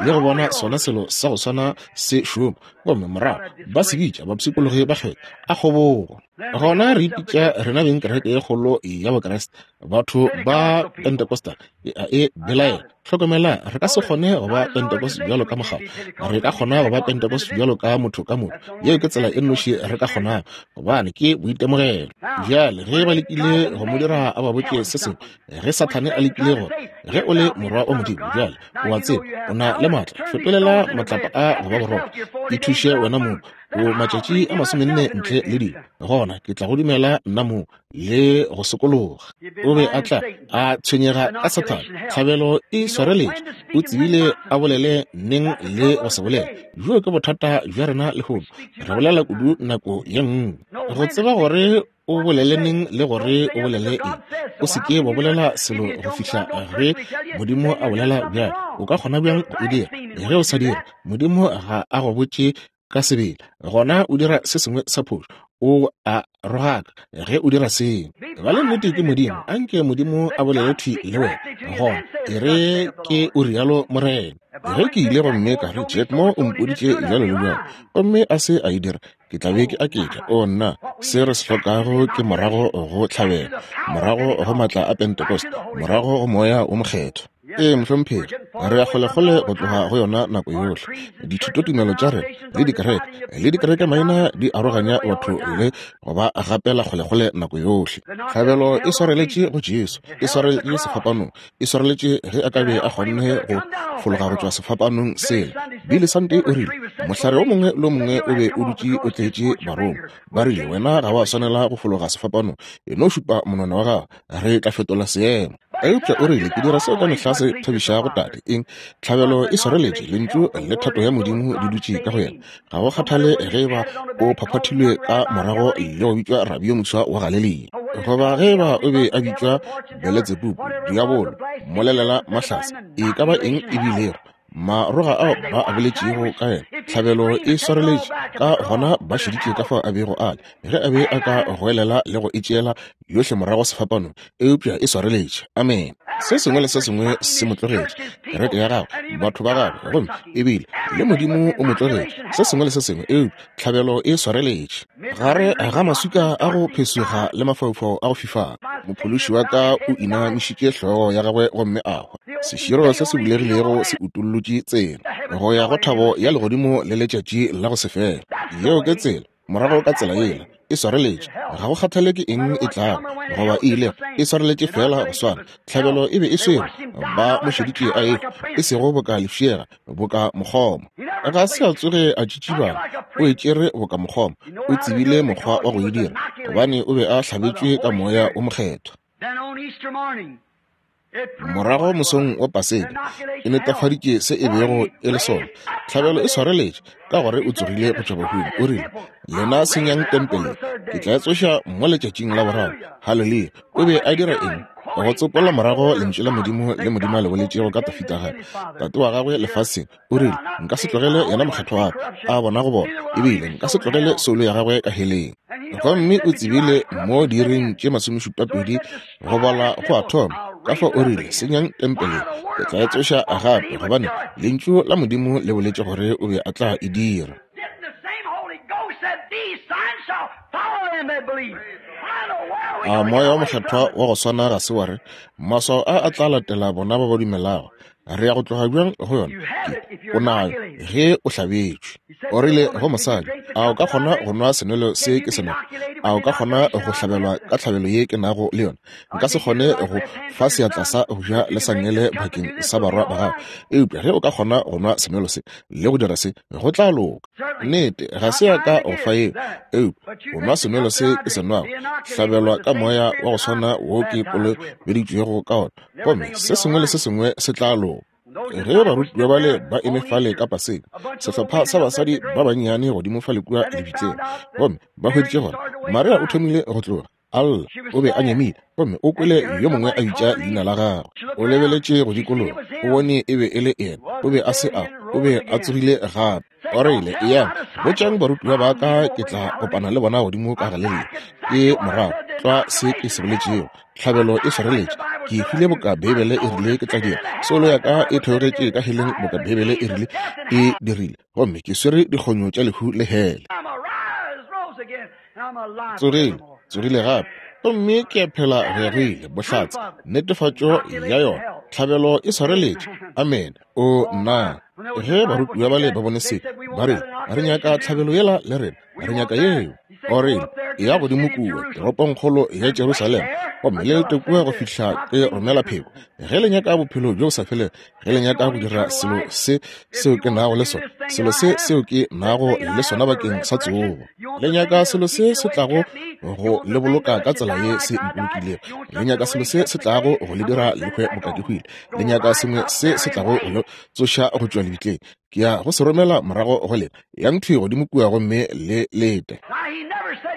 le go bona sona selo sa go swana se šoma, gomme morago ba se bitša bapshikologi ba kgetho a kgobogo. Gona re ipitša rena beng kereke ye kgolo ya Bokriste, batho ba Pentecostal. E a e belaela. Hlokomela, re ka se kgone go ba Pentecost bjalo ka mokgatlo. Re ka kgona go ba Pentecost bjalo ka motho ka motho. Yeo ke tsela e nnoši re ka kgonago, gobane ke boitemogelo. Bjale, ge ba lekile go mo dira a ba botše se sengwe, ge Sathane a lekile gore, ge o le morwa wa Modimo, bjale, o a tseba, o na le maatla, fetolela matlapa a go ba borotho, ithuše wena mong, o matšatši a 40 ntle le dijo, gona ke tla go dumela nna mong. le go sokologa. O be a tla a tshwenyega ka Sathane. Tlhabelo e swareletše. O tsebile a bolele neng le go se bolele. Bjo ke bothata bja rena lehono. Re bolela kudu nako ye nngwe. Go tseba gore o bolele neng le gore o bolele eng. O se ke wa bolela selo go fihla ge Modimo a bolela bjalo. O ka kgona bjang go e dira? Ge o sa dire, Modimo ga a go botše ka sebele. Gona o dira se sengwe sa phošo. O a rogaka ge o dira seo. Ba le nnete ke Modimo. Anke Modimo a bolele thwi le wena. Gona e re ke o rialo Morena. Ge ke ile gomme ka re, Jack Moore o mpoditše bjalo le bjalo, gomme a se a e dira, ke tla be ke aketša. O nna, se re se hlokago ke morago go tlhabelo, morago go maatla a Pentecost, morago go Moya wo Mokgethwa. Ee, mohlomphegi, re ya kgolekgole go tloga go yona nako yohle. Dithutotumelo tša rena le dikereke le dikerekemaina di aroganya batho le go ba gapela kgolekgole nako yohle. Tlhabelo e swareletše go Jesu, e swareletše sefapanong, e swareletše ge a ka be a kgonne go fologa go tšwa sefapanong sela. Billy Sunday o rile, Mohlare o mongwe le o mongwe o be o dutše o tletše barongwa. Ba rile, Wena ga wa swanela go fologa sefapanong, e no šupa monwana wa gago, re tla fetola seemo. Eupša o rile, Ke dira seo ka mehla se thabišago Tate. Eng? Tlhabelo e swareletše, Lentšu le thato ya Modimo di dutše ka go yena. Ga go kgathale ge eba o phaphathilwe ka morago le go bitšwa rabi yo moswa wa Galelia, goba ge eba o be a bitšwa Beletsebubu, diabolo, mmolelela mahlatse, e ka ba eng e bilego, maroga ao ba a boletšego ka yena, tlhabelo e swareletše. Ka gona ba šeditše ka fao a bego a le, ge a be a ka goelela le go e tšeela yohle morago sefapanong, eupša e swareletše. Amene. Se sengwe le se sengwe se mo tlogetše, kereke ya gagwe, batho ba gagwe, gomme ebile le Modimo o mo tlogetše, se sengwe le se sengwe, eupša tlhabelo e swareletše. Gare ga maswika a go phesoga le mafaufau a go fifala, Mophološi wa ka o inamišitše hlogo ya gagwe gomme a hwa. Seširo se se bulegilego se utollotše tsela go ya go thabo ya legodimo le letšatši la go se fele. Yeo ke tsela, morago ka tsela yela, e swareletše. Ga go kgathale ke eng e tlago goba e ilego, e swareletše feela go swana. Tlhabelo e be e swerwe, ba mo šeditše a ehwa, e sego boka lefšega, boka mokgoma. Ga se a tsoge a tšitšibala, o e tšere boka mokgoma. O tsebile mokgwa wa go e dira, gobane o be a hlabetšwe ka Moya wo Mokgethwa. Morago mosong wa Paseka, e netafaditše se e bego e le sona. Tlhabelo e swareletše, ka gore o tsogile go tšwa bahung. O rile, Lena senyang tempele, ke tla e tsoša mo letšatšing la boraro. Haleluya! O be a dira eng? Go tsopola morago Lentšu la Modimo le Modimo a le boletšego ka Dafida gape, tate wa gagwe lefaseng. O rile, Nka se tlogele yena mokgethwa wa ka a bona go bona, ebile nka se tlogele soulo ya gagwe ka heleng. Gomme o tsebile mo diiring tše masomešupapedi go bala go a thoma. Ka fao o rile, Senyang tempele, ke tla e tsoša gape, gobane Lentšu la Modimo le boletše gore o be a tla e dira. A Moya wo Mokgethwa wa go swana ga se wa re, Maswao a a tla latela bona ba ba dumelago? Re ya go tloga bjang go yona? Ke, o nayo ge o hlabetšwe. O rile go mosadi, A o ka kgona go nwa senwelo se ke se nwago? A o ka kgona go hlabelwa ka tlhabelo ye ke nago le yona? Nka se kgone go fa seatla sa go ja le sa nngele bakeng sa barwa ba gago. Eupša ge o ka kgona go nwa senwelo se le go dira se, go tla loka. Nnete, ga se ya ka go fa yeo, eupša go nwa senwelo se ke se nwago, hlabelwa ka moya wa go swana wo ke kolobeditšwego ka ona, gomme se sengwe le se sengwe se tla loka. Ge barutiwa bale ba eme fale ka Paseka, sehlopha sa basadi ba bannyane godimo fale kua lebitleng, gomme ba hweditše gore Maria o thomile go tloga, a lla, o be a nyamile, gomme o kwele yo mongwe a bitša leina la gagwe. O lebeletše go dikologa, o bone e be e le yena, o be a se a, o be a tsogile gape. O rile, Eyang, botšang barutiwa ba ka ke tla kopana le bona godimo ka Galelia. Ke morago tlwa se ke se boletšego. Tlhabelo e swareletše. Ke hwile boka Beibele e rile ke tla dira. Soulo ya ka e theogetše ka heleng boka Beibele e rile e dirile. Gomme ke swere dikgonyo tša lehu le hele. Tsogile, tsogile gape. Gomme ke a phela go ya go ile. Bohlatse, netefatšo ya yona. Tlhabelo e swareletše. Amene. O nna! Ge barutiwa bale ba bone se, ba rile, Re nyaka tlhabelo yela le rena. Re nyaka yeo. O rile, Eya godimo kua, toropongkgolo ya Jerusalema, gomme le lete kua go fihla ke romela pheko. Ge le nyaka bophelo bjo bo sa felego, ge le nyaka go dira selo se seo ke nago le sona, selo se seo ke nago le sona bakeng sa tsogo, le nyaka selo se se tlago go le boloka ka tsela ye se mpolokilego, le nyaka selo se se tlago go le dira le hwe boka ke hwile, le nyaka sengwe se se tlago go le tsoša go tšwa lebitleng, ke ya go se romela morago go lena. Yang thwi godimo kua gomme le lete.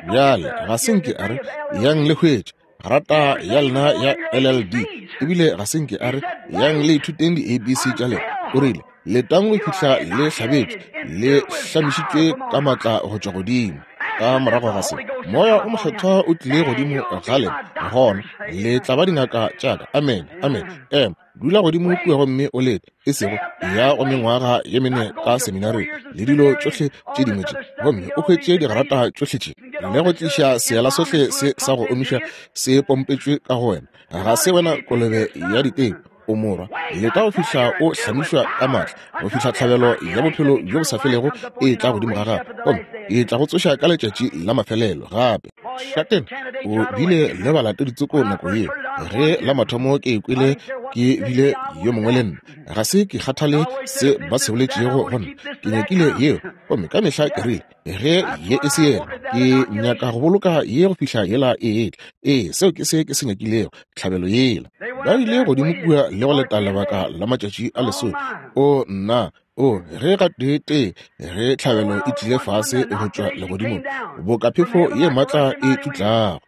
Bjale, ga se nke a re, Yang le hwetše grata ya lena ya LLD, ebile ga se nke a re, Yang le ithuteng di-ABC tša lena. O rile, Letang go fihla le hlabetšwe, le hlamišitšwe ka maatla go tšwa godimo. Ka morago ga se, Moya o Mokgethwa o tlile godimo ga lena, gona le tla ba dingaka tša ka. Amene, amene. Ema. Dula godimo kua gomme o lete, e sego ya go mengwaga ye mene ka seminaring le dilo tšohle tše dingwe tše, gomme o hwetše digrata tšohle tše, le go tliša seela sohle se sa go omiša se pompetšwe ka go wena. Ga se wena kolobe ya diteko, o morwa. Leta go fihla o hlamišwa ka maatla, go fihla tlhabelo ya bophelo bjo bo sa felego e tla godimo ga gago, gomme e tla go tsoša ka letšatši la mafelelo gape. Šatena o bile le balatedi tsoko nako yeo. Ge la mathomo ke ikwele ke bile yo mongwe le nna, ga se ke kgathale se ba se boletšego go nna, ke nyakile yeo, gomme ka mehla ke rile, Ge ye e se yela, ke nyaka go boloka ye go fihla yela e etla. Ee, seo ke se ke se nyakilego, tlhabelo yela. Ba ile godimo kua le go leta lebaka la matšatši a lesome. O nna, o ge gateetee ge tlhabelo e tlile fase go tšwa legodimong, boka phefo ye matla e tšutlago,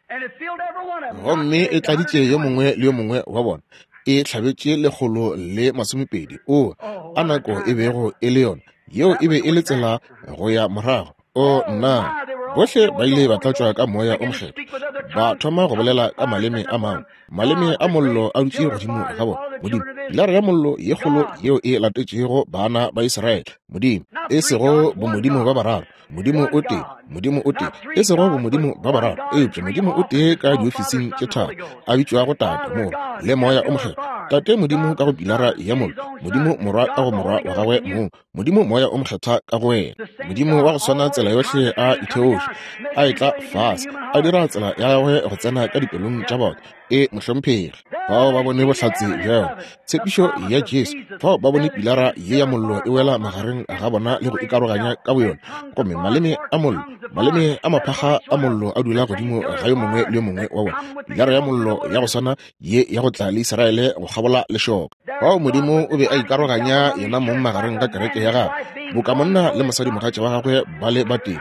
gomme e tladitše yo mongwe le yo mongwe wa bona, e hlabetše 120. O a nako e bego e le yona! Yeo e be e le tsela go ya morago. O nna! Bohle ba ile ba tlatšwa ka Moya o Mokgethwa, ba thoma go bolela ka maleme a mangwe. Maleme a mollo a dutše godimo ga bona. Modimo, pilara ya mollo ye kgolo yeo e latetšego bana ba Israele. Modimo, e sego bomodimo ba bararo, Modimo o tee, Modimo o tee, e sego bomodimo ba bararo, eupša Modimo o tee ka diofising tše tharo, a bitšwago Tate, Morwa, le Moya o Mokgethwa. Tate Modimo ka go pilara ya mollo, Modimo Morwa ka go Morwa wa gagwe mong, Modimo Moya o Mokgethwa ka go wena. Modimo wa go swana tsela yohle a itheoša, a etla fase, a dira tsela ya gagwe go tsena ka dipelong tša batho. E, mohlomphegi. Fao ba bone bohlatse bja yona, tshepišo ya Jesu. Fao ba bone pilara ye ya mollo e wela magareng ga bona le go ikaroganya ka boyona, gomme maleme a mollo, maleme a maphakga a mollo a dula godimo ga yo mongwe le yo mongwe wa bona. Pilara ya mollo ya go swana ye ya go tla le Israele go kgabola lešoka. Fao Modimo o be a ikaroganya yena mong magareng ga kereke ya gagwe, boka monna le mosadimogatša wa gagwe ba le batee,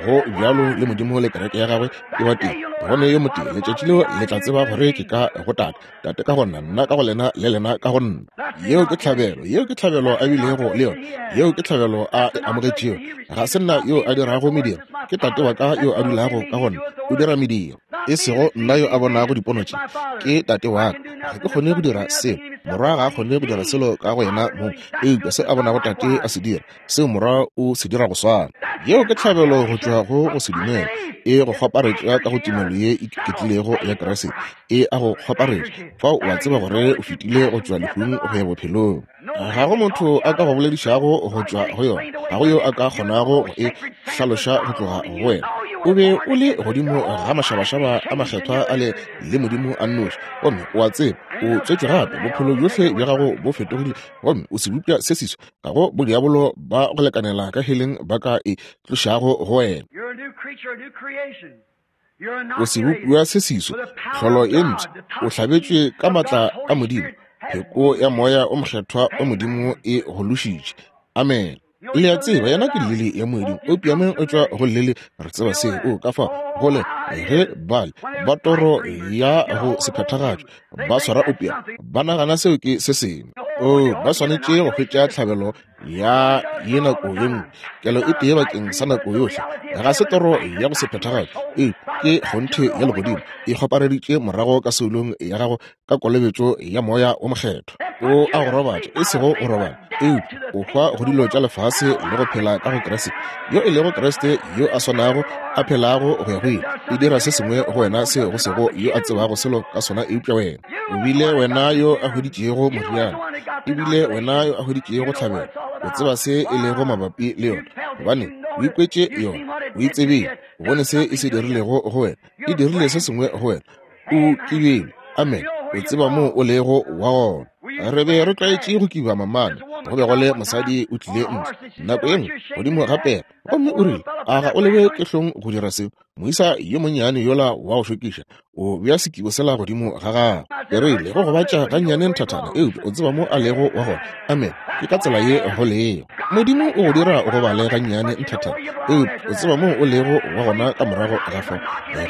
go bjalo le Modimo le kereke ya gagwe ke wa tee, go ne yo motee. Letšatši leo le tla tseba gore ke ka go Tate, Tate ka go nna, nna ka go lena, le lena ka go nna. Yeo ke tlhabelo, yeo ke tlhabelo a bilego le yona, yeo ke tlhabelo a e amogetšego. Ga se nna yo a dirago mediro, ke Tate wa ka yo a dulago ka go nna, o dira mediro. E sego nna yo a bonago dipono tše, ke Tate wa ka. Ga ke kgone go dira seo, Morwa ga a kgone go dira selo ka go yena mong, eupša se a bonago Tate a se dira, seo Morwa o se dira go swana. Yeo ke tlhabelo go tšwa go go se dumela, e go kgwaparetša ka go tumelo ye e iketlilego ya Kriste, e a go kgwaparetša. Fao o a tseba gore o fetile go tšwa lehung go ya bophelong. Ga go motho a ka go boledišago go tšwa go yona, ga go yo a ka kgonago go e hlaloša go tloga go wena. O be o le godimo ga mašabašaba a makgethwa a le le Modimo a nnoši, gomme o a tseba o tswetšwe gape, bophelo bjohle bja gago bo fetogile, gomme o sebopša se seswa. Ga go bodiabolo ba go lekanela ka heleng ba ka e tlošago go wena. O sebopiwa se seswa, tlholo ye mpsha, o hlabetšwe ka maatla a Modimo, pheko ya Moya o Mokgethwa wa Modimo e go lošitše. Amen. Le a tseba, yena ke lili ya moeding, opiame o tšwa go lili, re tseba seo. O ka fa go le ge bale ba toro ya go se phethagatšwe ba swara opiame, ba nagana seo ke se sengwe. O ba swanetše go hwetša tlhabelo ya ye nako ye nngwe, kelo e tee bakeng sa nako yohle. Ga se toro ya go se phethagatšwe, eupša ke kgonthe ya legodimo e kgwapareditše morago ka soulong ya gago ka kolobetšo ya Moya wo Mokgethwa. O a go robatša, e sego go robala, eupša o hwa go dilo tša lefase le go phela ka go Kriste, yo e lego Kriste yo a swanago a phelago go ya go ile. E dira se sengwe go wena seo go sego yo a tsebago selo ka sona eupša wena. O bile wena yo a hweditšego moriana, e bile wena yo a hweditšego tlhabelo. O tseba se e lego mabapi le yona, gobane o ikwetše yona, o e tsebile, o bone se e se dirilego go wena, e dirile se sengwe go wena. O kibile. Amen. O tseba moo o lego wa gona. Re be re tlwaetše go kiba mamane. Go be go le mosadi o tlile ntle nako ye nngwe godimo ga pere, gomme o rile, A ga o lebe ke hlong go dira seo? Moisa yo monnyane yola wa go šokiša o bea sekibo sela godimo ga gagwe. Ke rile, Go gobatša gannyane nthathana, eupša o tseba mo a lego wa gona. Amen. Ke ka tsela ye go lego. Modimo o go dira o gobale gannyane nthathana, eupša o tseba moo o lego wa gona ka morago ga fao.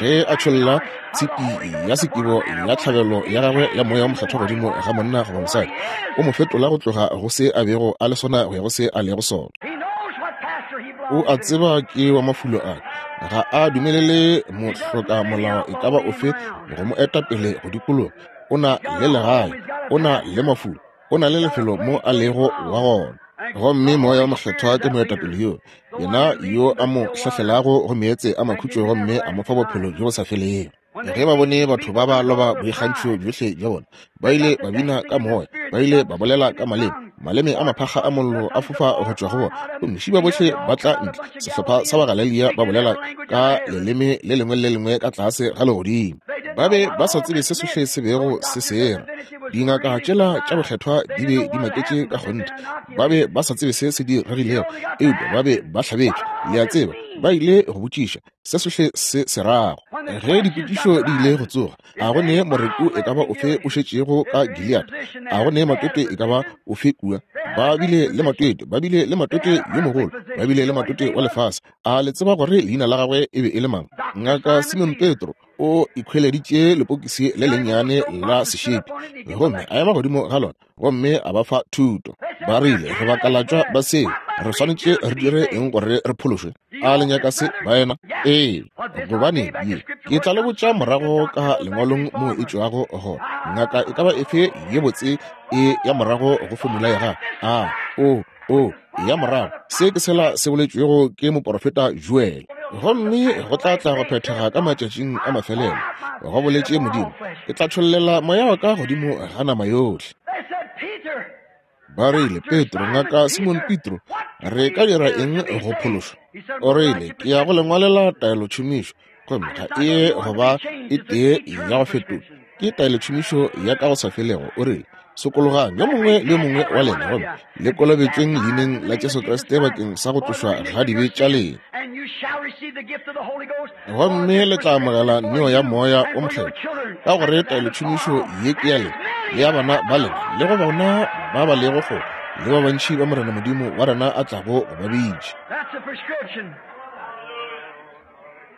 Ge a tšholla tshipi ya sekibo ya tlhabelo ya gagwe ya Moya wo Mokgethwa godimo ga monna goba mosadi, o mo fetola go tloga go se a bego a le sona go ya go se a lego sona. O a tseba ke wa mafulo a ga a dumelele mohloka molao e ka ba ofe go mo eta pele go dikologa. O na le legae, o na le mafulo, o na le lefelo mo a lego wa gona. Gomme Moya wo Mokgethwa ke moetapele yo, yena yo a mo hlahlelago go meetse a makhutšo gomme a mo fa bophelo bjo bo sa felego. Ge ba bone batho ba ba loba boikgantšho bjohle bja bona, ba ile ba bina ka moya, ba ile ba bolela ka maleme, maleme a maphakga a mollo a fofa go tšwa go bona, gomme šiba bohle ba tla ntle, sehlopha sa Bagalelia ba bolela ka leleme le lengwe le le lengwe ka tlase ga legodimo. Ba be ba sa tsebe se sohle se bego se sera. Dingaka tšela tša bokgethwa di be di maketše ka kgonthe. Ba be ba sa tsebe se se diregilego, eupša ba be ba hlabetšwe. Le a tseba, ba ile go botšiša se sohle se se rago. Ge dipotšišo di ile go tsoga, a go ne moreku e ka ba ofe o šetšego ka Gilead? A go ne matwetwe e ka ba ofe kua? Ba bile le matwetwe, ba bile le matwetwe yo mogolo, ba bile le matwetwe wa lefase. A le tseba gore leina la gagwe e be e le mang? Ngaka Simon Petro o ikhweleditše lepokisi le lennyane la sešepi gomme a ema godimo ga lona gomme a ba fa thuto. Ba rile, Re bakalatšwa ba seo, re swanetše re dire eng gore re phološwe? A le nyaka se, baena? Ee. Gobane ye, ke tla le botša morago ka lengwalong moo e tšwago gona. Ngaka e ka ba efe ye botse e ya morago go fomula ya gagwe. A o, o ya morago. Se ke sela se boletšwego ke moporofeta Joel. Gomme go tla tla go phethega ka matšatšing a mafelelo, go boletše Modimo, ke tla tšhollela moya wa ka godimo ga nama yohle. Ba rile, Petro, ngaka Simon Petro, re ka dira eng go phološwa? O rile, ke ya go le ngwalela taelotšhomišo, gomme ga e ye go ba e tee ya go fetola. Ke taelotšhomišo ya ka go sa felego. O rile, Sokologang, yo mongwe le yo mongwe wa lena, gomme le kolobetšweng leineng la Jesu Kriste bakeng sa go tlošwa ga dibe tša lena, gomme le tla amogela neo ya Moya wo Mokgethwa, ka gore taelotšhomišo ye ke ya lena le ya bana ba lena le go bona ba ba lego kgole, le ba bantši ba Morena Modimo wa rena a tlago go ba bitša.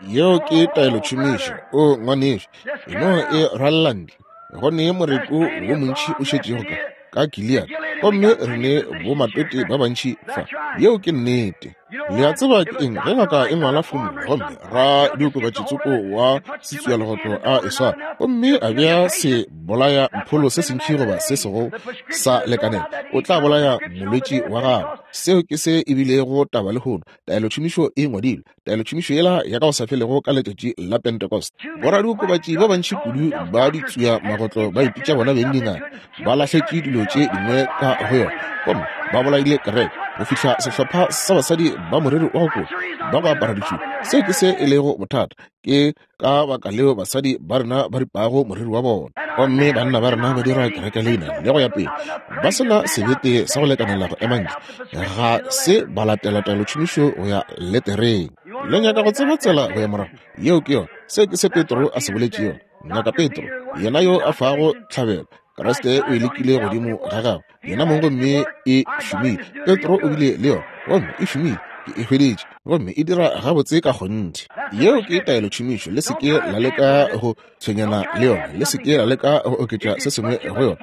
Yeo ke taelotšhomišo. O ngwanešu, e no e rwalela ntle. Go ne moreku wo montši o šetšego ka ka Gilead, gomme re ne bomatwetwe ba bantši fa. Yeo ke nnete. Le a tseba ke eng ge ngaka e ngwala fomula gomme ra diokobatši tsoko wa setswialegotlo a e swara gomme a bea se bolaya mpholo se sentši goba se sego sa lekanela, o tla bolaya molwetši wa gago. Seo ke se e bilego taba lehono. Taelotšhomišo e ngwadilwe. Taelotšhomišo yela ya ka go sa felego ka letšatši la Pentecost. Boradiokobatši ba bantši kudu ba ditsuya magotlo ba ipitša bona beng dingaka, ba lahletše dilo tše dingwe ka go yona gomme ba bolaile kereke go fihla sehlopha sa basadi ba moriri wa go kota ba go apara ditšhupu. Seo ke se e lego bothata. Ke ka baka leo basadi ba rena ba ripago moriri wa bona gomme banna ba rena ba dira kereke leina le go ya pele ba se na sebete sa go lekanela go ema ntle ga se ba latela taelotšhomišo go ya letereng. Le nyaka go tseba tsela go ya morago? Yeo ke yona. Seo ke se Petro a se boletšego. Ngaka Petro, yena yo a fago tlhabelo, Kriste o e lekile godimo ga gagwe yena mong gomme e šomile. Petro o bile le yona gomme e šomile. Ke e hweditše gomme e dira gabotse ka kgonthe. Yeo ke taelotšhomišo. Le se ke la leka go tshwenyana le yona. Le se ke la leka go oketša se sengwe go yona.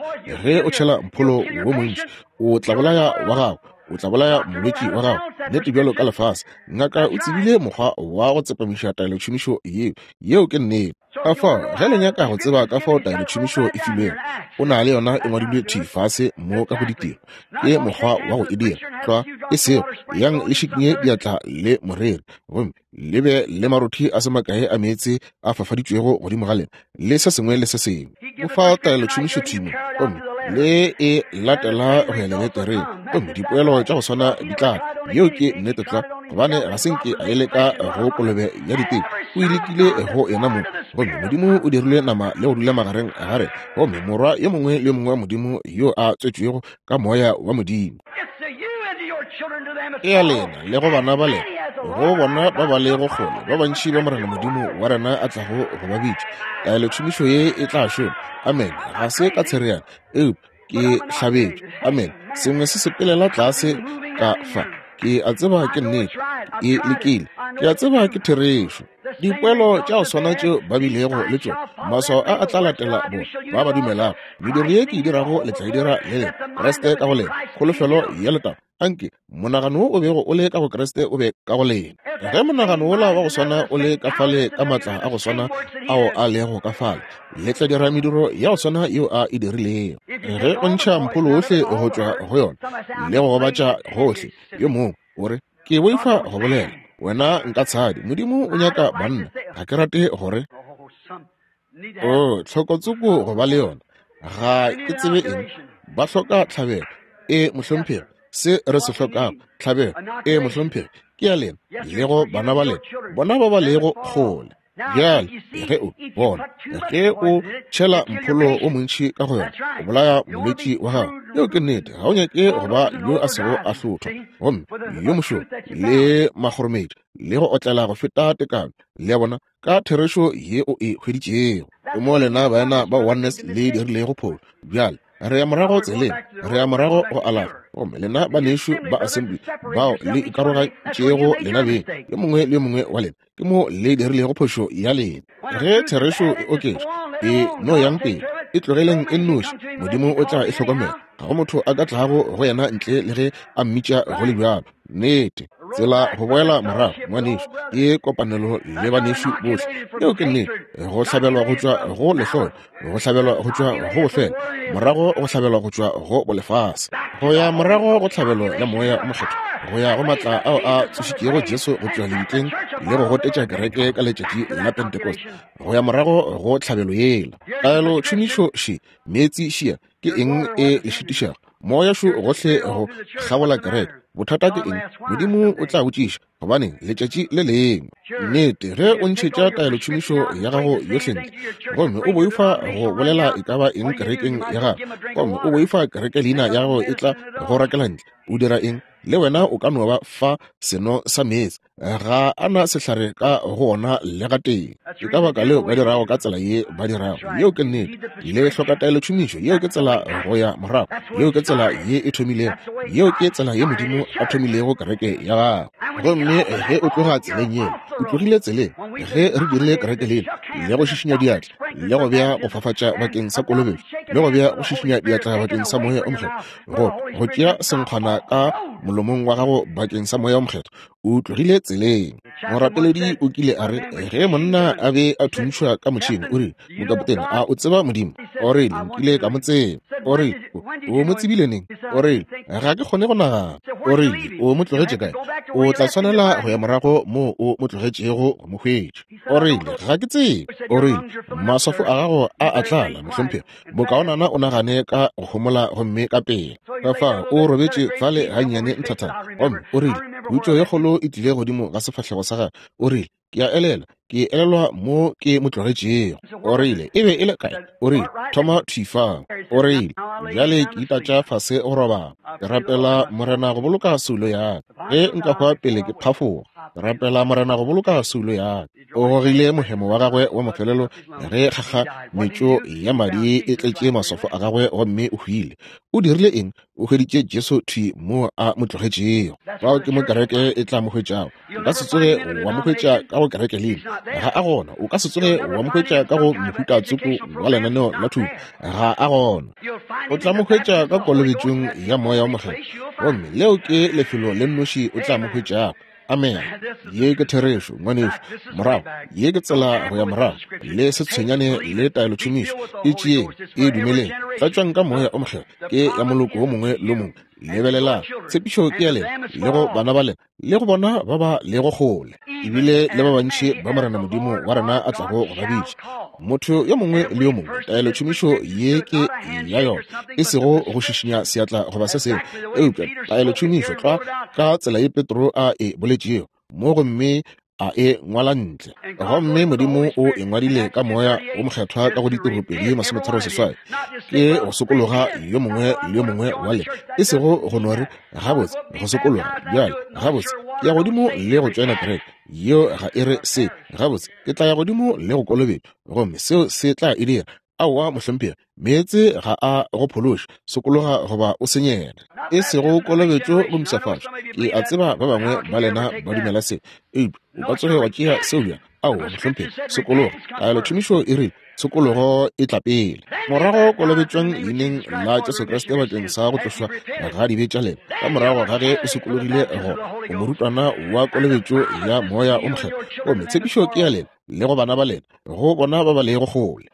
Ge o tšhela mpholo wo montši, o tla bolaya wa gago, o tla bolaya molwetši wa gago. Nnete bjalo ka lefase. Ngaka o tsebile mokgwa wa go tsepamiša taelotšhomišo yeo. Yeo ke nnete. Ka fao, ge le nyaka go tseba ka fao taelotšhomišo e filwego, o na le yona e ngwadilwe thwi fase mo ka go ditiro. Ke mokgwa wa go e dira. Tlwa, e sego, yang le šikinye diatla le moreri, gomme le be le marothi a se makae a meetse a fafaditšwego godimo ga lena, le se sengwe le se sengwe. O fa taelotšhomišo thwi mo, gomme le e latela go ya leletereng, gomme dipoelo tša go swana di tla tla. Yeo ke nnete tlwa, gobane ga se nke a e leka go kolobe ya diteko, o e lekile go yena mong. Gomme Modimo o dirile nama le go dula magareng ga rena, gomme morwa yo mongwe le yo mongwe wa Modimo yo a tswetšwego ka Moya wa Modimo. Ke ya lena le go bana ba lena, go bona ba ba lego kgole, ba bantši ba Morena Modimo wa rena a tlago go ba bitša. Taelotšhomišo ye e tla šoma. Amene. Ga se ka tshereana, eupša ke hlabetšwe. Amene. Sengwe se sepelela tlase ka fa. Ke a tseba ke nnete. E lekile. Ke a tseba ke therešo. Dipoelo tša go swana tšeo ba bilego le tšona, maswao a a tla latela bona ba ba dumelago. Mediro ye ke e dirago le tla e dira le lena. Kriste ka go lena, kholofelo ya letago. Anke monagano wo o bego o le ka go Kriste o be ka go lena. Ge monagano wola wa go swana o le ka fale ka maatla a go swana ao a lego ka fale, le tla dira mediro ya go swana yeo a e dirilego. Ge o ntšha mpholo wohle go tšwa go yona le go gobatša gohle, yo mongwe o re, Ke boifa go bolela, wena nka tshadi. Modimo o nyaka banna. Ga ke rate gore o tlhokotsoko go ba le yona. Ga ke tsebe eng. Ba hloka tlhabelo. E, mohlomphegi, se re se hlokago, tlhabelo. E, mohlomphegi, ke ya lena le go bana ba lena, bona ba ba lego kgole. Bjale ge o bona ge o tšhela mpholo o montši ka go yona, o bolaya molwetši wa gago. Yeo ke nnete. Ga o nyake go ba yo a sego a hlothwa gomme yo mošoro le makgoromedi le go otlela go feta tekano. Le a bona, ka therešo ye o e hweditšego. Ke mo lena baena ba Oneness le dirilego phošo. Bjale re ya morago tseleng, re ya morago go alafa. Gomme lena banešu ba Assembly bao le ikarogantšego lena beng, yo mongwe le yo mongwe wa lena, ke mo le dirilego phošo ya lena. Ge therešo e oketšwa, e no yang pele, e tlogeleng e nnoši, Modimo o tla e hlokomela. Ga go motho a ka tlago go yena ntle le ge a mmitša go le bjalo. Nnete. Tsela go boela morago, ngwanešu, ke kopanelo le banešu bohle. Yeo ke nnete. Go hlabelwa go tšwa go lehloyo, go hlabelwa go tšwa go bofelo, morago go hlabelwa go tšwa go bolefase, go ya morago go tlhabelo ya Moya o Mokgethwa, go ya go matla ao a tsošitšego Jesu go tšwa lebitleng le go gotetša kereke ka letšatši la Pentecost, go ya morago go tlhabelo yela. Taelo tšhomišo še, meetse šia, ke eng e le šitišago? Moya šo gohle go kgabola kereke. Bothata ke eng? Modimo o tla botšiša, gobaneng, letšatši le lengwe. Nnete, ge o ntšhetša taelotšhomišo ya gago yohle ntle, gomme o boifa go bolela e ka ba eng kerekeng ya gago, gomme o boifa kereke leina ya gago e tla go rakela ntle, o dira eng? Le wena o ka no ba fa seno sa meetse. Ga a na sehlare ka go ona le gatee. Ke ka baka leo ba dirago ka tsela ye ba dirago. Yeo ke nnete. Le hloka taelotšhomišo. Yeo ke tsela go ya morago. Yeo ke tsela ye e thomilego. Yeo ke tsela ye Modimo a thomilego kereke ya gagwe. Gomme ge o tloga tseleng yeo, o tlogile tseleng. Ge re dirile kereke lela, le go šišinya diatla, le go bea go fafatša bakeng sa kolobetšo, le go bea go šišinya diatla bakeng sa Moya o Mokgethwa, go go tšea senkgwana ka molomong wa gago bakeng sa Moya o Mokgethwa, o tlogile tseleng. Morapeledi o kile a re, ge monna a be a thuntšhwa ka motšhene, o rile, Mokapotene, a o tseba Modimo? O rile, Nkile ka mo tseba. O rile, O mo tsebile neng? O rile, Ga ke kgone go nagana. O rile, O mo tlogetše kae? O tla swanela go ya morago moo o mo tlogetšego go mo hwetša. O rile, Ga ke tsebe. O rile, Maswafo a gago a a tlala, mohlomphegi. Bokaonana o nagane ka go homola gomme ka pela. Ka fao o robetše fale gannyane nthathana, gomme o rile, Khutšo ye kgolo e tlile godimo ga sefahlego sa gagwe. O rile, Ke a elelwa, ke elelwa mo ke mo tlogetšego. O rile, E be e le kae? O rile, Thoma thwi fao. O rile, Bjale ke itatša fase go robala. Ke rapela Morena go boloka soulo ya ka. Ge nka hwa pele ke phafoga, ke rapela Morena go boloka soulo ya ka. O gogile mohemo wa gagwe wa mafelelo ge kgakgametšo ya madi e tletše maswafo a gagwe gomme o hwile. O dirile eng? O hweditše Jesu thwi mo a mo tlogetšego. Fao ke mo kereke e tla mo hwetšago. O ka se tsoge wa mo hwetša ka go kereke leina. Ga a gona. O ka se tsoge wa mo hwetša ka go mohuta tsoko wa lenaneo la thuto. Ga a gona. O tla mo hwetša ka kolobetšong ya Moya wo Mokgethwa. Gomme leo ke lefelo le nnoši o tla mo hwetšago. Amene. Ye ke therešo, ngwanešu. Morago, ye ke tsela go ya morago. Le se tshwenyane le taelotšhomišo. E tšeeng, e dumeleng. Tlatšwang ka Moya o Mokgethwa. Ke ya moloko wo mongwe le mongwe. Lebelelang, tshepišo ke ya lena, le go bana ba lena, le go bona ba ba lego kgole, ebile le ba bantši ba Morena Modimo wa rena a tlago go ba bitša. Motho yo mongwe le yo mongwe, taelotšhomišo ye ke ya yona, e sego go šišinya seatla goba se sengwe, eupša taelotšhomišo tlwa ka tsela ye Petro a e boletšego mo gomme a e ngwala ntle. Gomme Modimo o e ngwadile ka Moya wo Mokgethwa ka go Ditiro 2:38. Ke go sokologa yo mongwe le yo mongwe wa lena, e sego go no re, Gabotse, go sokologa bjale, gabotse, ke ya godimo le go tšoena kereke. Yeo ga e re se. Gabotse, ke tla ya godimo le go kolobetšwa, gomme seo se tla e dira. Aowa, mohlomphegi, meetse ga a go phološe, sokologa goba o senyege. E sego kolobetšo go mpshafatšwa. Ke a tseba ba bangwe ba lena ba dumela se, eupša o ka tsoge wa tšea seo bjang? Aowa, mohlomphegi, sokologa. Taelotšhomišo e rile, Tshokologo e tla pele. Morago kolobetšwang leineng la Jesu Kriste bakeng sa go tlošwa ga dibe tša lena. Ka morago ga ge o sokologile go o morutwana wa kolobetšo ya Moya o Mokgethwa. Gomme tshepišo ke ya lena le go bana ba lena, go bona ba ba lego kgole.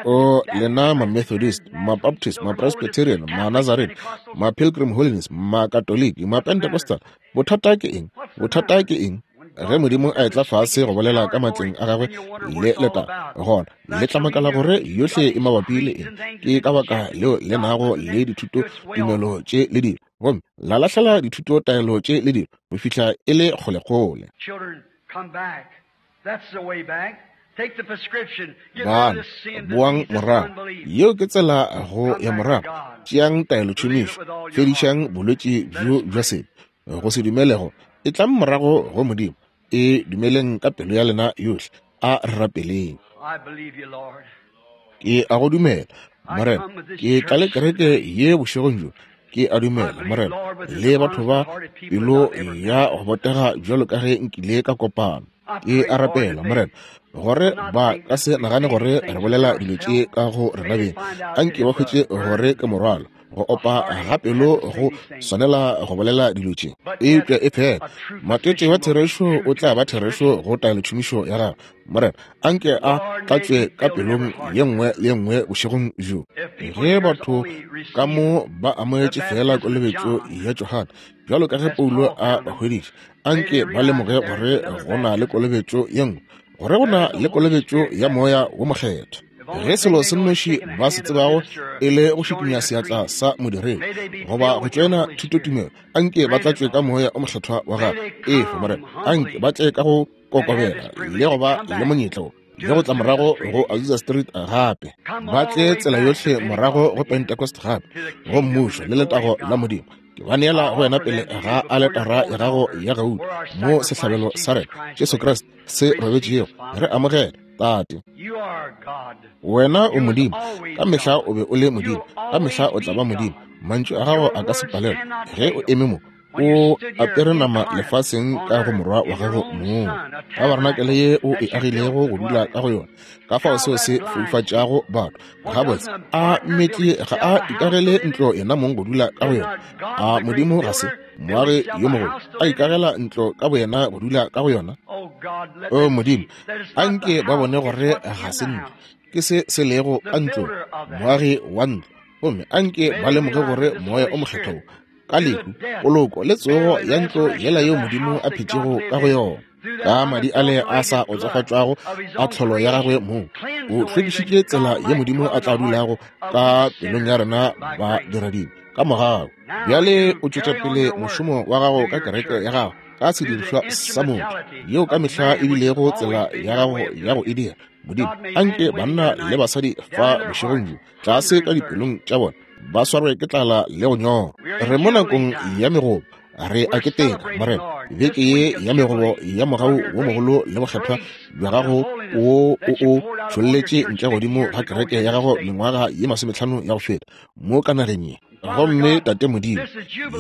O lena ma-Methodist, ma-Baptist, ma-Presbyterian, ma-Nazarene, ma-Pilgrim Holiness, ma-Katoliki, ma-Pentecostal, bothata ke eng? Bothata ke eng? Ge Modimo a etla fase go bolela ka matleng a gagwe le letago, gona le tla makala gore yohle e mabapi le eng. Ke ka baka leo le nago le dithuto tumelo tše le dilo, gomme la lahlela dithuto taelo tše le dilo go fihla e le kgolekgole. Bana, boang morago. Yeo ke tsela go ya morago. Tšeang taelotšhomišo. Fedišang bolwetši bjo bja sebe, go se dumelego. Etlang morago go Modimo. E dumeleng ka pelo ya lena yohle. A re rapeleng. Ke a go dumela, Morena. Ke tla le kereke ye bošegong bjo. Ke a dumela, Morena, le batho ba pelo ya go botega bjalo ka ge nkile ka kopana. Ke a rapela, Morena, gore ba ka se nagane gore re bolela dilo tše ka go rena beng. Anke ba hwetše gore ke morwalo, go opa ga pelo go swanela go bolela dilo tše. Eupša e fela matete wa therešo o tla ba therešo go taelotšhomišo ya gagwe. Morena, anke a tlatšwe ka pelong ye nngwe le ye nngwe bošegong bjo. Ge batho ka mo ba amogetše feela kolobetšo ya Johane, bjalo ka ge Paulo a ba hweditše, anke ba lemoge gore go na le kolobetšo ye nngwe, gore go na le kolobetšo ya Moya wo Mokgethwa. Ge selo se nnoši ba se tsebago e le go šikinya seatla sa modiredi goba go tšoena thutotumelo, anke ba tlatšwe ka Moya o Mokgethwa wa gagwe. Efe, Morena, anke ba tle ka go kokobela le go ba le monyetla wo le go tla morago go Azusa Street gape, ba tle tsela yohle morago go Pentecost gape, go mmušo le letago la Modimo. Ke ba neela go wena pele ga aletara ya gago ya gauta, mo sehlabelo sa rena Jesu Kriste se robetšego. Re amogele, Tate. Wena o Modimo, ka mehla o be o le Modimo, ka mehla o tla ba Modimo. Mantšu a gago a ka se palelwe. Ge o eme mo o apere nama lefaseng ka go morwa wa gago mong, tabarenakele ye o e agilego go dula ka go yona, ka fao seo se foufatšago batho. Gabotse, a mmetli ga a ikagele ntlo yena mong go dula ka go yona? A Modimo ga se moagi yo mogolo a ikagela ntlo ka boyena go dula ka go yona? O Modimo, a nke ba bone gore ga se ntlo, ke se se lego ka ntlong, moagi wa ntlo. Gomme a nke ba lemoge gore Moya o Mokgethwa wo, ka lehu, poloko le tsogo ya ntlo yela yeo Modimo a phetšego ka go yona, ka madi ale a sa otsofatšwago a tlholo ya gagwe mong, o hlwekišitše tsela ye Modimo a tla dulago ka pelong ya rena ba diradibe ka mogau. Bjale o tšwetša pele mošomo wa gago ka kereke ya gago ka sedirišwa sa motho, yeo ka mehla e bilego tsela ya gago ya go e dira. Modimo, anke banna le basadi fa bošegong bjo, tlase ka dipelong tša bona, ba swarwe ke tlala le go nyorwa. Re mo nakong ya megobo, re a keteka, Morena, beke ye ya megobo ya mogau wo mogolo le bokgethwa bja gago wo o o tšholletše ntle godimo ga kereke ya gago mengwaga ye 50 ya go feta mo ka nageng ye. Gomme Tate Modimo,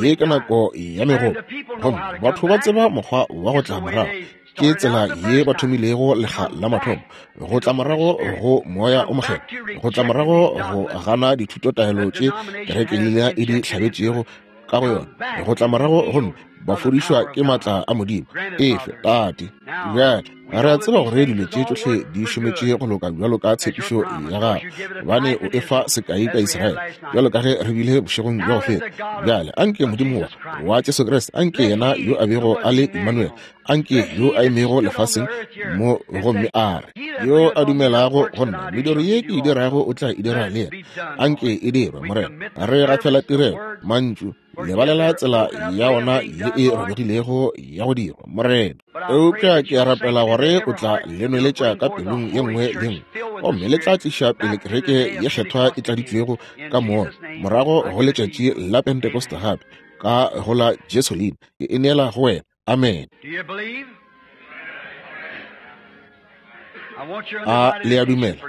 ye ke nako ya megobo, gomme batho ba tseba mokgwa wa go tla morago. Ke tsela ye ba thomilego lekga la mathomo, go tla morago go Moya o Mokgethwa, go tla morago go gana dithutotaelo tše kerekelina e di hlabetšego ka go yona, go tla morago gomme ba fodišwa ke maatla a Modimo. Efe, Tate. Bjale re a tseba gore dilo tše tšohle di šometše go loka bjalo ka tshepišo ya gago, gobane o efa sekai ka Israele, bjalo ka ge re bile bošegong bja go feta. Bjale anke Modimo wa Jesu Kriste, anke yena yo a bego a le Emmanuel, anke yo a emego lefaseng mo gomme a re, yo a dumelago go nna, mediro ye ke e dirago o tla e dira le yena. Anke e dirwe, Morena. Re gafela tirelo, mantšu, lebalela tsela ya ona ye e robegilego ya go dirwa, Morena. Eupša ke a rapela gore o tla le nweletša ka pelong ye nngwe le nngwe, gomme le tla tliša pele kereke ye kgethwa e tladitšwego ka Moya morago go letšatši la Pentekoste gape, ka go la Jesu leina. Ke e neela go wena. Amen. A le a dumela?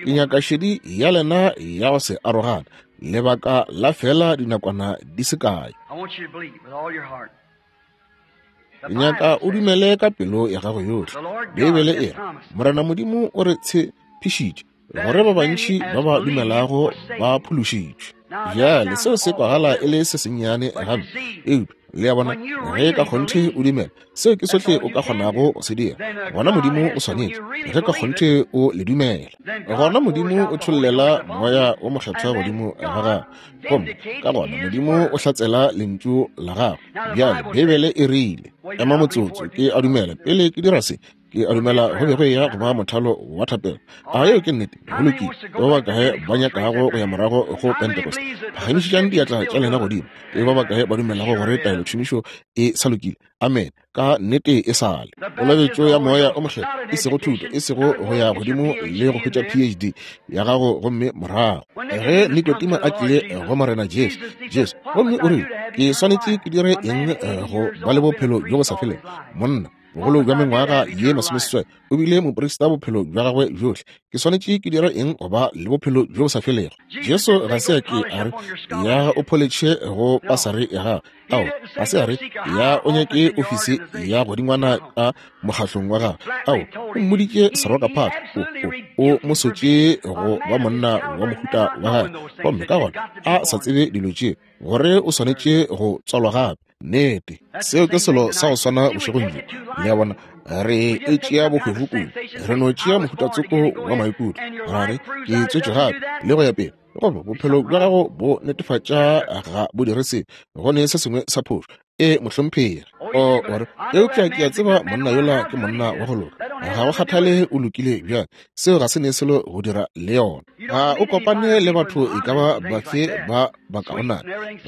Ke nyaka šedi ya lena ya go se arogane lebaka la fela dinakwana di se kae. Ke nyaka o dumele ka pelo ya gago yohle. Beibele e re, Morena Modimo o re tshepišitše. Gore ba bantši ba ba dumelago ba phološitšwe. Bjale seo se kwagala e le se sennyane gampe, eupša le a bona, ge ka kgonthe o dumela, seo ke sohle o ka kgonago go se dira. Gona Modimo o swanetše, ge ka kgonthe o le dumela, gona Modimo o tšhollela Moya wo Mokgethwa godimo ga gago, gomme ka gona Modimo o hlatsela Lentšu la gagwe. Bjale Beibele e rile, ema motsotso, ke a dumela, pele ke dira se, Ke a dumela go be go eya go ba mothalo wa thapelo. A yeo ke nnete? Go lokile. Ke ba bakae ba nyakago go ya morago go Pentecost? Phagamišetšang diatla tša lena godimo. Ke ba bakae ba dumelago gore taelotšhomišo e sa lokile? Amene. Ka nnete e sa le. Kolobetšo ya Moya o Mokgethwa, e sego thuto, e sego go ya godimo le go hwetša PhD ya gago gomme morago. Ge Nikodimo a tlile go Morena Jesu, Jesu, gomme o rile, Ke swanetše ke dire eng go ba le bophelo bjo bo sa felego? Monna, bogolo bja mengwaga ye masomeseswai, o bile moprista bophelo bja gagwe bjohle. Ke swanetše ke dire eng go ba le bophelo bjo bo sa felego? Jesu ga se a ke a re, Ya o pholetšhe go pasari ya gago. Ao, ga se a re, Ya o nyake ofisi ya godingwana ka mokgahlong wa gago. Ao, o mmoditše serokaphatla, o, o, o mo sotše go ba monna wa mohuta wa gagwe, gomme ka gona a sa tsebe dilo tše, gore o swanetše go tswalwa gape. Nnete, seo ke selo sa go swana bošegong bjo. Le a bona, re e tšea bohwefo kudu. Re no tšea mohuta tsoko wa maikutlo, ra re, Ke tswetšwe gape, le go ya pele. Goba bophelo bja gago bo netefatša ga bo dire selo, go ne se sengwe sa phošo. Ee, mohlomphegi. O, o re, eupša ke a tseba monna yola ke monna wa go loka. Ga go kgathale o lokile bjang, seo ga se ne selo go dira le yona. Ga o kopane le batho e ka ba bafe ba bakaonana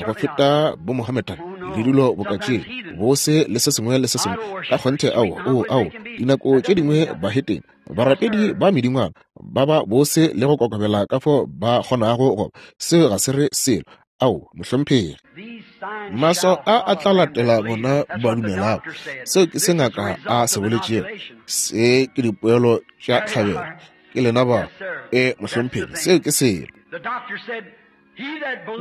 go feta bomohammedan le dilo boka tše, bose le se sengwe le se sengwe. Ka kgonthe, ao, oo, ao, dinako tše dingwe bahetene, barapedi ba medingwana, ba ba bose le go kokobela ka fo ba kgonago go ba. Seo ga se re selo. Ao, mohlomphegi. Maswao a a tla latela bona ba dumelago. Seo ke se ngaka a se boletšego. Se ke dipoelo tša tlhabelo. Ke lena ba. E, mohlomphegi, seo ke selo.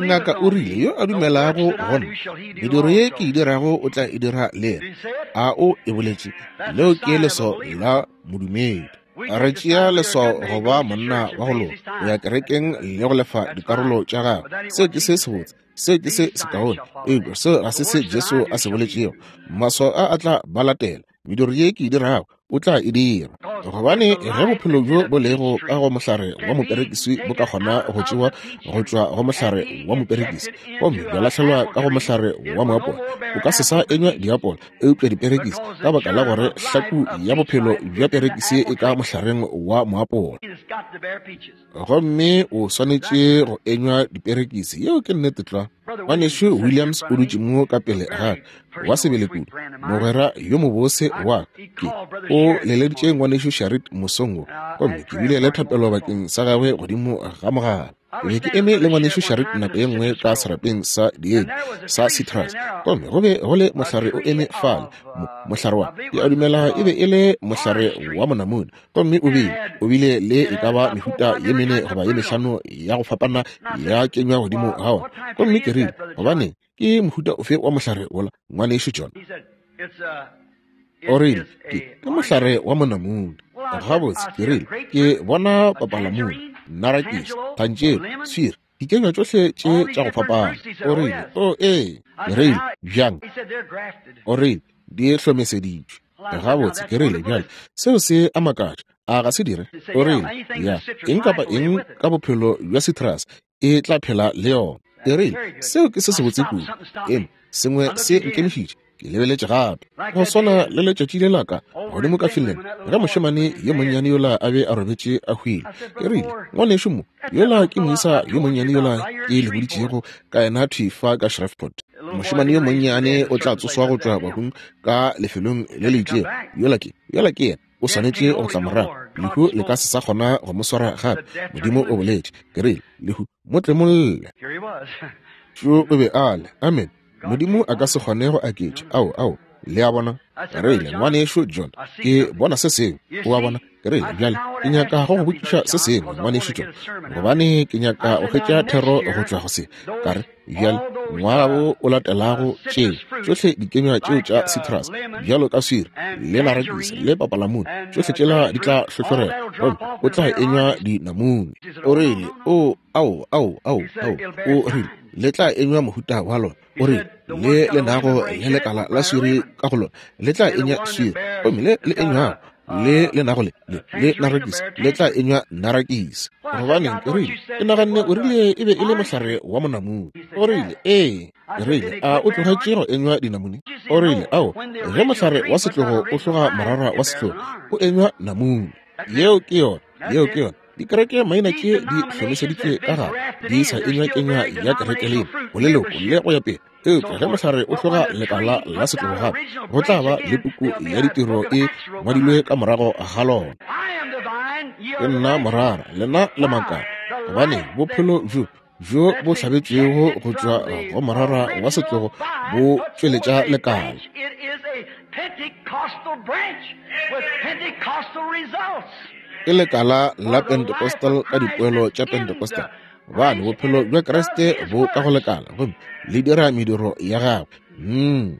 Ngaka o rile, yo a dumelago go nna, mediro ye ke e dirago o tla e dira le yena. A o e boletše? Leo ke leswao la modumedi. Re tšea leswao go ba monna wa go loka, go ya kerekeng le go lefa dikarolo tša gagwe. Seo ke se sebotse, seo ke se sekaone, eupša seo ga se se Jesu a se boletšego. Maswao a a tla ba latela. Mediro ye ke e dirago o tla e dira. Gobane ge bophelo bjo bo lego ka go mohlare wa moperekisi bo ka kgona go tšewa go tšwa go mohlare wa moperekisi gomme bja lahlelwa ka go mohlare wa moapola, o ka se sa enywa diapola eupša diperekisi, ka baka la gore hlaku ya bophelo bja perekisi e ka mohlareng wa moapola, gomme o swanetše go enywa diperekisi. Yeo ke nnete tlwa. Ngwanešu Williams o dutše mo ka pele ga ka, wa sebele kudu, mogwera yo mobose wa ke. O leleditše Ngwanešu Sharrit mosong wo, gomme ke bile le thapelo bakeng sa gagwe godimo ga mogala. Ke be ke eme le Ngwanešu Sharrit nako ye nngwe ka serapeng sa dienywa sa citrus, gomme go be go le mohlare o eme fale, mo, mohlare wa, ke a dumela e be e le mohlare wa monamune, gomme o bile, o bile le e ka ba mehuta ye mene goba ye mehlano ya go fapana ya kenywa godimo ga ona. Gomme ke rile, Gobaneng, ke mohuta ofe wa mohlare wola, Ngwanešu John? O rile, Ke, ke mohlare wa monamune. Gabotse, ke rile, ke bona papalamune, narakisi, thantšelo, swiri, dikenywa tšohle tše tša go fapana. O rile, O, ee. Ke rile, Bjang? O rile, Di hlomeseditšwe. Gabotse, ke rile, bjale, seo se a makatša, a ga se dire? O rile, Ya, eng kapa eng ka bophelo bja citrus e tla phela le yona. Ke rile, Seo ke se sebotse kudu. Eng, sengwe se nkemišitše. Ke lebeletše gape. Go swana le letšatši le la ka godimo ka Finland, ge mošemane yo monnyane yola a be a robetše a hwile. Ke rile, Ngwanešu mo, yola ke moisa yo monnyane yola ke le boditšego ka yena thwi fa ka Shreveport. Mošemane yo monnyane o tla tsoswa go tšwa bahung ka lefelong le le itšego. Yola ke, yola ke yena. O swanetše go tla morago. Lehu le ka se sa kgona go mo swara gape. Modimo o boletše. Ke rile, Lehu, mo tlemolle. Šo o be a le. Amen. Modimo a ka se kgone go aketša. Ao, ao. Le a bona? Ke rile, Ngwanešu John, ke bona se sengwe. O a bona? Ke rile, Bjale, ke nyaka go go botšiša se sengwe, Ngwanešu John, gobane ke nyaka go hwetša thero go tšwa go se. Ka re, Bjale, ngwaga wo o latelago, tšeo tšohle dikenywa tšeo tša citrus, bjalo ka swiri, le narakisi, le papalamune, tšohle tšela di tla hlohlorega, gomme o tla enywa dinamune. O rile, O, ao, ao, ao, ao. O rile, Le tla enywa mohuta wa lona. O rile, Le le nago le lekala la swiri ka go lona, le tla enywa swiri. Gomme le le enywago le le nago le le le narakisi, le tla enywa narakisi. Gobaneng, ke rile, ke naganne o rile e be e le mohlare wa monamune. O rile, Ee. Ke rile, A o tlogetše go enywa dinamune? O rile, Ao, ge mohlare wa setlogo o hloga morara wa setlogo, o enywa namune. Yeo ke yona. Yeo ke yona. Dikereke maina tše di hlomeseditšwe ka gare, di sa enywa kenywa ya kereke lena, boleloko le go ya pele. Eupša ge mohlare o hloga lekala la setlogo gape, go tla ba le puku ya ditiro e ngwadilwe ka morago ga lona. Ke nna morara, lena le makala. Gobane bophelo bjo bjo bo hlabetšwego go tšwa go morara wa setlogo bo tšweletša lekala. Ke lekala la Pentecostal ka dipoelo tša Pentecostal, gobane bophelo bja Kriste bo ka go lekala gomme le dira mediro ya gagwe.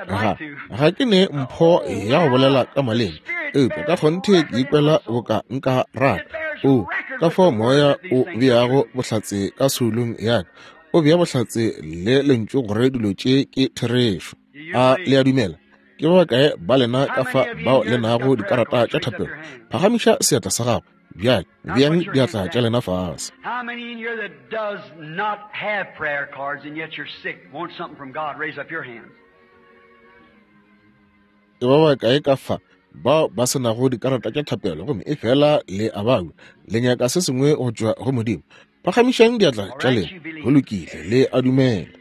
Ga, ga ke ne mpho ya go bolela ka maleme, eupša ka kgonthe ke ikwela boka nka rata. O, ka fao Moya o beago bohlatse ka soulong ya ka, o bea bohlatse le Lentšu gore dilo tše ke therešo. A le a dumela? Ke ba bakae ba lena ka fa bao le nago dikarata tša thapelo? Phagamiša seatla sa gago. Bjale, beang diatla tša lena fase. Ke ba bakae ka fa bao ba se nago dikarata tša thapelo gomme e fela le a babja, le nyaka se sengwe go tšwa go Modimo? Phagamišang diatla tša lena. Go lokile, le a dumela.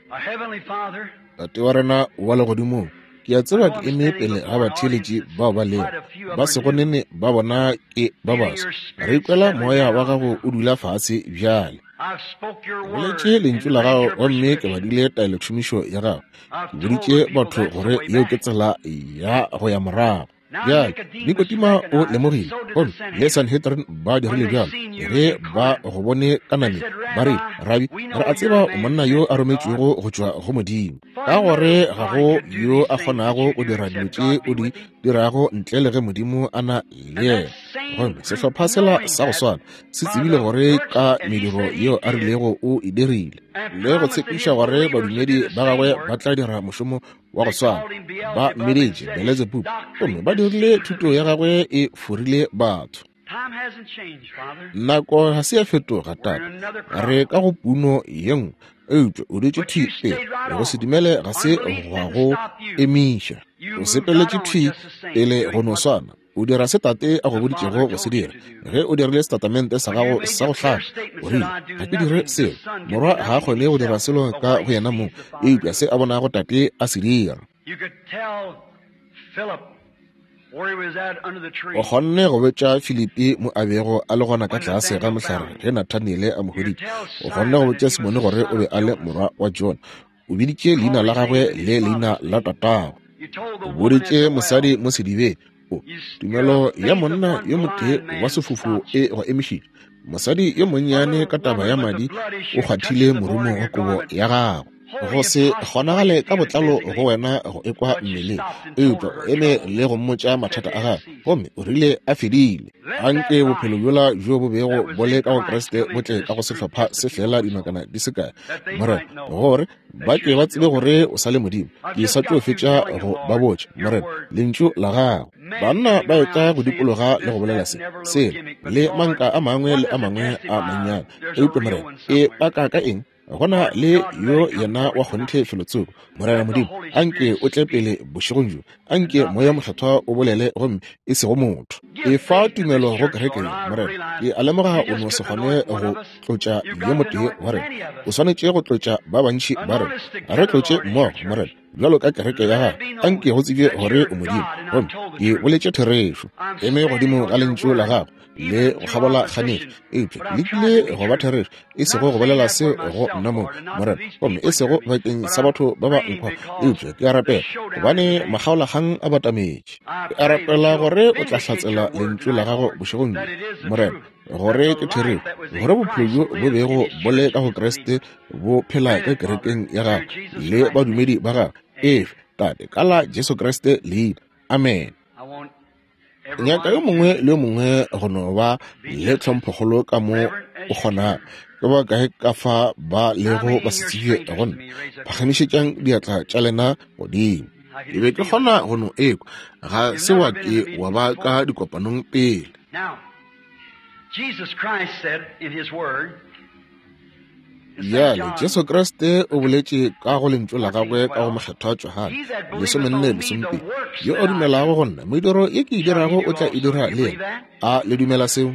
Tate wa rena wa legodimong, ke a tseba ke eme pele ga batheeletši bao ba lego ba sego nene ba bona ke ba baso. Re ikwela moya wa gago o dula fase bjale. Ke boletše lentšu la gago gomme ke badile taelotšhomišo ya gago. Ke boditše batho gore yeo ke tsela ya go ya morago. Bjale, Nikodima o lemogile, gomme le Sanhedrin ba dirile bjalo, ge ba go bone ka nameng, ba rile, Rabi, re a tseba o monna yo a rometšwego go tšwa go Modimo, ka gore ga go yo a kgonago go dira dilo tše o di dirago ntle le ge Modimo a na le yena. Gomme sehlopha sela sa go swana se tsebile gore ka mediro yeo a rilego o e dirile, le go tshepiša gore badumedi ba gagwe ba tla dira mošomo wa go swana. Ba mmeditše Beletsebubu, gomme ba dirile thuto ya gagwe e forile batho. Nako ga se ya fetoga, Tate. Re ka go puno ye nngwe, eupša o dutše thwi pele. Go se dumele ga se gwa go emiša. O sepeletše thwi pele go no swana. O dira se Tate a go boditšego go se dira. Ge o dirile setatamente sa gago sa go hlaka, o rile, Ga ke dire selo. Morwa ga a kgone go dira selo ka go yena mong, eupša se a bonago Tate a se dira. O kgonne go botša Filipi mo a bego a le gona ka tlase ga mohlare ge Nathaniele a mo hweditše. O kgonne go botša Simone gore o be a le morwa wa Jona. O biditše leina la gagwe le leina la tatagwe. O boditše mosadi mo sedibeng, o, tumelo ya monna yo motee wa sefofu e go emišitše. Mosadi yo monnyane ka taba ya madi o kgwathile morumo wa kobo ya gagwe. Go se kgonagale ka botlalo go wena go ekwa mmeleng, eupša o eme le go mmotša mathata a gagwe, gomme o rile a fedile. Anke bophelo bjola bjo bo bego bo le ka go Kriste bo tle ka go sehlopha se feela dinakwana di se kae, Morena, gore ba ke ba tsebe gore o sa le Modimo. Ke sa tlo fetša go ba botša, Morena, Lentšu la Gago. Banna ba etla go dikologa le go bolela se, sela, le manka a mangwe le a mangwe a mannyane. Eupša, Morena, e paka ka eng? Go na le yo yena wa kgonthe felotsoko. Morena Modimo, a nke o tle pele bošegong bjo. A nke Moya Mokgethwa o bolele gomme e sego motho. Efa tumelo go kereke ye, Morena. Ke a lemoga o no se kgone go tlotša yo motee wa rena. O swanetše go tlotša ba bantši ba rena. Re tlotše mmogo, Morena, bjalo ka kereke ya gago. A nke go tsebje gore o Modimo, gomme ke boletše therešo. Eme godimo ga Lentšu la gago. le go kgabola kganetšo, eupša ke lekile go ba therešo, e sego go bolela seo go nna mong, Morena, gomme e sego bakeng sa batho ba ba nkwa, eupša ke a rapela gobane makgaolakgang a batametše. Ke a rapela gore o tla hlatsela Lentšu la Gago bošegong bjo, Morena, gore ke therešo, gore bophelo bjo bo bego bo le ka go Kriste bo phela ka kerekeng ya Gagwe le badumedi ba Gagwe. Efe, Tate, ka la Jesu Kriste leina. Amen. Nyaka yo mongwe le yo mongwe go no ba le tlhomphokgolo ka mo o kgonago. Ke ba kae ka fa ba lego ba se tsebje go nna? Phagamišetšang diatla tša lena godimo. Ke be ke kgona go no ekwa. Ga se wa ke wa ba ka dikopanong pele. Jesus Christ said in his word, Bjale, Jesu Kriste o boletše ka go Lentšu la gagwe ka go Mokgethwa Johane 14:12, Yo a dumelago go nna, mediro ye ke e dirago o tla e dira le yena. A le dumela seo?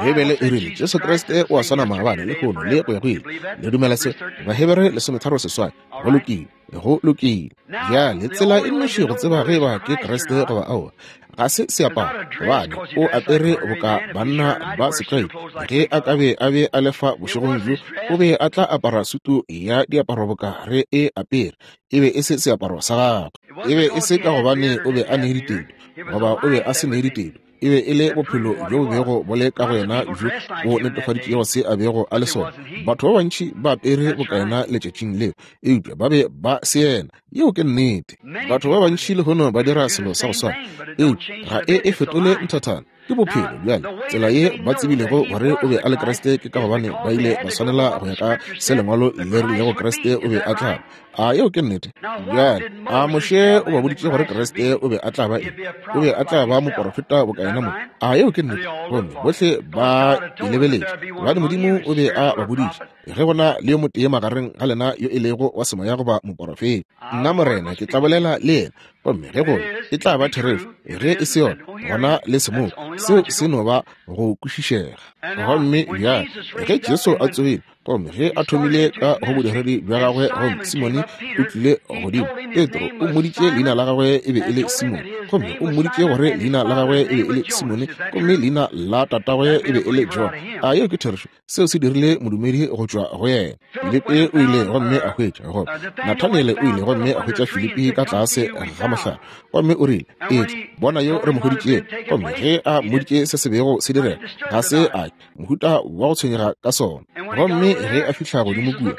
Beibele e rile Jesu Kriste o a swana maabane, lehono, le go ya go ile. Le dumela seo? Bahebere 13:8. Go lokile. Go lokile. Bjale, tsela e nnoši go tseba ge eba ke Kriste goba aowa, ga se seaparo, gobane o apere boka banna ba setlwaedi. Ge a ka be a be a le fa bošegong bjo, o be a tla apara sutu ya diaparo boka re e apere. E be e se seaparo sa gagwe. E be e se ka gobane o be a ne ditedu, goba o be a se ne ditedu. E be e le bophelo bjo bo bego bo le ka go yena bjo bo netefaditšego se a bego a le sona. Batho ba bantši ba apere boka yena letšatšing leo, eupša ba be ba se yena. Yeo ke nnete. Batho ba bantši lehono ba dira selo sa go swana, eupša ga e e fetole nthathana. Ke bophelo. Bjale, tsela ye ba tsebilego gore o be a le Kriste ke ka gobane ba ile ba swanela go ya ka se Lengwalo le rilego Kriste o be a tla ba. A yeo ke nnete? Bjale, a Moshe o ba boditše gore Kriste o be a tla ba eng? O be a tla ba moporofeta boka yena mong. A yeo ke nnete? Gomme bohle ba e lebeletše, gobane Modimo o be a ba boditše, Ge go na le yo motee magareng ga lena yo e lego wa semoya goba moporofeta, nna Morena ke tla bolela le yena, gomme ge go e tla ba therešo, ge e se yona, gona le se mo. Seo se no ba go kwešišega. Gomme bjale, ge Jesu a tsogile, Gomme ge a thomile ka go bodiredi bja gagwe, gomme Simone o tlile godimo, Petro o mmoditše leina la gagwe e be e le Simone, gomme o mmoditše gore leina la gagwe e be e le Simone, gomme leina la tatagwe e be e le John. A yeo ke therešo? Seo se dirile modumedi go tšwa go yena. Filipi o ile gomme a hwetša, goba Nathaniele o ile gomme a hwetša Filipi ka tlase ga mohlare, gomme o rile, Etla, bona yo re mo hweditšego. Gomme ge a mmoditše se se bego se direga, ga se a mohuta wa go tshwenyega ka sona. Gomme ge a fihla godimo kua,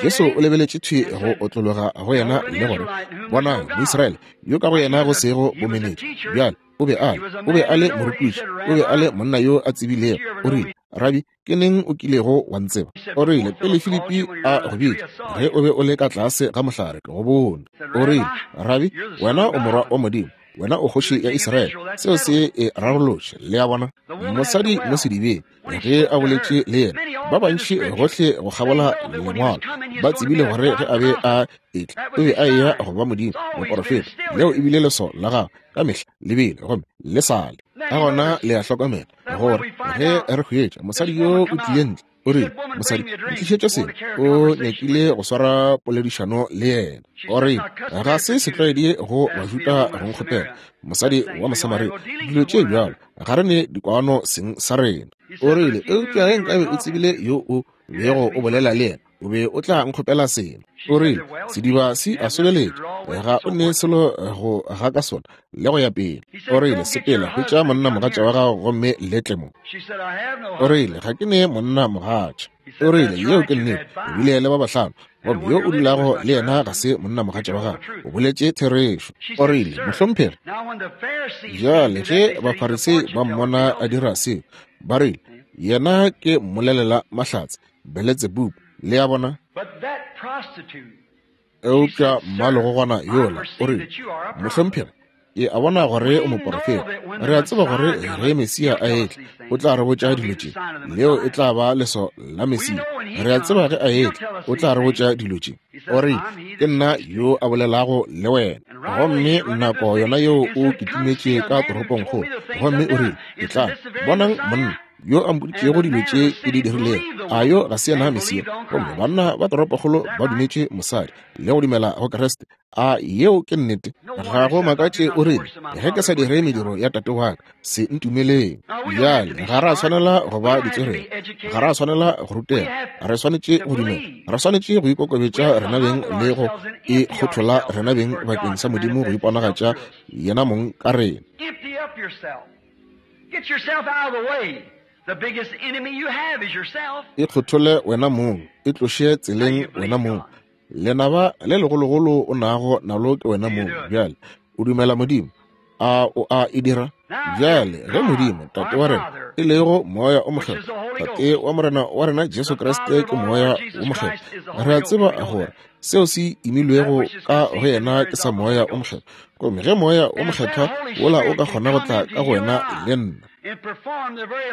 Jesu o lebeletše thwi go otlologa go yena le gore, Bonang, Moisraele, yo ka go yena go sego bomenetša. Bjale, o be a le, o be a le morutiši, o be a le monna yo a tsebilego. O rile, Rabi, ke neng o kilego wa ntseba? O rile, Pele Filipi a go bitša, ge o be o le ka tlase ga mohlare, ke go bone. O rile, Rabi, wena o Morwa wa Modimo. Wena o kgoši ya Israele. Seo se e rarolotše, le a bona. Mosadi mo sedibeng, ge a boletše le yena, ba bantši gohle go kgabola Lengwalo ba tsebile gore ge a be a etla, o be a eya go ba Modimo, moporofeta. Leo e bile leswao la gagwe ka mehla le bile, gomme le sa le. Ka gona le a hlokomela gore ge re hwetša mosadi yo o tlile ntle, O rile, Mosadi, ntlišetše seno. O nyakile go swara poledišano le yena. O rile, Ga se setlwaedi go Bajuda go nkgopela, mosadi wa Mosamaria, dilo tše bjalo. Ga re ne dikwano seng sa rena. O rile, Eupša ge nkabe o tsebile yo o bego o bolela le yena, o be o tla nkgopela seno. O rile, Sediba se a sobeletša, ga o ne selo go ga ka sona, le go ya pele. O rile, Sepela, hwetša monnamogatša wa gago gomme le tle mo. O rile, Ga ke ne monnamogatša. O rile, Yeo ke nnete, o bile le ba bahlano, gomme yo o dulago le yena ga se monnamogatša wa gago. O boletše therešo. O rile, Mohlomphegi. Bjale ge Bafarisei ba mmona a dira seo, ba rile, Yena ke mmolelela mahlatse, Beletsebubu. Le a bona? Eupša mmalegogwana yola o rile, Mohlomphegi, ke a bona gore o moporofeta. Re a tseba gore ge Mesia a etla, o tla re botša dilo tše. Leo e tla ba leswao la Mesia. Re a tseba ge a etla, o tla re botša dilo tše. O rile, Ke nna yo a bolelago le wena. Gomme nako yona yeo o kitimetše ka toropongkgolo, gomme o rile, Etlang, bonang monna. Yo a mpoditšego dilo tše ke di dirilego, a yo ga se yena Mesia? Gomme banna ba toropokgolo ba dumetše mosadi le go dumela go Kriste. A yeo ke nnete? Ga go makatše o rile, Ge ke sa dire mediro ya Tate wa ka, se ntumeleng. Bjale, ga ra swanela go ba ditswerere, ga ra swanela go rutega, re swanetše go dumela, re swanetše go ikokobetša rena beng le go ikgothola rena beng bakeng sa Modimo go iponagatša yena mong ka rena. Get yourself out of the way. The biggest enemy you have is yourself. Ikgothole wena mong, e tloše tseleng wena mong. Lenaba le legologolo o nago nalo ke wena mong. Bjale, o dumela Modimo? A o a e dira? Bjale, ge Modimo, Tate wa rena, e lego Moya o Mokgethwa, Tate wa Morena wa rena Jesu Kriste ke Moya o Mokgethwa, re a tseba gore seo se imilwego ka go yena ke sa Moya o Mokgethwa. Gomme ge Moya o Mokgethwa wola o ka kgona go tla ka go wena le nna,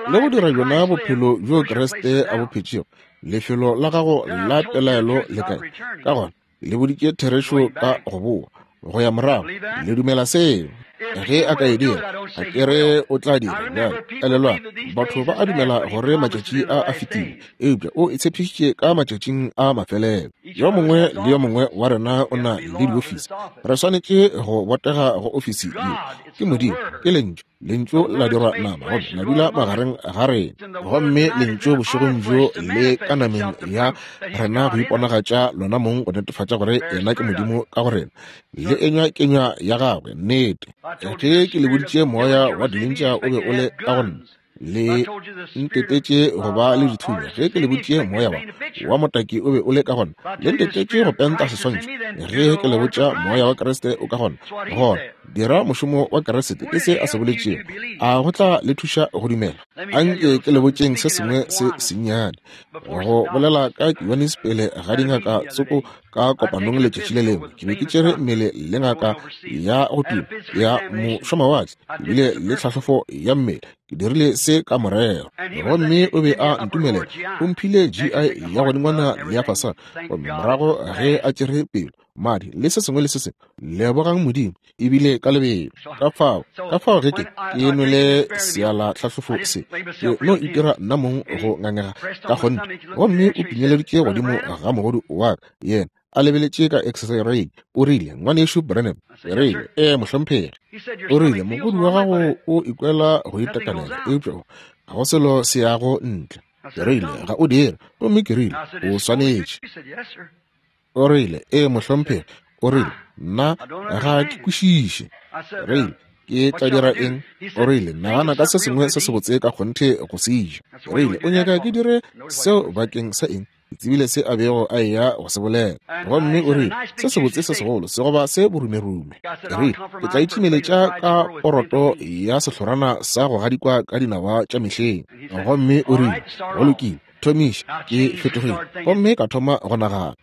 le go dira bjona bophelo bjo Kriste a bo phetšego, lefelo la gago la pelaelo le kae? Ka gona le boditše therešo ka go boa go ya morago. Le dumela seo? Ge a ka e dira, ga ke re o tla dira bjale. Elelwang, batho ba a dumela gore matšatši a a fetile, eupša o e tshepišitše ka matšatšing a mafelelo. Yo mongwe le yo mongwe wa rena o na le diofisi. Re swanetše go botega go ofisi ye. Ke Modimo, ke Lentšu. Lentšu la dirwa nama gomme la dula magareng ga rena. Gomme Lentšu bošegong bjo le ka nameng ya rena go iponagatša lona mong go netefatša gore yena ke Modimo ka go rena. Le enywa kenywa ya gagwe, nnete. Ge ke le boditše moya wa dilentša o be o le ka go nna, le ntetetše go ba le dithunya. Ge ke le boditše moya wa wa motaki o be o le ka gona, le ntetetše go penta seswantšho. Ge ke le botša moya wa Kriste o ka gona, gona dira mošomo wa Kriste, ke se a se boletšego. A go tla le thuša go dumela? Anke ke le botšeng se sengwe se sennyane. Go bolela ka Kiwanis pele ga dingaka tsoko ka kopanong letšatši le lengwe, ke be ke tšere mmele le ngaka ya go tuma ya mošomawatle, ebile le tlhahlofo ya mmele. Ke dirile se ka morero, gomme o be a ntumelela. O mphile GI ya godingwana le ya fasana, gomme morago ge a tšere pelo, madi le se sengwe le se sengwe, lebogang Modimo, ebile ka lebelo. Ka fao, ka fao ge ke, ke nwele seala tlhahlofo se, ke no itira nna mong go ngangega ka kgonthe. Gomme o pinyeleditše godimo ga mogodu wa ka, yena a lebeletše ka x-ray, o rile, Ngwanešu Branham, ke rile, Ee, mohlomphegi. O rile, Mogodu wa gago o ikwela go itekanela, eupša ga go selo se yago ntle. Ke rile, Ga o dire. Gomme ke rile, O swanetše. O rile, Ee, mohlomphegi. O rile, Nna ga ke kwešiše. Ke rile, Ke tla dira eng? O rile, Nagana ka se sengwe se sebotse ka kgonthe go se ja. Ke rile, O nyaka ke dire seo bakeng sa eng? Ke tsebile se a bego a eya go se bolela. Gomme o rile, Se sebotse se segolo se goba se borumerume. Ke rile, Ke tla itšimeletša ka poroto ya sehlorana sa go gadikwa ka dinawa tša mehleng. Gomme o rile, Go lokile, thomiša. Ke fetogile gomme ka thoma go nagana.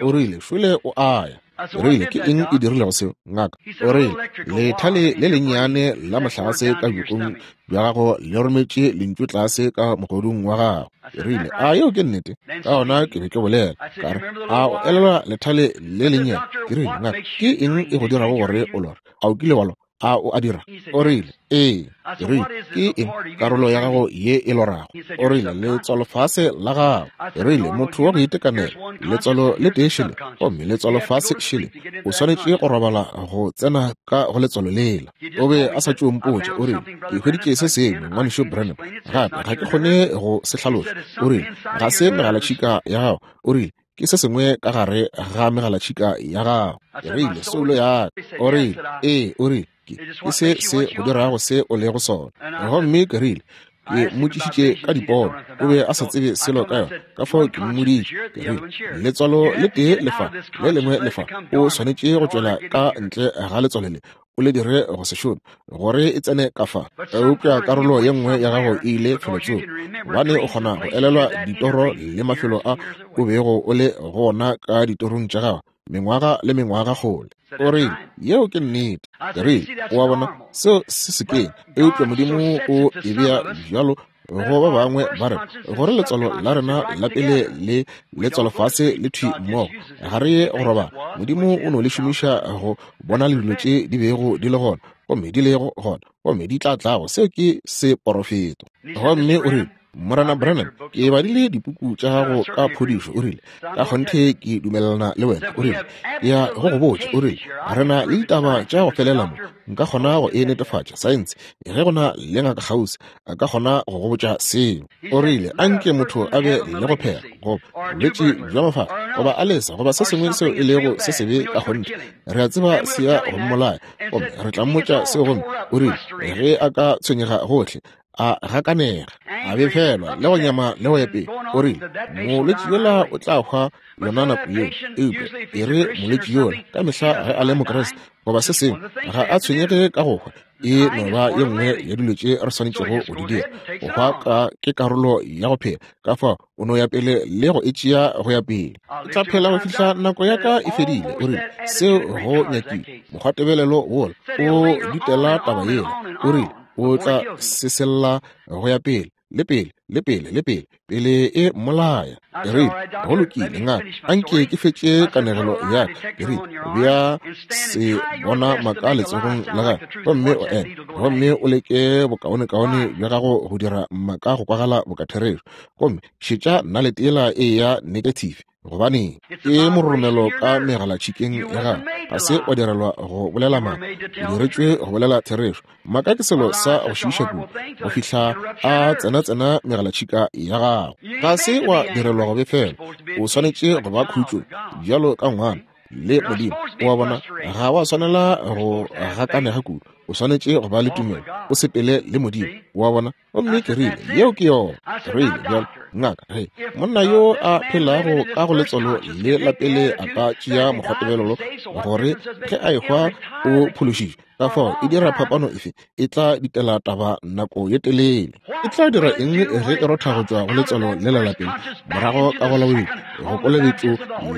O rile, Šole o a ya. O rile, Ke eng e dirilego seo, ngaka? O rile, Lethale le lennyane la mohlagase ka bjokong bja gago le rometše lentšu tlase ka mogodung wa gago. Ke rile, A yeo ke nnete? Ka gona ke be ke bolela, ka re, A o elelwa lethale le lennyane? Ke rile, Ngaka, ke eng e go dirago gore o lore? A o kile wa lora? A o a dira? O rile, Ee. Ke rile, Ke eng karolo ya gago ye e lorago? O rile, Letswalofase la gago. Ke rile, Motho wa go itekanela, letswalo le tee šele, gomme letswalofase šele. O swanetše go robala go tsena ka go letswalo lela. O be a sa tšo mpotša, o rile, Ke hweditše se sengwe, Ngwanešu Branham, gape ga ke kgone go se hlaloša. O rile, Ga se megalatšhika ya gago. O rile, Ke se sengwe ka gare ga megalatšhika ya gago. Ke rile, Soulo ya ka. O rile, Ee. O rile, Ke, ke se se go dirago se o lego sona. Gomme ke rile, Ke mmotšišitše ka dipono, o be a sa tsebe selo ka yona, ka fao ke mmoditše, ke rile, Letswalo le tee le fa, le lengwe le fa, o swanetše go tšwela ka ntle ga letswalo le, o le dire go se šome, gore e tsene ka fa. Eupša karolo ye nngwe ya gago e ile felotsoko, gobane o kgona go elelwa ditoro le mafelo a o bego o le go ona ka ditorong tša gago mengwaga le mengwaga kgole. O rile, Yeo ke nnete. Ke rile, O a bona, seo se sekeng, eupša Modimo o e bea bjalo go ba bangwe ba rena, gore letswalo la rena la pele le letswalofase le thwi mmogo, ga re ye go robala. Modimo o no le šomiša go bona le dilo tše di bego di le gona. gomme di lego gona, gomme di tla tlago. Seo ke seporofeto. Gomme o rile, Morena Branham, ke badile dipuku tša gago ka phodišo. O rile, ka kgonthe ke dumelelana le wena. O rile, ke ya go go botša. O rile, re na le ditaba tša go felela mo. Nka kgona go e netefatša, saense. Ge go na le ngaka kgauswi, a ka kgona go go botša seo. O rile, a nke motho a be le go phela, goba bolwetši bja mafafa, goba a lesa, goba se sengwe seo e lego se sebe ka kgonthe. Re a tseba se ya go mmolaya, gomme re tla mmotša seo. Gomme o rile, ge a ka tshwenyega gohle, a gakanega, a befelwa le go nyama le go ya pele, o rile, molwetši yola o tla hwa yona nako yeo. Eupša e re molwetši yola ka mehla ge a le Mokriste goba se sengwe, ga a tshwenyege ka go hwa. E no ba ye nngwe ya dilo tše re swanetšego go di dira. Go hwa ka ke karolo ya go phela, ka fao o no ya pele le go e tšea go ya pele. Ke tla phela go fihla nako ya ka e fedile. O rile, seo go nyakile mokgwatebelelo wola o ditela taba yela. O rile, o tla sesella go ya pele le pele le pele le pele, pele e mmolaya. Ke rile, go lokile, ngaka, anke ke fetše kanegelo ya ka. Ke rile, bea se bona maka letsogong la gago, gomme o eme, gomme o leke bokaonekaone bja gago go dira maka go kwagala boka therešo, gomme šetša nalete yela e ya negative. Gobaneng, ke mororomelo ka megalatšhikeng ya gago. Ga se wa direlwa go bolela maaka, o diretšwe go bolela therešo. Maaka ke selo sa go šiiša kudu go fihla a tsena-tsena megalatšhika ya gago. Ga se wa direlwa go befelwa, o swanetše go ba khutšo bjalo ka ngwana le Modimo. O a bona, ga wa swanela go gakanega kudu, o swanetše go ba le tumelo, o sepele le Modimo. O a bona? Gomme ke rile, yeo ke yona. Ke rile, bjalo, ngaka, ge monna yo a phelago ka go letswalo le la pele a ka tšea mokgwatebelelo gore ge a ehwa o phološitšwe, ka fao e dira phapano efe? E tla ditela taba nako ye telele. E tla dira eng ge e rotha go tšwa go letswalo le la lapeng morago ka go la bobedi go kolobetšo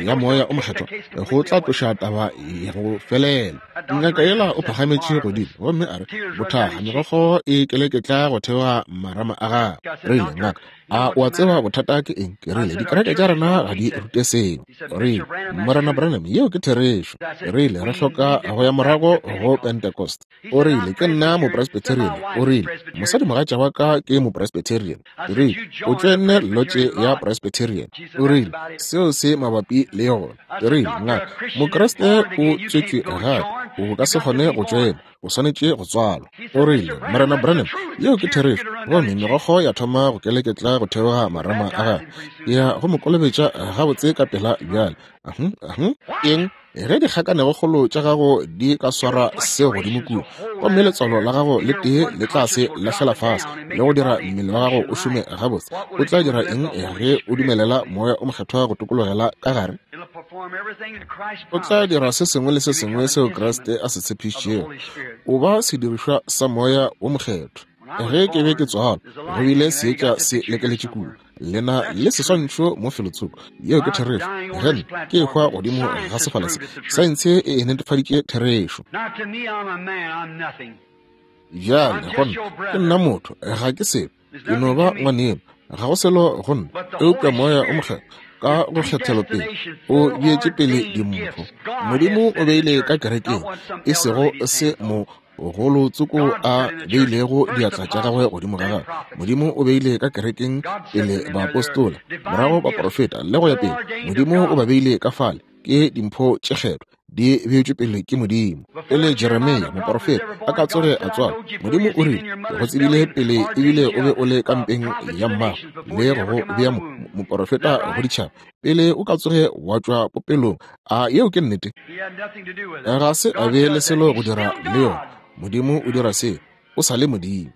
ya Moya o Mokgethwa? Go tla tloša taba ya go felela. Ngaka yela o phagametše godimo gomme a re, Bothaga, megokgo e keleketla go theoga marama a gagwe. Rile, Ngaka, a o a tseba bothata ke eng? Ke rile, Dikereke tša rena ga di rute seo. Rile, Morena Branham, yeo ke therešo. Rile, Re hloka go ya morago go Pentecost. O rile, Ke nna Mopresbyterian. O rile, Mosadimogatša wa ka ke Mopresbyterian. Ke rile, O tšoenne lotše ya Presbyterian. O rile, Seo se mabapi le yona. Ke rile, Ngaka, Mokriste o tswetšwe gape. O ka se kgone go tšoena. O swanetše go tswalwa. O rile, Morena Branham, yeo ke therešo. Gomme megokgo ya thoma go keleketla go theoga marama a gagwe. Ke ya go mo kolobetša gabotse ka pela bjale. Eng? Ge dikgakanegokgolo tša gago di ka swara seo godimo kua, gomme letswalo la gago le tee le tla se lahlela fase le go dira mmele wa gago o šome gabotse, o tla dira eng ge o dumelela Moya o Mokgethwa go tokologela ka gare? O tla dira se sengwe le se sengwe seo Kriste a se tshepišitšego. O ba sedirišwa sa Moya wo Mokgethwa. Ge ke be ke tswalwa, go bile seetša se lekeletše kua. Le na le seswantšho mo felotsoko. Yeo ke therešo. Ge nna ke ehwa godimo ga sefala se, saense e e netefaditše therešo. Bjale, go nna, ke nna motho, ga ke selo. Ke no ba ngwaneno. Ga go selo go nna, eupša Moya o Mokgethwa ka go kgethelopele o beetše pele dimpho. Modimo o beile ka kerekeng, e sego se mo golo tsoko a beilego diatla tša gagwe godimo ga gagwe. Modimo o beile ka kerekeng pele baapostola, morago baprofeta, le go ya pele. Modimo o ba beile ka fale, ke dimpho tše kgethwa di beetšwe pele ke Modimo. Pele Jeremia moprofeta a ka tsoge a tswalwa, Modimo o rile, Ke go tsebile pele ebile o be o le ka mpeng ya mmago, le go go bea moprofeta go ditšhaba pele o ka tsoge wa tšwa popelong. A yeo ke nnete? Ga se a be le selo go dira le yona. Modimo o dira seo, o sa le Modimo.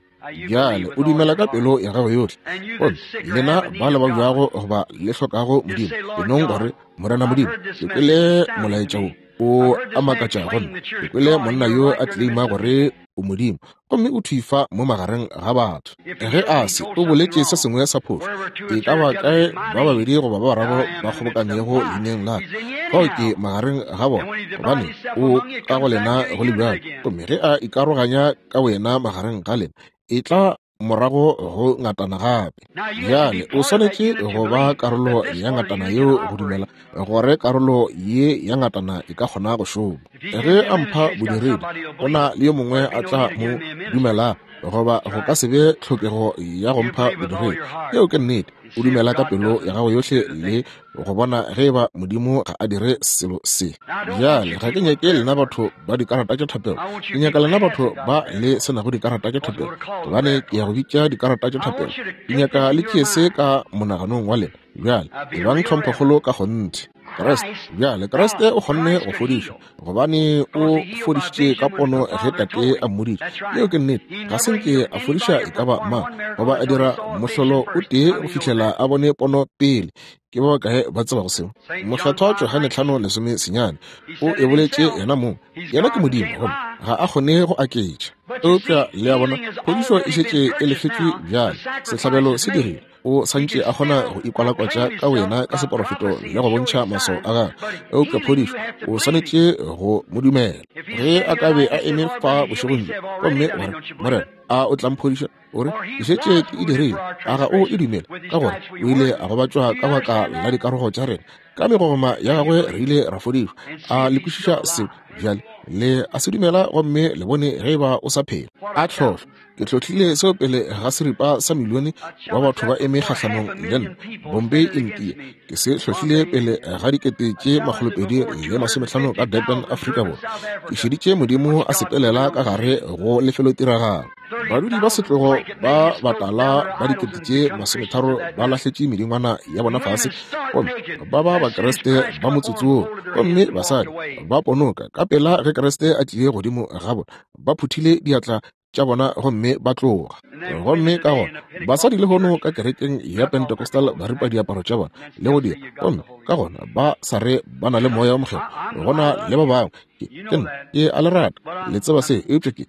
Bjale o dumela ka pelo ya gago yohle. Gomme lena ba le babjago goba le hlokago Modimo, e nong gore, Morena Modimo, ke kwele molaetša wo o a makatša go nna. Ke kwele monna yo a tleleima gore o Modimo, gomme o thwi fa mo magareng ga batho. Ge a se, o boletše se sengwe sa phošo. E ka ba kae ba babedi goba ba bararo ba kgobokanego leineng la ka, fao ke magareng ga bona, gobane o ka go lena go le bjalo. Gomme ge a ikaroganya ka boyena magareng ga lena, e tla. morago go ngatana gape. Bjale o swanetše go ba karolo ya ngatana yeo go dumela gore karolo ye ya ngatana e ka kgona go šoma. Ge a mpha bodiredi, go na le yo mongwe a tla mo dumela, goba go ka se be tlhokego ya go mpha bodiredi. Yeo ke nnete. O dumela ka pelo ya gago yohle le go bona ge eba Modimo ga a dire selo se. Bjale ga ke nyake lena batho ba dikarata tša thapelo, ke nyaka lena batho ba le se nago dikarata tša thapelo, gobane ke ya go bitša dikarata tša thapelo. Ke nyaka le tšee se ka monaganong wa lena. Bjale ebang tlhomphokgolo ka kgonthe. Kriste, bjale Kriste o kgonne go fodiša, gobane o fodišitše ka pono ge Tate a mmoditše. Yeo ke nnete. Ga se nke a fodiša e ka ba mang goba a dira mohlolo o tee go fihlela a bone pono pele. Ke ba bakae ba tsebago seo? Mokgethwa Johane 5:19 o e boletše yena mong. Yena ke Modimo, gomme ga a kgone go aketša. Eupša le a bona, phodišo e šetše e lefetšwe bjale, sehlabelo se dirile. O santše a kgona go ikwalakwatša ka wena ka seporofeto le go bontšha maswao a gagwe, eupša phodišo o swanetše go mo dumela. Ge a ka be a eme fa bošegong bjo gomme wa re, Morena, a o tla mphodiša? O re, ke šetše ke e dirile. A ga o e dumele? Ka gore o ile a gobatšwa ka baka la dikarogo tša rena, ka megogoma ya gagwe re ile ra fodišwa. A le kwešiša seo bjale? Le a se dumela gomme le bone ge e ba o sa phela. A tlhohlo! Ke hlohlile seo pele ga seripa sa milione wa batho ba eme kgahlanong le nna, Bombay, India. Ke se hlohlile pele ga 2,250 ka Durban, Afrika Borwa. Ke šeditše Modimo a sepelela ka gare go lefelotiragalo. Badudi ba setlogo ba batala ba 30,000 ba lahletše medingwana ya bona fase gomme ba ba Bakriste ba motsotso woo, gomme basadi ba ponoka ka pela ge Kriste a tlile godimo ga bona, ba phuthile diatla tša bona gomme ba tloga. Gomme ka gona basadi lehono ka kerekeng ya Pentecostal ba ripa diaparo tša bona le go dira, gomme ka gona ba sa re ba na le Moya wo Mokgethwa. Go na le ba bangwe, ke nna ke a le rata, le tseba se, eupša ke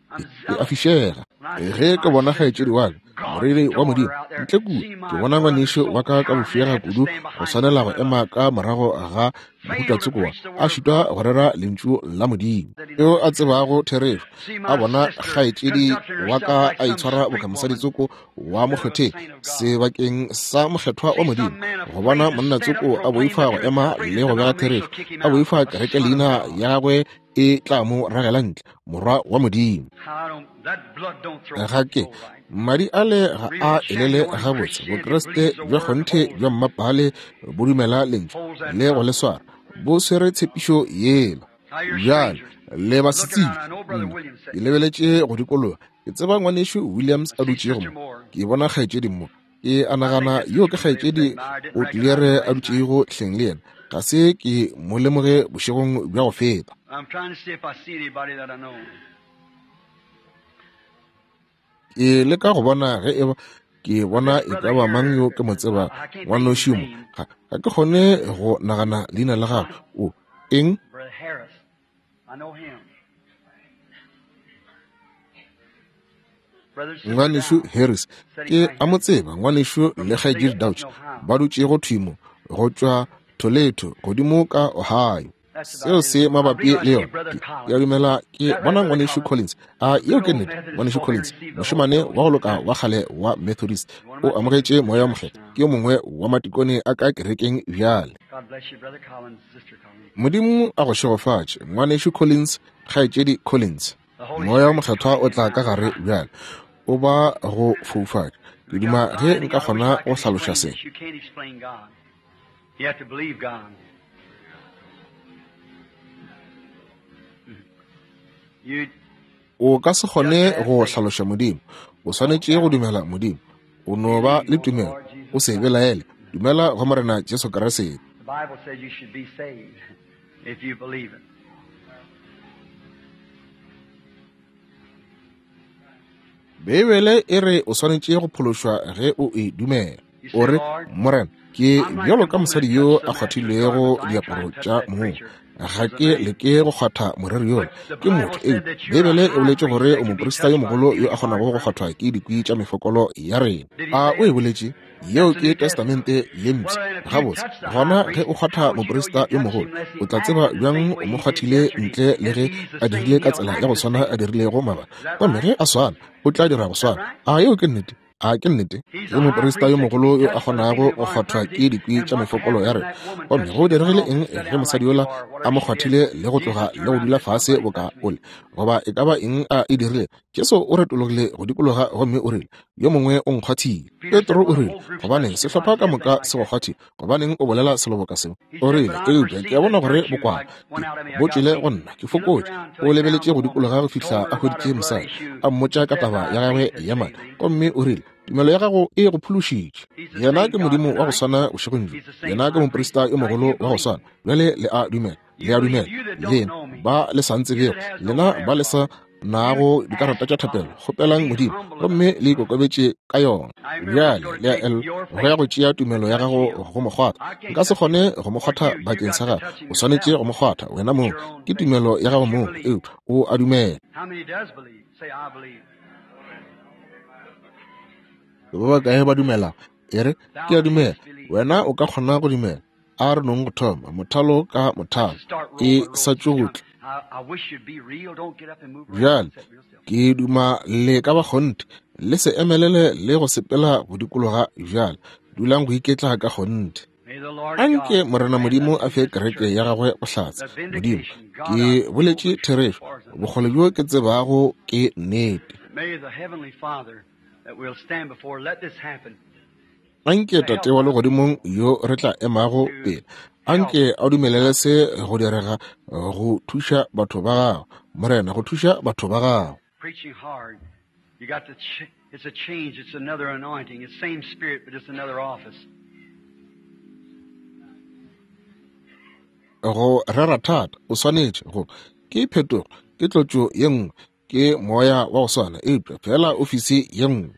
a fišega ge ke bona kgaetšedi wa ka, moreri wa Modimo, ntle kua, ke bona ngwanešu wa ka ka bofega kudu go swanela go ema ka morago ga mohuta tsoko wa a šitwa go rera lentšu la Modimo. Yo a tsebago therešo, a bona kgaetšedi wa ka a itshwara boka mosadi tsoko wa mokgetheng sebakeng sa mokgethwa wa Modimo, go bona monna tsoko a boifa go ema le go bega therešo, a boifa kereke leina ya gagwe e tla mo ragela ntle, morwa wa Modimo. Ga ke madi ale ga a elele gabotse. Bokriste bja kgonthe bja mmapale bo dumela lentšu le go le swara, bo swere tshepišo yela. Bjale le basetsebje, ke lebeletše go dikologa, ke tseba ngwanešu Williams a dutšego mo, ke bona kgaetšedi mo, ke a nagana yo ke kgaetšedi o tlilere a dutšego hleng le yena. Ga se ke mo lemoge bošegong bja go feta. Ke leka go bona ge eba ke bona e ka ba mang yo ke mo tseba ngwanoši mo. Ga ke kgone go nagana leina la gagwe. O eng? Ngwanešu Harris, ke a mo tseba. Ngwanešu le kgaetšedi Dauch ba dutšego thwi mo, go tšwa Toledo godimo ka Ohio. Seo se mabapi le yona. Ke a dumela ke bona ngwanešu Collins. A yeo ke nnete? Ngwanešu Collins, mošemane wa go loka wa kgale wa Methodist, o amogetše Moya wo Mokgethwa. Ke yo mongwe wa matikone a ka kerekeng bjale. Modimo a go šegofatše, Ngwanešu Collins, Kgaetšedi Collins. Moya wo Mokgethwa o tla ka gare bjale, o ba go foufatša. Ke duma ge nka kgona go hlaloša se. You have to believe God. You O ka se kgone go hlaloša Modimo. O swanetše go dumela Modimo. O no ba le tumelo. O se belaele. Dumela go Morena Jesu Kriste. The Bible says you should be saved if you believe it. Beibele e re o swanetše go phološwa ge o e dumela. O re, Morena, ke bjalo ka mosadi yo a kgwathilego diaparo tša mong. Ga ke leke go kgwatha moreri yola. Ke motho, eupša Beibele e boletše gore o moprista yo mogolo yo a kgonago go kgwathwa ke dikwi tša mefokolo ya rena. A o e boletše? Yeo ke Testamente ye Mpsha. Gabotse, gona ge o kgwatha moprista yo mogolo, o tla tseba bjang o mo kgwathile ntle le ge a dirile ka tsela ya go swana a dirilego maabane? Gomme ge a swana, o tla dira go swana. A yeo ke nnete? A ke nnete? Ke moprista yo mogolo yo a kgonago go kgwathwa ke dikwi tša mefokolo ya rena. Gomme go diregile eng ge mosadi yola a mo kgwathile le go tloga le go dula fase boka ole, goba e ka ba eng a e dirile? Jesu o retologile go dikologa gomme o rile, Yo mongwe o nkgwathile. Petro o rile, Gobaneng sehlopha ka moka se go kgwathile? Gobaneng o bolela selo boka seo? O rile, Eupša ke a bona gore bokwala bo tšwele go nna, ke fokotše. O lebeletše go dikologa go fihla a hweditše mosadi, a mmotša ka taba ya gagwe ya madi, gomme o rile, Tumelo ya gago e go phološitše. Yena ke Modimo wa go swana bošegong bjo. Yena ke moprista yo mogolo wa go swana. Bjale le a dumela. Le a dumela. Lena ba le sa ntsebego, lena ba le sa nago dikarata tša thapelo, kgopelang Modimo gomme le ikokobetše ka yona. Bjale le a el go ya go tšea tumelo ya gago go mo kgwatha. Nka se kgone go mo kgwatha bakeng sa gago, o swanetše go mo kgwatha wena mong. Ke tumelo ya gago mong, eupša o a dumela. Ba bakae ba dumelago? E re, ke a dumela. Wena o ka kgona go dumela. A re nong go thoma mothalo ka mothalo, e sa tšo go tla. Bjale ke duma le ka ba kgonthe, le se emelele le go sepela go dikologa bjale, dulang go iketla ka kgonthe. Anke Morena Modimo a fe kereke ya gagwe bohlatse. Modimo, ke boletše therešo, bokgole bjo ke tsebago ke nnete. Anke Tate wa Legodimong yo re tla emago pele, anke a dumelele se go direga go thuša batho ba gago, Morena, go thuša batho ba gago. Preaching hard. You got to it's a change, it's another anointing. It's same spirit, but it's another office. Go rera thata, o swanetše go ke phetogo, ke tlotšo ye nngwe, ke moya wa go swana, eupša fela ofisi ye nngwe.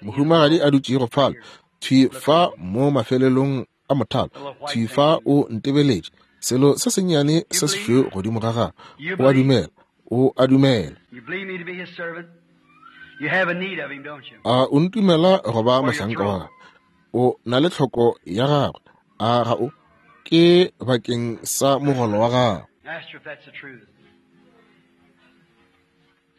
Mohumagadi a dutšego fale, thwi fa mo mafelelong a mothalo, thwi fa o ntebeletše, selo se sennyane se sešweu godimo ga gagwe. O a dumela, o a dumela. A o ntumela go ba mohlanka wa gagwe? O na le tlhoko ya gagwe, a ga o? Ke bakeng sa mogolo wa gago.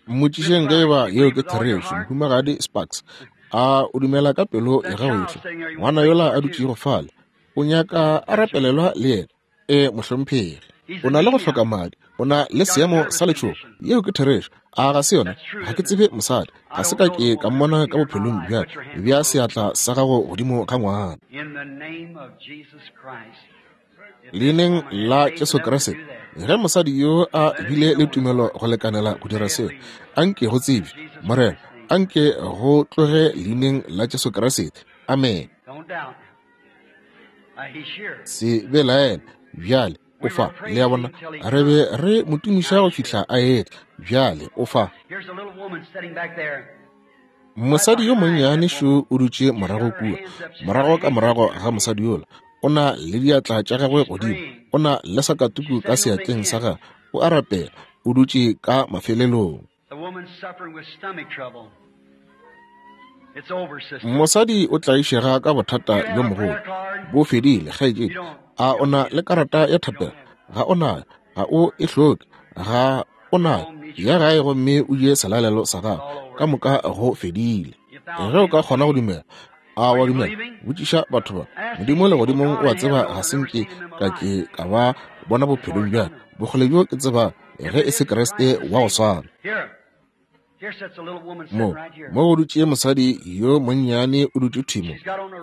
Mmotšišeng ge eba yeo ke therešo, Mohumagadi Sparks. A o dumela ka pelo ya gago yohle? Ngwana yola a dutšego fale, o nyaka a rapelelwa le yena. E, mohlomphegi. O na le go hloka madi. O na le seemo sa letšhogo. Yeo ke therešo. A ga se yona? Ga ke tsebe mosadi. Ga se ka ke ka mmona ka bophelong bja ka. Bea seatla sa gago godimo ga ngwana. Leineng la Jesu Kriste, ge mosadi yo a bile le tumelo go lekanela go dira seo, anke go tsebje, Morena, anke go tloge leineng la Jesu Kriste. Amene. Se belaele bjale, o fa. Le a bona, re be re mo tumiša go fihla a etla. Bjale o fa. Mosadi yo monnyane šo o dutše morago kua, morago ka morago ga mosadi yola. O na le diatla tša gagwe godimo, o na le sakatuku ka seatleng sa gagwe, o a rapela, o dutše ka mafelelong. Mosadi o tlaišega ka bothata bjo mogolo. Bo fedile, kgaetšedi. A o na le karata ya thapelo? Ga o nayo. Ga o e hloke. Ga o nayo. Ya gae gomme o je selalelo sa gago. Ka moka go fedile. Ge o ka kgona go dumela. A wa dumela? Botšiša batho ba. Modimo legodimong o a tseba ga se nke ka ke ka ba bona bophelong bja ka. Bokgole bjo ke tseba ge e se Kriste wa go swana. Mo, mo go dutše mosadi yo monnyane o dutše thwi mo,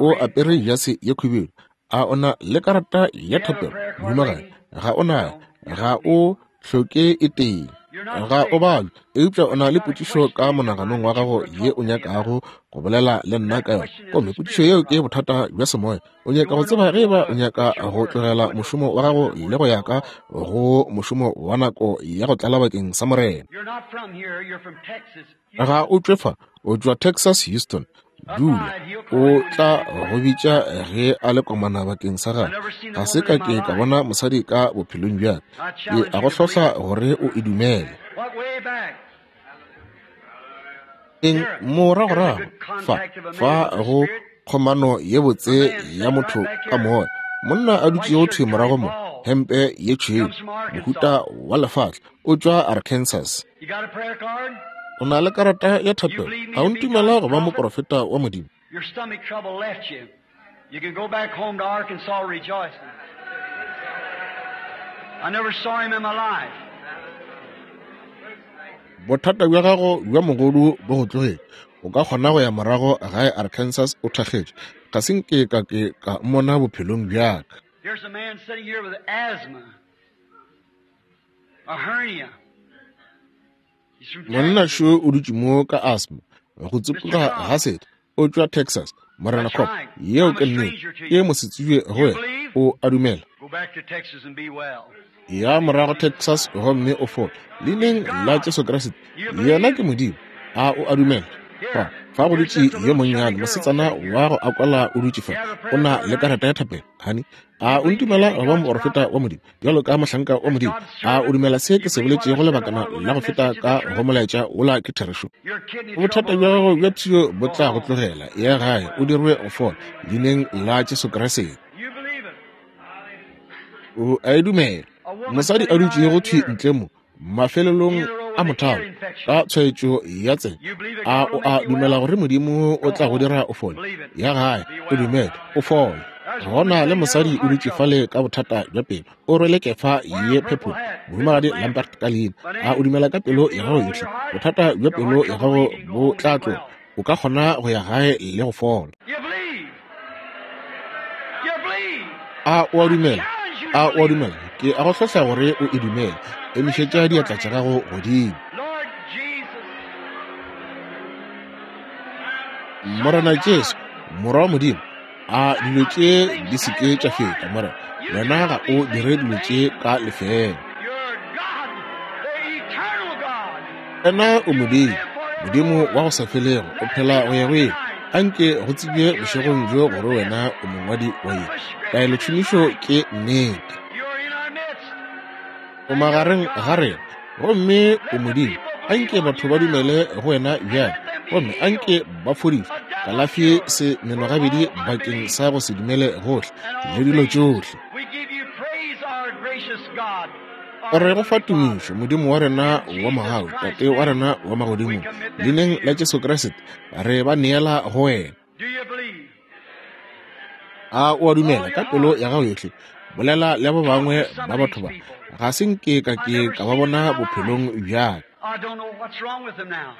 o apere jase ye khubedu. A o na le karata ya thapelo, mohumagadi? Ga o nayo. Ga o hloke e tee. Ga o balwe, eupša o na le potšišo ka monaganong wa gago ye o nyakago go bolela le nna ka yona. Gomme potšišo yeo ke bothata bja semoya. O nyaka go tseba ge eba o nyaka go tlogela mošomo wa gago le go ya ka go mošomo wa nako ya go tlala bakeng sa Morena. Ga o tšwe fa, o tšwa Texas, Houston. Dula, o tla go bitša ge a le komana bakeng sa gagwe. Ga se ka ke ka bona mosadi ka bophelong bja ka. Ke a go hlohla gore o e dumele. Eng moragorago fa, fa go kgomano ye botse ya motho ka moya. Monna a dutšego thwi morago mo, hempe ye tšhweu, mohuta wa lefatla, o tšwa Arkansas. O na le karata ya thapelo. A o ntumela go ba moprofeta wa Modimo? Your stomach trouble left you. You can go back home to Arkansas rejoicing. I never saw him in my life. Bothata bja gago bja mogodu bo go tlogetše. O ka kgona go ya morago gae Arkansas o thakgetše. Ga se nke ka ke ka mmona bophelong bja ka. Here's a man sitting here with asthma, a hernia. He's from Monna Texas. šo o dutše mo ka asthma, go tsopoga ga setho, o tšwa Texas. Morena That's Cobb, right. yeo I'm ke a nnete. stranger to Ke you. mosetsebje go You wena. believe? O a dumela. Go back to Texas and be well. Ya morago Texas gomme o fole. Leineng la Jesu Kriste, You yena believe? ke Modimo. A o a dumela? Fa, Here, fa go here's dutše just a yo little chubby monnyane, girl mosetsana sitting here. wa go akwala o dutše fa. You have a O prayer na card, le honey? karata ya thapelo, honey. You A o believe me to ntumela be go ba God's moprofeta prophet? wa Modimo, bjalo ka mohlanka wa As Modimo? God's A o servant? dumela se You ke se believe what I boletšego said a lebakana while ago in la go that feta message is the ka go truth? molaetša wola ke therešo? Your kidney Bothata trouble bja will gago leave bja you. pshio bo Go tla go home. tlogela. Ya gae, o dirwe go fola. Leineng la Jesu Kriste. You believe it. O a e dumela. A woman Mosadi a sitting right dutšego out thwi here ntle mo, mafelelong in the row a with an ear mothalo, ka infection. tshwaetšo ya tsebe. You believe that A God o will a make you dumela well? gore Modimo o Go tla go home. dira o fole? Believe it. Ya gae, Be o well. dumele, o fole. There's a Go woman na le sitting here with mosadi o heart dutše trouble. fale ka bothata bja pelo. O rwele kefa Wearing ye a purple purple. hat. Mrs. Mohumagadi Lambert. Lambert ka leina. My A name? o dumela ka You pelo believe ya with gago all yohle? your heart? Bothata bja Your pelo heart ya trouble gago leave you and go bo home and be tla tloga. well. O ka kgona go ya gae le go fola. You believe. You believe. A o a I dumela? challenge you to A o a believe it. dumela? Ke a go hlohla gore o e dumele. Raise Emišetša up your diatla tša hand. gago godimo. Lord Jesus, Son of Morena Jesu, God, Morwa wa Modimo, a dilo I tše these things di se have ke tša Lord. feta, Morena. You Wena do ga not o these dire things in dilo tše vain. ka lefeela. You're God, the eternal God. Wena o You Modimo, live Modimo wa forevermore. go sa felego, o Let it phela be go ya known go ile. tonight Anke go tsebje that you're the bošegong bjo author of gore this. wena o mongwadi wa ye. The prescription is Taelotšhomišo right. ke nnete. You're in our midst, O and you're magareng ga God. rena, gomme o Let the Modimo. people believe Anke on batho you ba now, dumele go wena and bjale, let them be gomme anke healed. ba fodišwe. A double Kalafi cure se for menogabedi all bakeng unbelief sa go se dumele gohle and le all dilo things. tšohle. We give you praise, our gracious God, our Re go fa heavenly Father. tumišo, Modimo wa rena In wa Jesus mogau, Christ's Tate wa name, rena wa we magodimong, commit them to leineng la you. Jesu Kriste, re ba neela go wena. Do you believe? A o a With all dumela your ka pelo heart. ya gago yohle? Bolela le ba Talk bangwe to some ba of batho these ba. people. Ga se nke ka I ke never ka ba seen them in bona my life. bophelong bja ka. I don't know what's wrong with them now.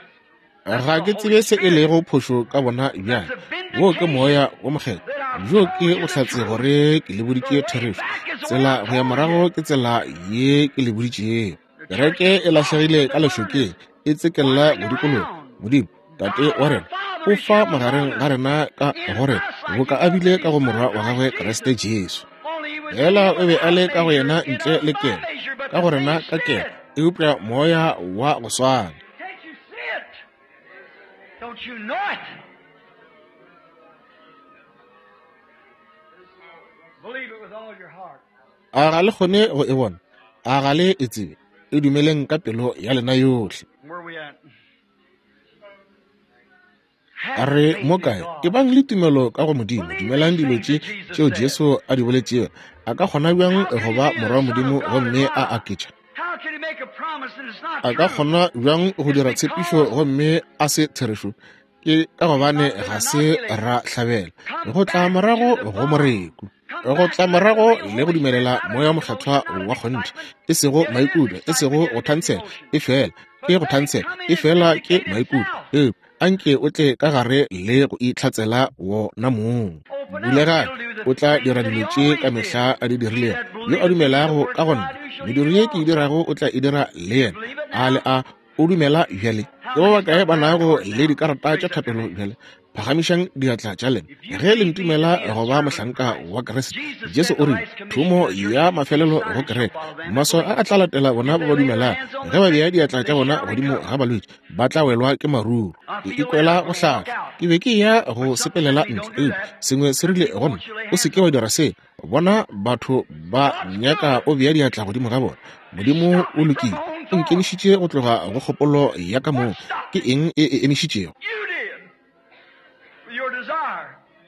That's Ga the ke Holy tsebe se e Spirit. lego phošo ka bona That's bjale. the Wo ke vindication moya wo mokgethwa. that I've Bjo told ke you the bohlatse truth. gore ke le The boditše way therešo. back is the way Tsela I go ya told morago you. ke tsela ye ke le boditšego. The church Kereke is e lost lahlegile in ka the lešokeng, wilderness, e tsekella go wandering dikologa. around. Modimo, Tate God wa our rena, Father o is fa here magareng among ga us, rena ka in gore us like boka he a was bile in ka go his Son Morwa wa gagwe Christ Kriste Jesus. Jesu. Only he was in Fela him o be a without le ka go measure, yena in ntle us le by kelo, measure, but ka the go rena same ka kelo, Spirit. eupša moya wa go swana. Can't you see it? Don't you know it? Believe it with all your heart. A ga le kgone go e bona? A ga le e tsebe? E dumeleng ka pelo ya lena yohle. Where we at? A Have re faith mo in kae? God. Ebang le tumelo ka go Modimo. Believe Dumelang these dilo things tše that Jesus tšeo said. Jesu a di boletšego. A ka kgona bjang How go can he ba be morwa the wa Son of Modimo God and gomme a lie? aketša? How can he make a promise and it's not A ka true? kgona bjang go It's dira tshepišo because gomme a se therešo? Ke ka he's gobane not been ga se inoculated. ra hlabela. Come Go tla back to morago the go vine. moreku. Come Go back tla to the morago real le go Holy Spirit, dumelela not moya a mokgethwa emotion, not an wa kgonthe, excitement. e sego It is maikutlo, e sego excitement, go it is thantsela, emotion. e fela ke But go let it thantsela, come in e and fela ke vindicate maikutlo. itself. Eupša anke o tle ka gare le go itlhatsela wona mong. Open up. Bulega, It'll do the o tla things dira that he dilo tše ka always did. mehla a di He dirilego. that Yo a believeth in me, the dumelago works ka go that nna, I do shall he mediro do ye ke e also. dirago o tla e dira le You yena. believe it A le now? a o dumela bjale? How Ke ba many's bakae got ba prayer nago cards le now? dikarata Raise tša up your thapelo hand. bjale? Phagamišang diatla tša lena. If you Ge le believe me to ntumela be a go ba servant of mohlanka Christ, wa Kriste, Jesus Jesu said o the rile, last commission thomo to the church, ya these mafelelo go signs shall kereke. follow them that Maswao a believe. a tla latela bona If ba they ba lay their dumelago. hands on Ge the ba sick, bea diatla they tša bona shall godimo recover. ga balwetši, ba tla welwa ke maruru. I Ke feel ikwela led go I'm gonna walk hlahla. out. Ke be ke ya go But something said sepelela to me, ntle, don't do eupša that. sengwe se The rile people go nna, want you to lay o se hands ke wa on them. dira se. Bona batho ba God's nyaka good. o bea diatla godimo ga bona. It Modimo stopped o me from lokile. my own O nkemišitše go tloga go kgopolo ya ka mong. Ke eng e e emišitšego?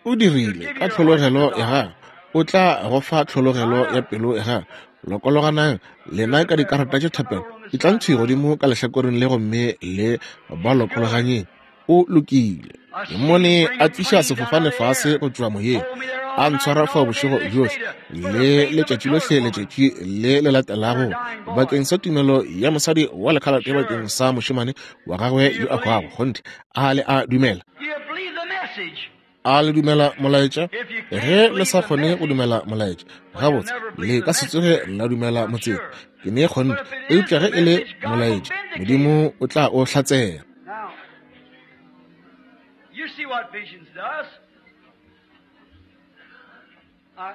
O dirile ka tlhologelo ya gagwe. O tla go fa tlhologelo ya pelo ya gagwe. Lokologanang lena ka dikarata tša thapelo. Etlang thwi godimo ka lehlakoreng le gomme le ba lokologanyeng. O lokile. Ke mmone a tliša sefofane fase go tšwa moyeng, a ntshwara fao bošego bjohle le letšatši lohle letšatši le le latelago bakeng sa tumelo ya mosadi wa lekhalate bakeng sa mošemane wa gagwe yo a hwago. Kgonthe, a le a dumela? A le dumela molaetša? Ge le sa kgone go dumela molaetša, gabotse le ka se tsoge la dumela motseng. Ke ne kgonthe, eupša ge e le molaetša, Modimo o tla o hlatsela.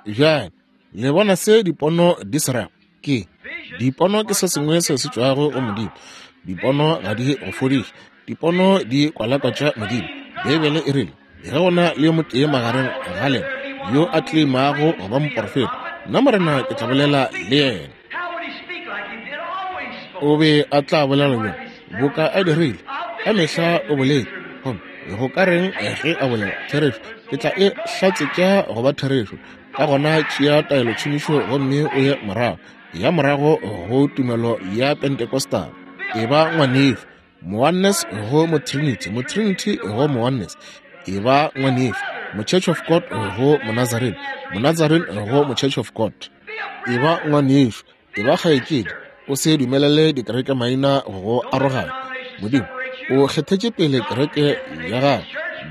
Bjale le bona se dipono di se rago? Ke dipono ke se sengwe se se tšwago go Modimo. Dipono ga di go fodiše, dipono di kwalakwatša Modimo. Beibele e rile, ge go na le yo motee magareng ga lena yo a tleimago go ba moporofeta, nna Morena ke tla bolela le yena. O be a tla bolela bjang? Boka a dirile ka mehla o boletše. Gomme go ka reng ge a bolela therešo? Ke tla e hlatsetša go ba therešo. Ka gona tšea taelotšhomišo gomme o ye morago, ya morago go tumelo ya Pentecostal. E ba ngwanešu, Mooneness go Motrinity, Motrinity go Mooneness. E ba ngwanešu, Mochurch of God go Monazarene, Monazarene go Mochurch of God. E ba ngwanešu, e ba kgaetšedi, o se dumelele dikereke maina go arogana. Modimo o kgethetše pele kereke ya gagwe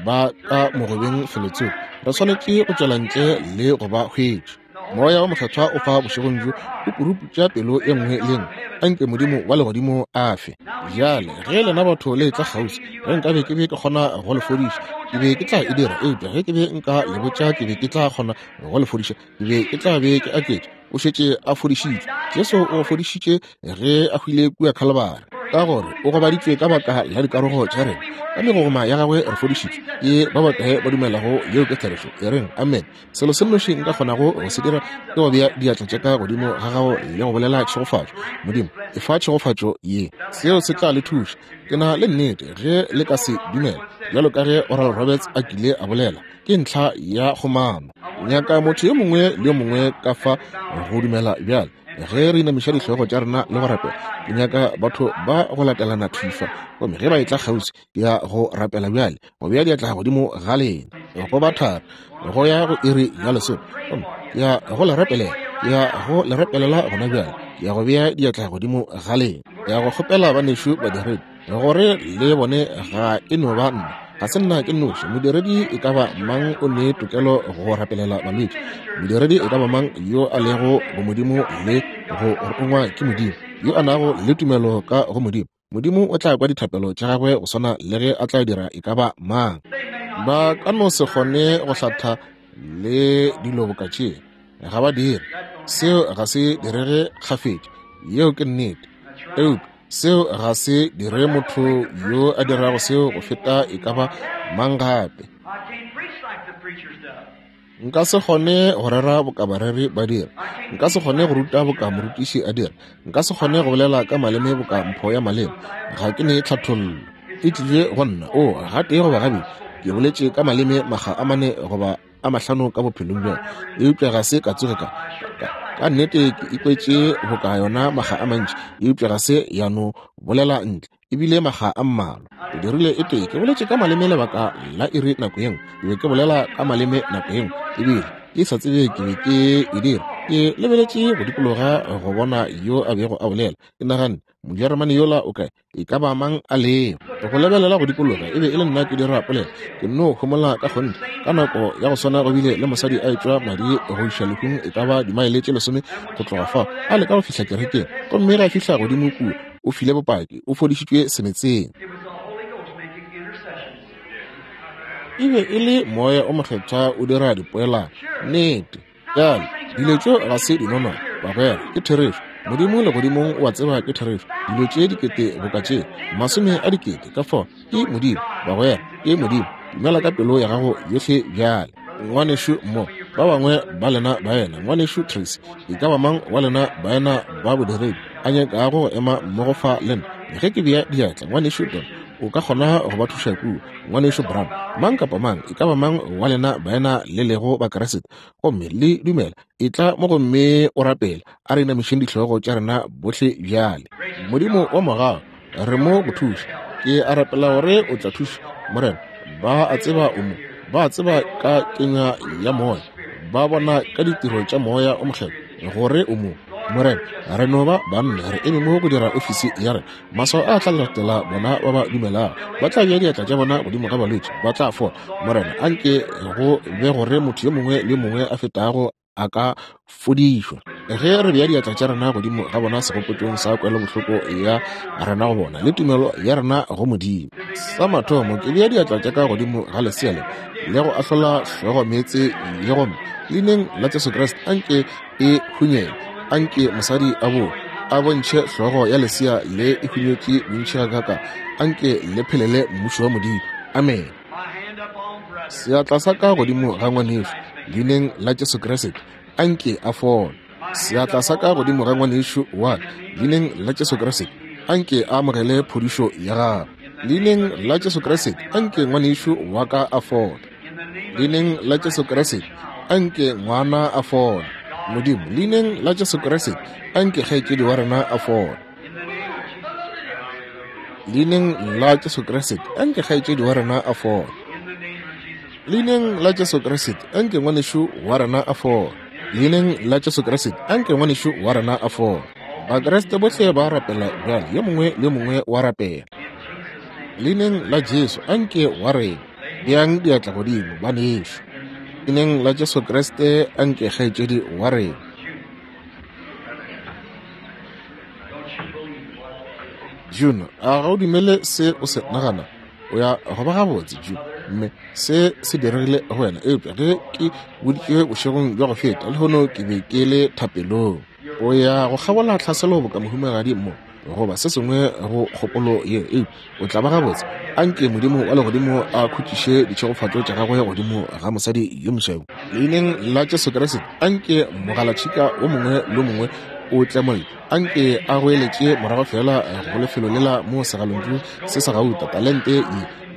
ba ka mogobeng felotsoko. Re swanetše go tšwela ntle le go ba hwetša. Moya wa Mokgethwa o fa bošegong bjo, o puruputša pelo e nngwe le nngwe. Anke Modimo wa legodimo a fe. Bjale, ge lena batho le etla kgauswi, ge nkabe ke be ke kgona go le fodiša, ke be ke tla e dira. Eupša ge ke be nka le botša ke be ke tla kgona go le fodiša, ke be ke tla be ke aketše. O šetše a fodišitšwe. Jesu o fodišitše ge a hwile kua Khalibari, ka gore o gobaditšwe ka baka la dikarogo tša rena, ka megogoma ya gagwe re fodišitšwe. Ke ba bakae ba dumelago yeo ke therešo? E reng, Amen. Selo se nnoši nka kgonago go se dira ke go bea diatla tša ka godimo ga gago le go bolela tšhegofatšo. Modimo, efa tšhegofatšo ye. Seo se tla le thuša. Ke na le nnete ge le ka se dumela, bjalo ka ge Oral Roberts a kile a bolela, ke ntlha ya kgomano. Nyaka motho yo mongwe le yo mongwe ka fa go dumela bjale. Ge re inamiša dihlogo tša rena le go rapela, ke nyaka batho ba go latelana thwi fa. Gomme ge ba etla kgauswi, ke ya go rapela bjale, go bea diatla godimo ga lena, go ba thari, go ya go iri ya lesome. Gomme ke ya go le rapelela, ke ya go le rapelela gona bjale, ke ya go bea diatla godimo ga lena. Ke ya go kgopela banešu badiredi gore le bone ga e no ba nna, ga se nna ke nnoši. Modiredi e ka ba mang o ne tokelo go rapelela balwetši. Modiredi e ka ba mang yo a lego bomodimo le go rongwa ke Modimo, yo a nago le tumelo ka go Modimo, Modimo o tla kwa dithapelo tša gagwe go swana le ge a tla dira e ka ba mang. Ba ka no se kgone go hlatha le dilo boka tše, ga ba dire. Seo ga se direge kgafetša, yeo ke nnete. Eupša seo ga se dire motho yo a dirago seo go feta e ka ba mang gape. Nka se kgone go rera boka bareri ba dira. Nka se kgone go ruta boka morutiši a dira. Nka se kgone go bolela ka maleme boka mpho ya maleme. Ga ke ne tlhathollo. E tlile go nna, oo, gatee goba gabedi, ke boletše ka maleme makga a mane goba a mahlano ka bophelong bja ka, eupša ga se ka tsoge ka, ka, ka nnete ke ikwetše boka yona makga a mantši, eupša ga se ya no bolela ntle. E bile makga a mmalwa. Ke dirile e tee, ke boletše ka maleme lebaka la iri nako ye nngwe. Ke be ke bolela ka maleme nako ye nngwe, ebile ke sa tsebe ke be ke e dira. Ke lebeletše go dikologa go bona yo a bego a bolela. Ke naganne, Mojeremane yola o kae? E ka ba mang a lego? Go lebelela go dikologa, e be e le nna ke dira polelo. Ke nno homola ka kgonthe. Ka nako ya go swana go bile le mosadi a etšwa madi go iša lehung e ka ba dimaele tše lesome go tloga fao, a leka go fihla kerekeng. Gomme ge a fihla godimo kua, o file bopaki, o fodišitšwe semetseng. E be e le Moya o Mokgethwa o dira dipoelano. Nnete. Bjale, dilo tšeo ga se dinonwane, bagwera, ke therešo. Modimo legodimong o a tseba ke therešo. Dilo tše dikete boka tše, masome a dikete, ka fao, ke Modimo, bagwera, ke Modimo. Dumela ka pelo ya gago yohle bjale. Ngwanešu mo, ba bangwe ba lena baena, Ngwanešu Tracy, e ka ba mang wa lena baena ba bodiredi? a nyakago go ema mmogo fa le nna ge ke bea diatla? Ngwanešu Don, o ka kgona go ba thuša kua. Ngwanešu Brown, mang kapa mang, e ka ba mang wa lena baena le lego Bakriste gomme le dumela, etla mo gomme o rapele. A re inamišeng dihlogo tša rena bohle bjale. Modimo wa mogau, re mo go thuša. Ke a rapela gore o tla thuša, Morena. Ba a tseba o mo, ba a tseba ka kenywa ya Moya, ba bona ka ditiro tša Moya o Mokgethwa gore o mo. Morena, re no ba banna, re eme mo go dira ofisi ya rena. Maswao a tla latela bona ba ba dumelago. Ba tla bea diatla tša bona godimo ga balwetši, ba tla fola. Morena, anke go be gore motho yo mongwe le yo mongwe a fetago a ka fodišwa. Ge re bea diatla tša rena godimo ga bona segopotšong sa kwelobohloko ya rena go bona le tumelo ya rena go Modimo. Sa mathomo, ke bea diatla tša ka godimo ga lesea le le go ahlola hlogo meetse ye, gomme leineng la Jesu Kriste anke e hunyele. Anke mosadi a bo a bontšhe hlogo ya lesea le e hunyetše bontši gakaka. Anke le phelele mmušo wa Modimo. Amen. Seatla sa ka godimo ga ngwanešu, leineng la Jesu Kriste, anke a fole. Seatla sa ka godimo ga ngwanešu wa ka, leineng la Jesu Kriste, anke a amogele phodišo ya gagwe. Leineng la Jesu Kriste, anke ngwanešu wa ka a fole. Leineng la Jesu Kriste, anke ngwana a fole. Modimo, leineng la Jesu Kriste, anke kgaetšedi wa rena a fole. Leineng la Jesu Kriste, anke kgaetšedi wa rena a fole. Leineng la Jesu Kriste, anke ngwanešu wa rena a fole. Leineng la Jesu Kriste, anke ngwanešu wa rena a fole. Bakriste bohle ba rapela bjale, yo mongwe le yo mongwe wa rapela. Leineng la Jesu, anke wa rena. Beang diatla godimo, banešu. Leineng la Jesu Kriste, anke kgaetšedi wa rena. June, a ga o dumele se o se nagana? O ya go ba gabotse, June. Mme se se diregile go wena, eupša ge ke boditšwe bošegong bja go feta, lehono ke be ke le thapelong. O ya go kgabola tlhaselo boka mohumagadi mo, goba se sengwe go kgopolo ye, eupša o tla ba gabotse. Anke Modimo wa legodimo a khutšiše ditšhegofatšo tša gagwe godimo ga mosadi yo mosweu. Leineng la Jesu Kriste, anke mogalatšhika wo mongwe le wo mongwe o tlemolle. Anke a goeletše morago feela go lefelo lela mo segalontšu se sa gauta, talente ye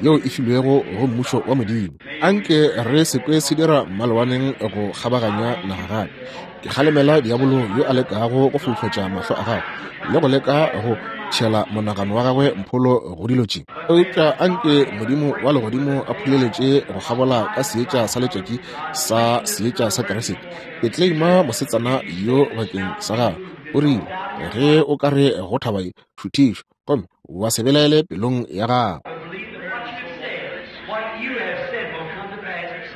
yeo e filwego go Mmušo wa Modimo. Anke re se kwe se dira mmalewaneng go kgabaganya naga gape. Ke kgalemela diabolo yo a lekago go foufatša mahlo a gagwe le go leka go tšhela monagano wa gagwe mpholo go dilo tše. Eupša anke Modimo wa legodimo a phuleletše go kgabola ka seetša sa letšatši sa seetša sa Kriste. Ke tleima mosetsana yo bakeng sa gago. O rile, ge o ka re go thaba ye, šuthišwa, gomme wa se belaele pelong ya gago.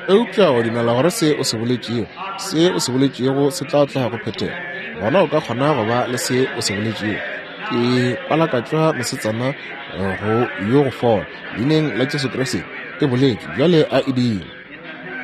Eupša wa dumela gore se o se boletšego, se o se boletšego se tla tla go phethega, gona o ka kgona go ba le se o se boletšego. Ke palakatšwa mosetsana go yo go fola. Leineng la Jesu Kriste, e boletšwe, bjale a e dire.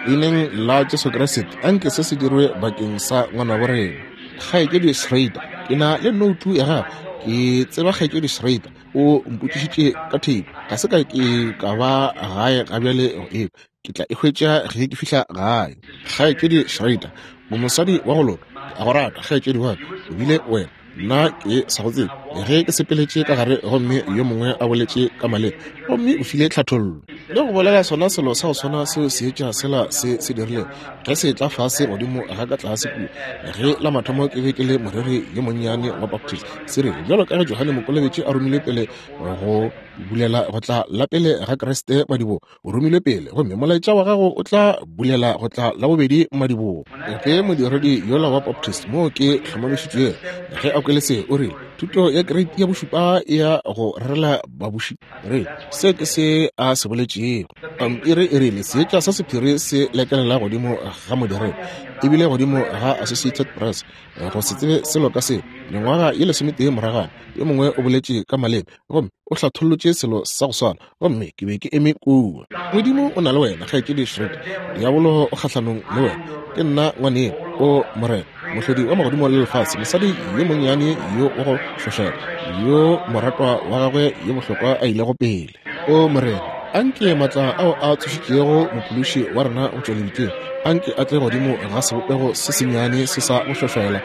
Leineng la Jesu Kriste, anke se se dirwe bakeng sa ngwanabo rena. Kgaetšedi Schrader, ke na le noutu ya gago. Ke tseba Kgaetšedi Schrader o mpotšišitše ka theipi. Ga se ka ke ka ba gae ga bjale go e ke tla e hwetša ge ke fihla gae. Kgaetšedi Schrader, o mosadi wa go loka. Ke a go rata, kgaetšedi wa ka. O bile wena. Nna ke sa go tsebe. Ge ke sepeletše ka gare gomme yo mongwe a boletše ka maleme, gomme o file tlhathollo le go bolela sona selo sa go swana seo seetša sela se se dirilego ge se etla fase godimo ga ka tlase kua, ge la mathomo ke be ke le moreri yo monnyane wa Baptist, se re, bjalo ka ge Johane Mokolobetši a romilwe pele go bulela go tla la pele ga Kriste madibogo, o romilwe pele, gomme molaetša wa gago o tla bulela go tla la bobedi madibogo. Ge modiredi yola wa Baptist moo ke hlomamišitšwego, ge a kwele se, o rile, Thuto ya kereiti ya bošupa e ya go rerela babuši. Re, se ke se a se boletšego. Pampiri e rile, Seetša sa sephiri se lekelela godimo ga modiredi, ebile godimo ga Associated Press. Go se tsebe selo ka seo, mengwaga ye lesometee moragwana, yo mongwe o boletše ka maleme gomme o hlathollotše selo sa go swana, gomme ke be ke eme kua. Modimo o na le wena, Kgaetšedi Schroeder. Diabolo o kgahlanong le wena. Ke nna ngwaneno, o Morena, Mohlodi wa magodimo le lefase. Mosadi yo monnyane yo wa go hlošela, yo moratwa wa gagwe yo bohlokwa a ilego pele. O Morena, anke matla ao a tsošitšego Mophološi wa rena go tšwa lebitleng, anke a tle godimo ga sebopego se sennyane se sa go hlošela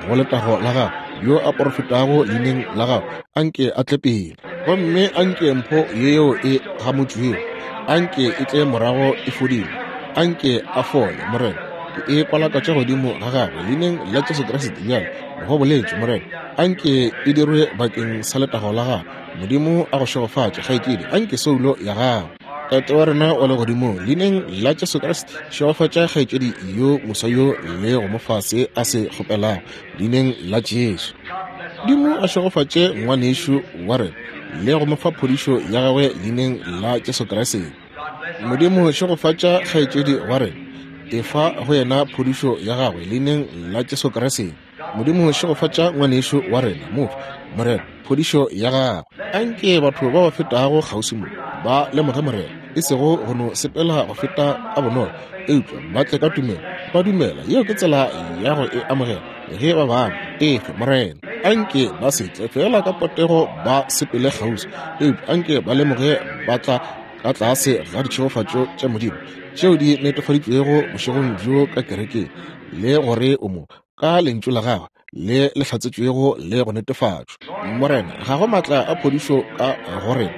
go letago la Gagwe. yo a porofetago leineng la gago, anke a tle pele. Gomme anke mpho yeo e gamotšwego, anke e tle morago e fodile. Anke a fole, Morena. Ke e kwalakatša godimo ga gagwe leineng la Jesu Kriste bjale, go boletše, Morena. Anke e dirwe bakeng sa letago la gago. Modimo a go šegofatše, kgaetšedi. Anke soulo ya gago. Tate wa rena wa legodimong, leineng la Jesu Kriste, šegofatša kgaetšedi yo moswa yo le go mo fa se a se kgopelago, leineng la Jesu. Modimo a šegofatše ngwanešu wa rena le go mo fa phodišo ya gagwe leineng la Jesu Kriste. Modimo šegofatša kgaetšedi wa rena, efa go yena phodišo ya gagwe leineng la Jesu Kriste. Modimo šegofatša ngwanešu wa rena, mo fe, Morena, phodišo ya gagwe. Anke batho ba ba fetago kgauswi mo ba lemoge, Morena, e sego go no sepela go feta ka bonolo, eupša ba tle ka tumelo, ba dumela. Yeo ke tsela ya go e amogela ge ba bangwe. Efe, Morena. Anke ba se tle fela ka potego ba sepele kgauswi, eupša anke ba lemoge ba tla ka tlase ga ditšhegofatšo tša Modimo tšeo di netefaditšwego bošegong bjo ka kerekeng, le gore o mo ka lentšu la gagwe le le hlatsetšwego le go netefatšwa. Morena, ga go maatla a phodišo ka go rena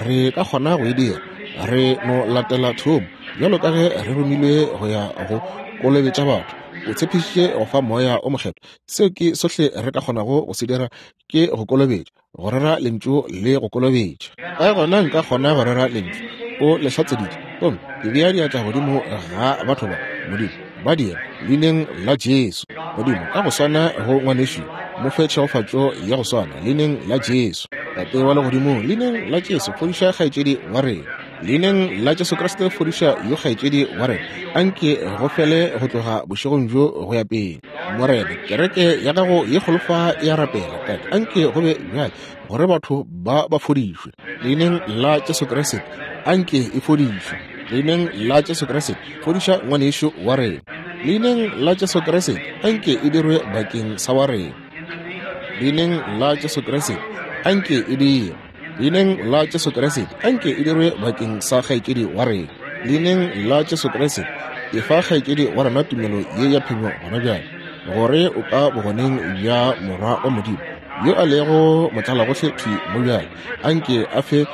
re ka kgona go e dira. Re no latela thomo bjalo ka ge re romilwe go ya go kolobetša batho. O tshepišitše go fa Moya o Mokgethwa. Seo ke sohle re ka kgonago go se dira, ke go kolobetša, go rera lentšu le go kolobetša. Ka gona nka kgona go rera lentšu, o le hlatseditše, gomme ke bea diatla godimo ga batho ba. Modimo, ba dira leineng la Jesu. Modimo, ka go swana go ngwanešu, mo fe tšhegofatšo ya go swana leineng la Jesu. Tate wa legodimong, leineng la Jesu, fodiša kgaetšedi wa rena. Leineng la Jesu Kriste, fodiša yo kgaetšedi wa rena. Anke go fele go tloga bošegong bjo go ya pele. Morena, kereke ya gago ye kgolo fa e a rapela. Tate, anke go be bjale gore batho ba ba fodišwe. Leineng la Jesu Kriste, anke e fodišwe. Leineng la Jesu Kriste, fodiša ngwanešu wa rena. Leineng la Jesu Kriste, anke e dirwe bakeng sa wa rena. Leineng la Jesu Kriste, anke e dirwe. Leineng la Jesu Kriste, anke e dirwe bakeng sa kgaetšedi wa rena. Leineng la Jesu Kriste, efa kgaetšedi wa rena tumelo ye ya phenyo gona bjale, gore o ka bogoneng bja Morwa wa Modimo, yo a lego motlalagohle thwi mo bjale, anke a fe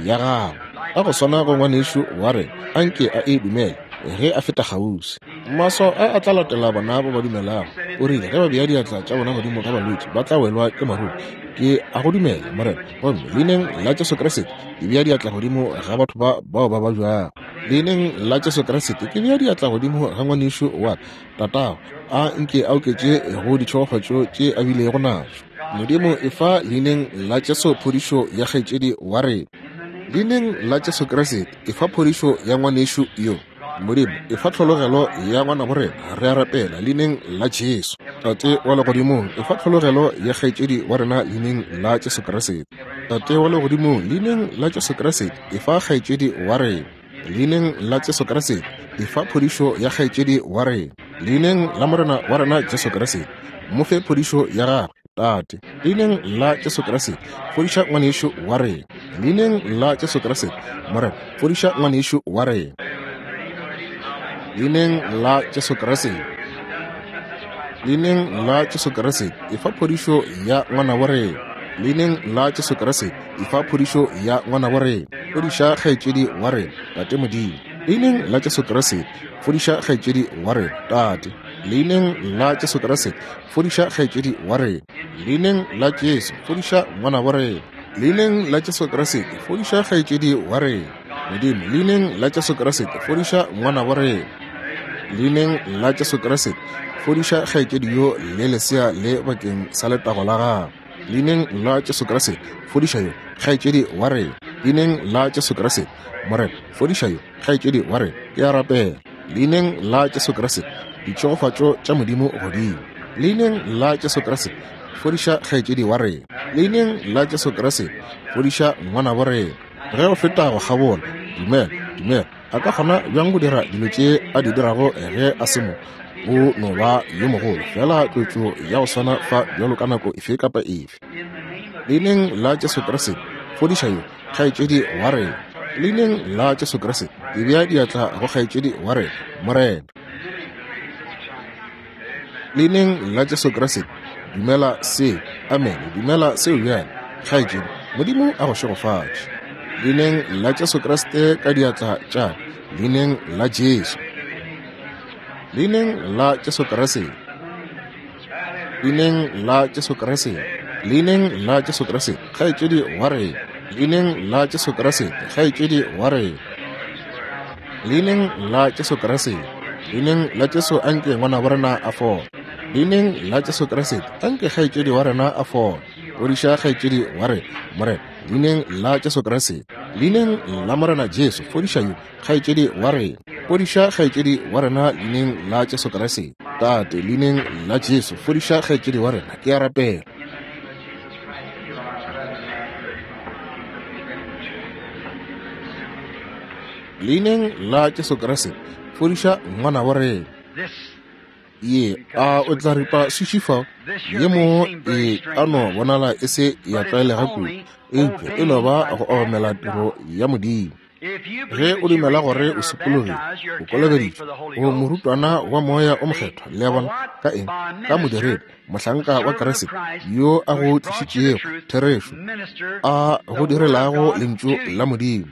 ya gagwe. Ka go swana go ngwanešu wa rena, anke a e dumele ge a feta kgauswi. Maswao a a tla latela bona ba ba dumelago. O rile ge ba bea diatla tša bona godimo ga balwetši ba tla welwa ke maruru. Ke a go dumela, Morena. Gomme leineng la Jesu Kriste ke bea diatla godimo ga batho ba bao ba babjago. Leineng la Jesu Kriste ke bea diatla godimo ga ngwanešu wa ka, tatago, a nke a oketše go ditšhegofatšo tše a bilego natšo. Modimo, efa leineng la Jesu phodišo ya kgaetšedi wa rena. Leineng la Jesu Kriste efa phodišo ya ngwanešu yo. Modimo, efa tlhologelo ya ngwanabo rena, re a rapela, leineng la Jesu. Tate wa Legodimong, efa tlhologelo ya kgaetšedi wa rena, leineng la Jesu Kriste. Tate wa Legodimong, leineng la Jesu Kriste, efa kgaetšedi wa rena. Leineng la Jesu Kriste, efa phodišo ya kgaetšedi wa rena. Leineng la Morena wa rena Jesu Kriste, mo fe phodišo ya gagwe. Tate, leineng la Jesu Kriste, fodiša ngwanešu wa rena. Leineng la Jesu Kriste, Morena, fodiša ngwanešu wa rena. Leineng la Jesu Kriste, leineng la Jesu Kriste, efa phodišo ya ngwanabo rena. Leineng la Jesu Kriste, efa phodišo ya ngwanabo rena. Fodiša kgaetšedi wa rena, Tate Modimo. Leineng la Jesu Kriste, fodiša kgaetšedi wa rena, Tate. Leineng la Jesu Kriste, fodiša kgaetšedi wa rena. Leineng la Jesu, fodiša ngwanabo rena. Leineng la Jesu Kriste, fodiša kgaetšedi wa rena. Modimo, leineng la Jesu Kriste, fodiša ngwanabo rena. Leineng la Jesu Kriste, fodiša kgaetšedi yo le lesea le bakeng sa letago la gagwe. Leineng la Jesu Kriste, fodiša yo kgaetšedi wa rena. Leineng la Jesu Kriste, Morena, fodiša yo kgaetšedi wa rena. Ke a rapela. Leineng la Jesu Kriste, ditšhegofatšo tša Modimo godimo. Leineng la Jesu Kriste, fodiša kgaetšedi wa rena. Leineng la Jesu Kriste, fodiša ngwanabo rena. Ge o feta go kgabola, dumela, dumela. A ka kgona bjang go dira dilo tše a di dirago ge a se mo? O no ba yo mogolo, feela tlotšo ya go swana fa bjalo ka nako efe kapa efe. Leineng la Jesu Kriste, fodiša yo kgaetšedi wa rena. Leineng la Jesu Kriste, ke bea diatla go kgaetšedi wa rena, Morena. Leineng la Jesu Kriste, Dumela seo. Amene. Dumela seo bjale, kgaetšedi. Modimo a go šegofatše. Leineng la Jesu Kriste ka diatla tša ka. Leineng la Jesu. Leineng la Jesu Kriste. Leineng la Jesu Kriste. Leineng la Jesu Kriste, kgaetšedi wa rena. Leineng la Jesu Kriste, kgaetšedi wa rena. Leineng la Jesu Kriste. Leineng la Jesu anke ngwana wa rena a fole. Leineng la Jesu Kriste anke kgaetšedi wa rena a fole. Fodiša kgaetšedi wa rena, Morena. Leineng la Jesu Kriste. Leineng la Morena Jesu, fodiša yo, kgaetšedi wa rena. Fodiša kgaetšedi wa rena leineng la Jesu Kriste. Tate, leineng la Jesu, fodiša kgaetšedi wa rena. Ke a rapela. Leineng la Jesu Kriste, fodiša ngwana wa rena. Ye, a o tla ripa suši fao? Ye mo e ka no bonala e se ya tlwaelega kudu, eupša e no ba go obamela tiro ya Modimo. Ge o dumela gore o sokologile, o kolobeditšwe, o morutwana wa Moya o Mokgethwa, le a bona, ka eng? Ka modiredi, mohlanka wa Kriste, yo a go tlišitšego therešo, a go direlago Lentšu la Modimo.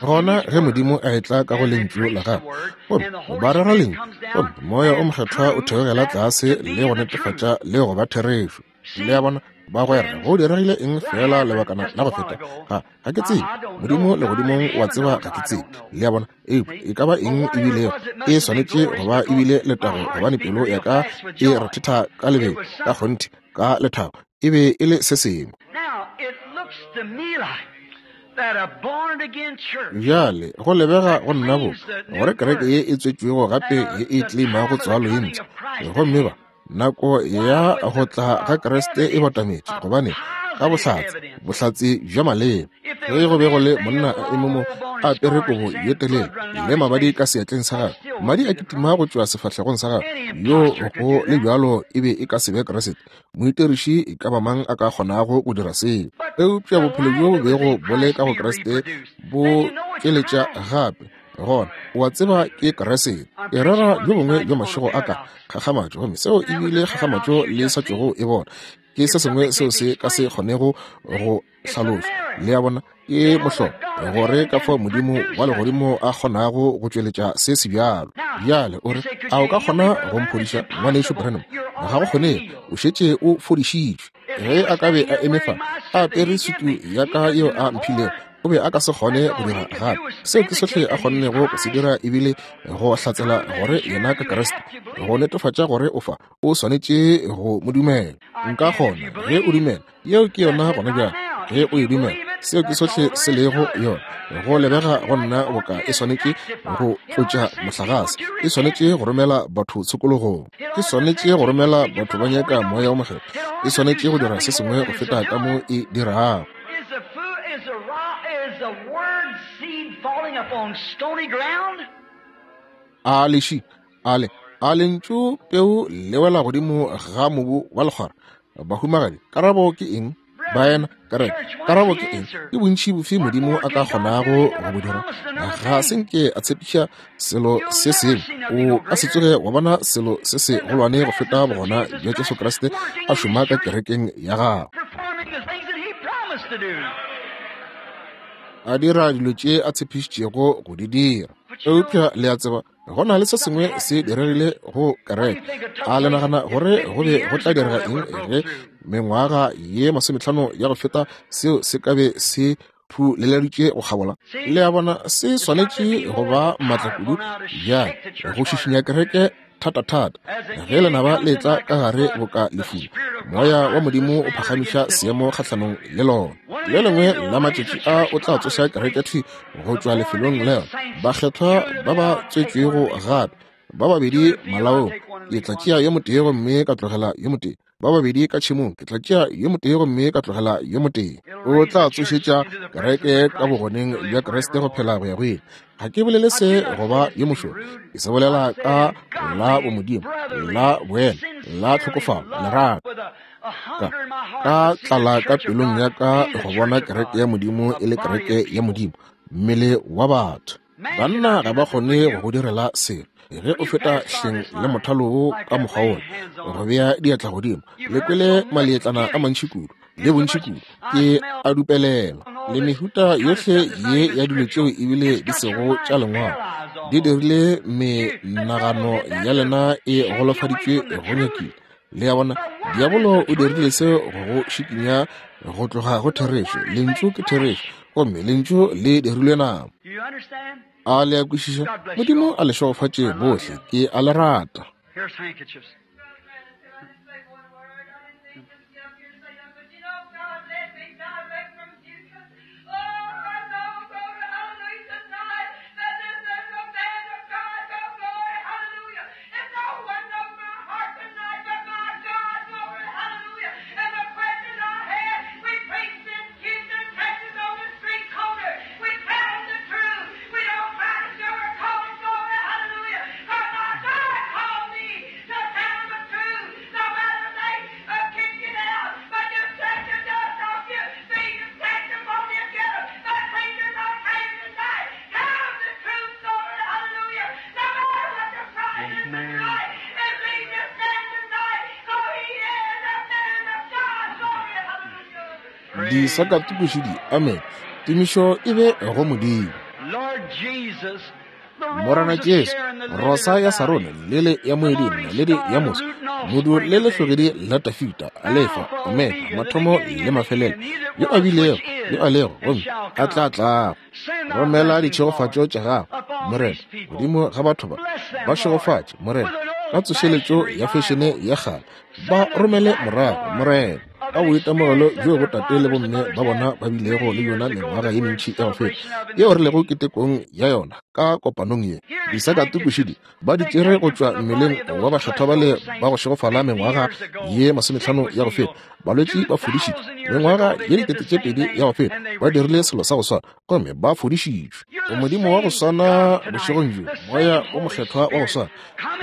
Gona ge Modimo a etla ka go Lentšu la Gagwe, gomme ba rera Lentšu, gomme Moya o Mokgethwa o theogela tlase le go netefatša le go ba therešo. Le a bona, bagwera, go diregile eng feela lebakana la go feta? Ga, ga ke tsebe. Modimo Legodimong o a tseba ga ke tsebe. Le a bona, eupša e ka ba eng e bilego, e swanetše go ba e bile letago, gobane pelo ya ka e rethetha ka lebelo, ka kgonthe, ka lethabo. E be e le se sengwe. Bjale, go lebega go nna bo gore kereke ye e tswetšwego gape ye e tleimago tswalo ye mpsha, gomme ba nako ya go tla ga Kriste e batametše, gobane ka bohlatse, bohlatse bja maleba. Ge go be go le monna a eme mo a apere kobo ye telele le mabadi ka seatleng sa gagwe, madi a kitima go tšwa sefahlegong sa gagwe, yo go le bjalo e be e ka se be Kriste. Moitiriši e ka ba mang a ka kgonago go dira seo? Eupša bophelo bjo bo bego bo le ka go Kriste bo tšweletša gape. Gona o a tseba ke Kriste. Ke rera bjo bongwe bja mašego a ka kgakgamatšo, gomme seo e bile kgakgamatšo le sa tšwego e bona. Ke se sengwe seo se ka se kgonego go hlalošwa. Le a bona, ke mohlolo gore ka fao Modimo wa legodimo a kgonago go tšweletša se sebjalo. Bjale o re, a o ka kgona go mphodiša, Ngwanešu Branham? Ga go kgonege, o šetše o fodišitšwe. Ge a ka be a eme fa a apere sutu ya ka yeo a mphilego, o be a ka se kgone go dira gape. Seo ke sohle a kgonnego go se dira e bile go hlatsela gore yena ke Kriste, go netefatša gore o fa, o swanetše go mo dumela. Nka kgona ge o dumela. Yeo ke yona gona bjale, ge o e dumela. Seo ke sohle se lego yona. Go lebega go nna boka e swanetše go tlotša mohlagase, e swanetše go romela batho tshokologong, e swanetše go romela batho ba nyaka Moya wo Mokgethwa, e swanetše go dira se sengwe go feta ka mo e dirago. A leši, a le, a lentšu peu le wela godimo ga mobu wa lekgwara? Bahumagadi, karabo ke eng? Baena, kereke, karabo ke eng? Ke bontši bofe Modimo a ka kgonago go bo dira? Ga se nke a tshepiša selo se sengwe. O ka se tsoge wa bona selo se se golwane go feta bogona bja Jesu Kriste a šoma ka kerekeng ya gagwe, a dira dilo tše a tshepišitšego go di dira. Eupša le a tseba, go na le se sengwe se diregile go kereke. A le nagana gore go be go tla direga eng ge mengwaga ye 50 ya go feta seo se ka be se phuleleditše go kgabola? Le a bona, se swanetše go ba maatla kudu bjale go šišinya kereke thata-thata. Ge lenaba le etla ka gare boka lefula, Moya wa Modimo o phagamiša seemo kgahlanong le lona. Le lengwe la matšatši a o tla tsoša kereke thwi go tšwa lefelong leo bakgethwa ba ba tswetšwego gape ba babedi malaong. Ke tla tšea yo motee gomme ka tlogela yo motee, ba babedi ka tšhemong, ke tla tšea yo motee gomme ka tlogela yo motee. O tla tsošetša kereke ka bogoneng bja Kriste go phela go ya go ile. Ga ke bolele se go ba yo mošoro, ke se bolela ka la bomodimo, la boena, la tlhokofalo, lerato. Ka tlala ka pelong ya ka go bona kereke ya Modimo e le kereke ya Modimo, mmele wa batho. Banna ga ba kgone go go direla selo. Ge o feta hleng le mothalo wo ka mokgwa wola, go bea diatla godimo, le kwele maleetlana a mantši kudu le bontši kudu, ke a dupelela. Le mehuta yohle ye ya dilo tšeo ebile di sego tša lengwalo, di dirile menagano ya lena e golofaditšwe go nyakile. Le a bona, diabolo o dirile seo go go šikinya go tloga go therešo. Lentšu ke therešo, gomme lentšu le dirilwe nama. A le a kwešiša? Modimo a le šegofatše bohle. Ke a le rata. Disakatukušidi, amen. Tumišo e be go Modimo. Morena Jesu, rosa ya Sarone, lele ya moeding, naledi ya moso, modu le lehlogedi la Tafita, Alefa, Omega, mathomo le mafelelo, yo a bilego, yo a lego, gomme a tla tlago. Romela ditšhegofatšo tša gago, Morena, godimo ga batho ba. Ba šegofatše, Morena, ka tsošeletšo ya fešene ya kgale. Ba romele morago, Morena, ka boitemogelo bjo botate le bomme ba bona ba bilego le yona mengwaga ye mentši ya go feta, yeo re lego ketekong ya yona ka kopanong ye. Disakatukušidi ba di tšere go tšwa mmeleng wa bakgethwa bale ba go šegofala mengwaga ye 50 ya go feta. Balwetši ba fodišitšwe mengwaga ye 2000 ya go feta, ba dirile selo sa go swana gomme ba fodišitšwe. O Modimo wa go swana bošegong bjo, Moya o Mokgethwa wa go swana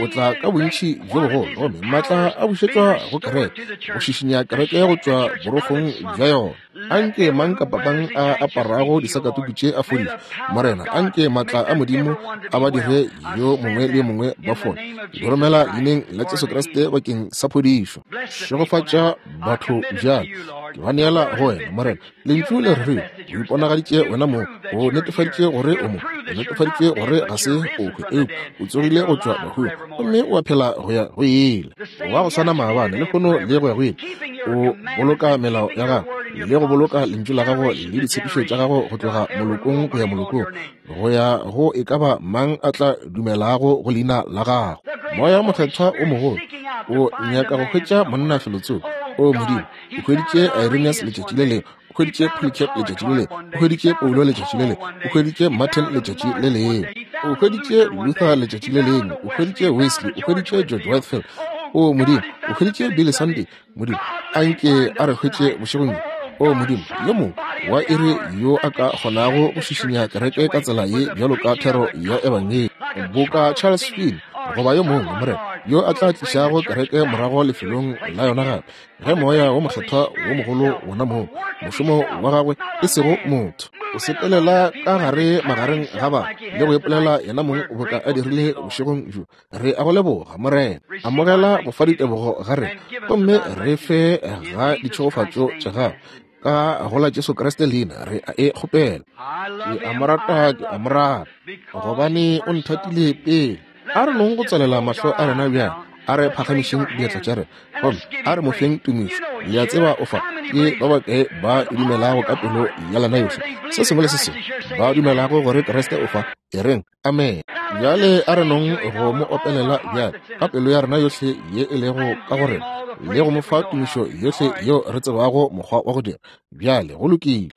o tla ka bontši bjo bogolo, gomme maatla a bušetšwa go kereke, go šišinya kereke go tšwa borogong bja yona. Anke mang kapa mang a aparago disakatuku tše a fodišwe, Morena. Anke maatla a Modimo a ba dire yo mongwe le yo mongwe ba fole. Di romela leineng la Jesu Kriste bakeng sa phodišo. Šegofatša batho bjale. Ke ba neela go wena, Morena. Lentšu le re o iponagaditše wena mong, o netefaditše gore o mo, o netefaditše gore ga se o hwe, eupša o tsogile go tšwa bahung gomme o a phela go ya go ile. Wa go swana maabane, lehono le go ya go ile. O boloka melao ya gago le go boloka lentšu la gago le ditshepišo tša gago go tloga molokong go ya molokong, go ya go e ka ba mang a tla dumelago go leina la gago. Moya Mokgethwa o mogolo o nyaka go hwetša monna felotsoko. O Modimo, o hweditše Irenaeus letšatši le lengwe, o hweditše Polycarp letšatši le lengwe, o hweditše Paulo letšatši le lengwe, o hweditše Martin letšatši le lengwe, o hweditše Luther letšatši le lengwe, o hweditše Wesley, o hweditše George Whitefield. O Modimo, o hweditše Billy Sunday. Modimo, a nke a re hwetše bošegong bjo. O Modimo, yo mongwe wa iri yo a ka kgonago go šišinya kereke ka tsela ye bjalo ka thero ya Ebangedi, boka Charles Finney goba yo mongwe, Morena, yo a tla tlišago kereke morago lefelong la yona gape, ge Moya wo Mokgethwa wo mogolo wona moo, mošomo wa gagwe e sego motho, o sepelela ka gare magareng ga ba le go ipolela yena mong boka a dirile bošegong bjo. Re a go leboga, Morena. Amogela go fa ditebogo ga rena, gomme re fe ga ditšhegofatšo tša gago. Ka go la Jesu Kriste leina re a e kgopela. Ke a mo rata, ke a mo rata, gobane o nthatile pele. A re nong go tswalela mahlo a rena bjale, a re phagamišeng diatla tša rena, gomme a re mo feng tumišo. Le a tseba o fa, ke ba bakae ba e dumelago ka pelo ya lena yohle, se sengwe le se sengwe, ba dumelago gore Kriste o fa? E reng, amen. Bjale a re nong go mo opelela bjale ka pelo ya rena yohle ye e lego ka go rena, le go mo fa tumišo yohle yeo re tsebago mokgwa wa go dira. Bjale go lokile.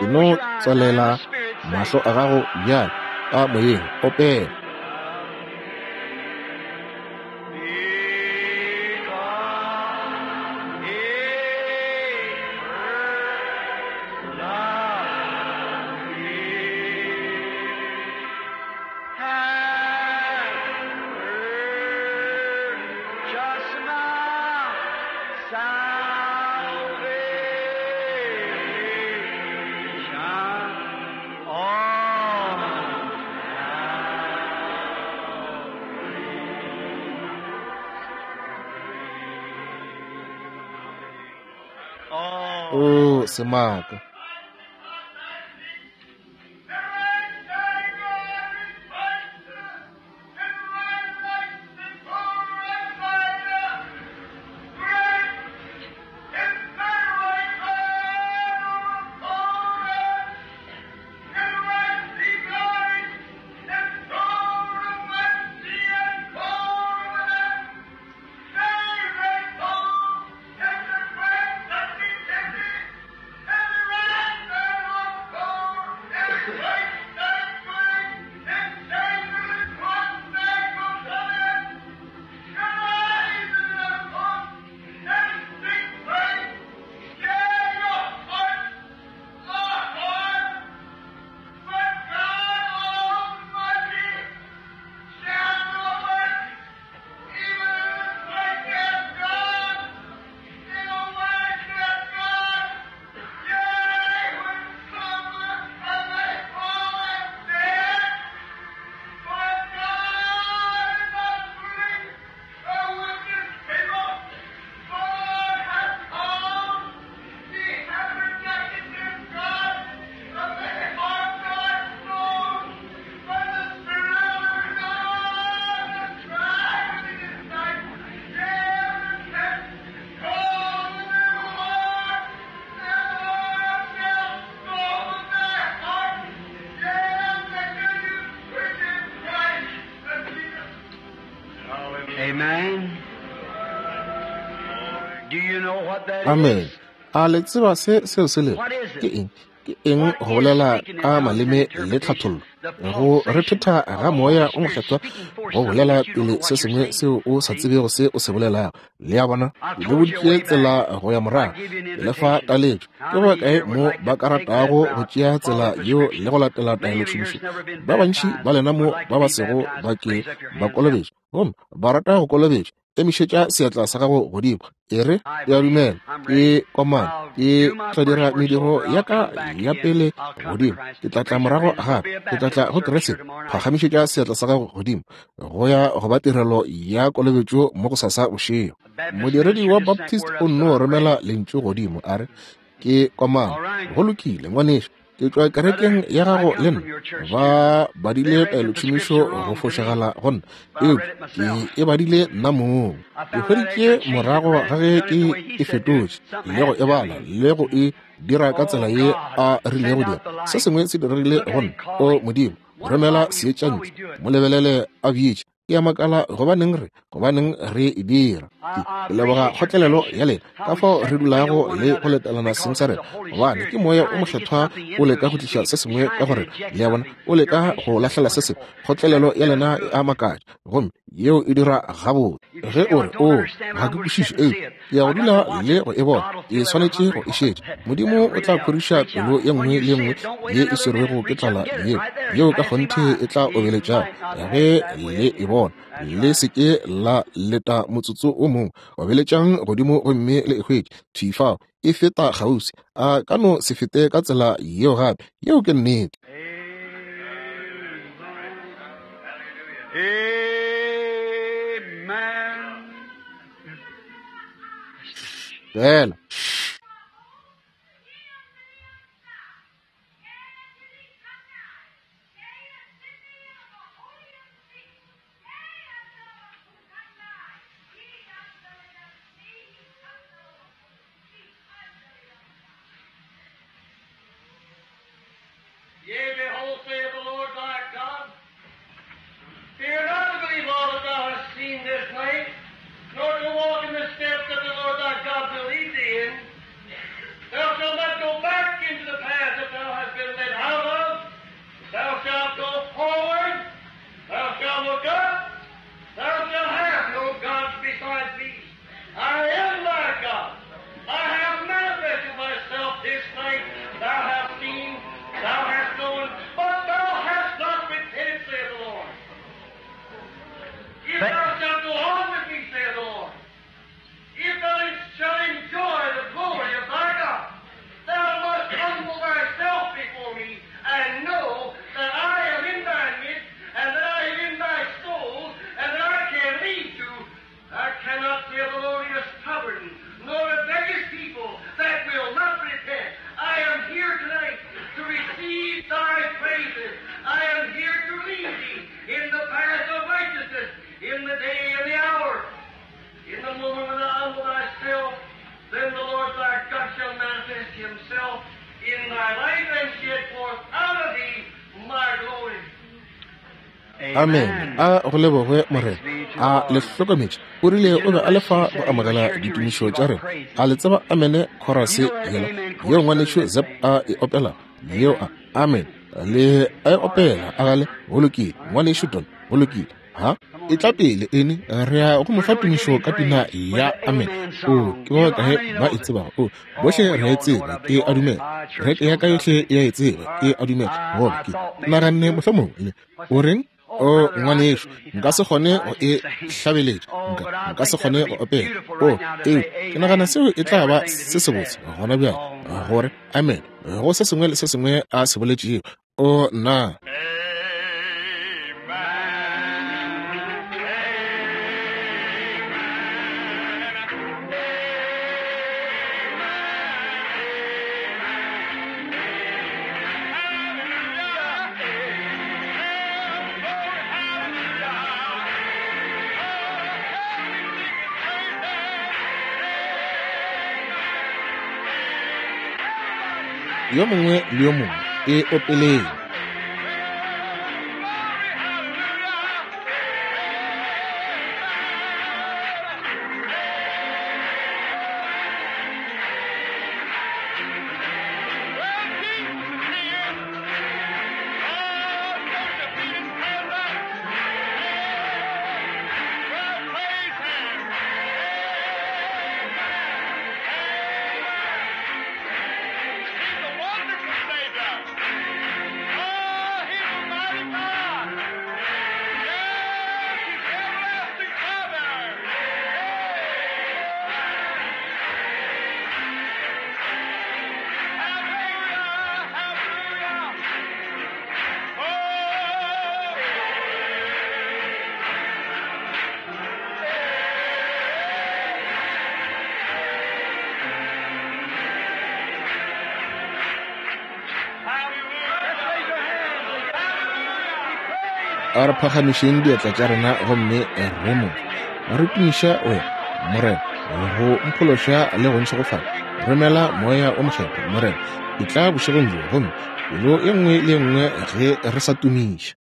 E no tswalela mahlo a gago bjale ka moyeng, opela. O semaka. Amen. A le tseba se seo se lego? Ke eng? Ke eng go bolela ka maleme le tlhathollo? Go rethetha ga Moya o Mokgethwa go bolela pele se sengwe seo o sa tsebego se o se bolelago. Le a bona? Le boditše tsela go ya morago. Ke le fa taletšo. Ke ba kae mo ba ka ratago go tšea tsela yeo le go latela taelotšhomišo? Ba bantši ba lena mo ba ba sego ba ke ba kolobetšwa, gomme ba rata go kolobetšwa. Emišetša seatla sa gago godimo, e re, ke a dumela, ke komana, ke tla dira mediro ya ka ya pele godimo, ke tla tla morago gape, ke tla tla go Kriste. Phagamišetša seatla sa gago godimo go ya go ba tirelo ya kolobetšo mo go sasa bošego. Modiredi wa Baptist o nno romela lentšu godimo, a re, ke komana. Go lokile, ngwanešu, ke tšwa kerekeng ya gago le nna. Ba badile taelotšhomišo go fošagala go nna, eupša ke e badile nna mong. Ke hweditše morago ga ge ke e fetotše le go e bala le go e dira ka tsela ye a rilego dira. Se sengwe se diregile go nna. O Modimo, romela seetša ntle, mo lebelele a bitša. Ke a makala gobaneng re, gobaneng re e dira. Ke leboga kgotlelelo ya lena, ka fao re dulago le go letelana seng sa rena, gobane ke Moya o Mokgethwa o leka go tliša se sengwe ka go rena. Le a bona, o leka go lahlela se sengwe. Kgotlelelo ya lena e a makatša, gomme yeo e dira gabotse. Ge o re, O, ga ke kwešiše, eupša ke ya go dula le go e bona, ke swanetše go e šetša. Modimo o tla khoriša pelo ye nngwe le ye nngwe ye e swerwego ke tlala yeo, yeo ka kgonthe e tla obeletšago ge le e bona. Le se ke la leta motsotso o mongwe, obeletšang godimo gomme le e hwetše thwi fao. E feta kgauswi, a ka no se fete ka tsela yeo gape. Yeo ke nnete. Fela. Yea, behold, saith the Lord thy God, fear not to believe all that thou hast seen this night, nor to walk in the steps that the Lord thy God will lead thee in. Thou shalt not go back into the path that thou hast been led out of. Thou shalt go forward. Thou shalt look up. Thou shalt have no gods besides me. I am thy God. I have manifested myself this night. Thou hast seen, thou hast known, but thou hast not repented, saith the Lord. If thou shalt go on with me, saith the Lord, if thou shalt enjoy the glory of thy God, thou must humble thyself before me and know that I am in thy midst, and that I am in thy soul, and that I can lead you. I cannot, saith the Lord, be a stubborn, nor rebellious people that Amen. A go lebogwe Morena. A le hlokometše? O rile o be a le fa go amogela ditumišo tša rena. A le tseba amene khorase yela yeo ngwanešu Zep a e opelago? Yeo a amen le a e opela a gale go lokile ngwanešu Don go lokile ha e tla pele ene re ya go mo fa tumišo ka pina ya amen o ke ba kae ba e tsebago o bohle re a e tseba ke a dumela reke ya ka yohle e a e tseba ke a dumela goba ke naganne mohlomongwe le o reng o ngwanešu nka se kgone go e hlabeletša nka nka se kgone go opela o eo ke nagana seo e tla ba se sebotse gona bjale gore amen go se sengwe le se sengwe a se boletšego o nna Yo mongwe le yo mongwe e opeleng. A re phagamišeng diatla tša rena gomme re mo re tumiša wena Morena go mphološa le go ntšhegofatša. Romela moya o mokgethwa Morena, e tla bošegong bjo gomme pelo e nngwe le e nngwe ge re sa tumiša.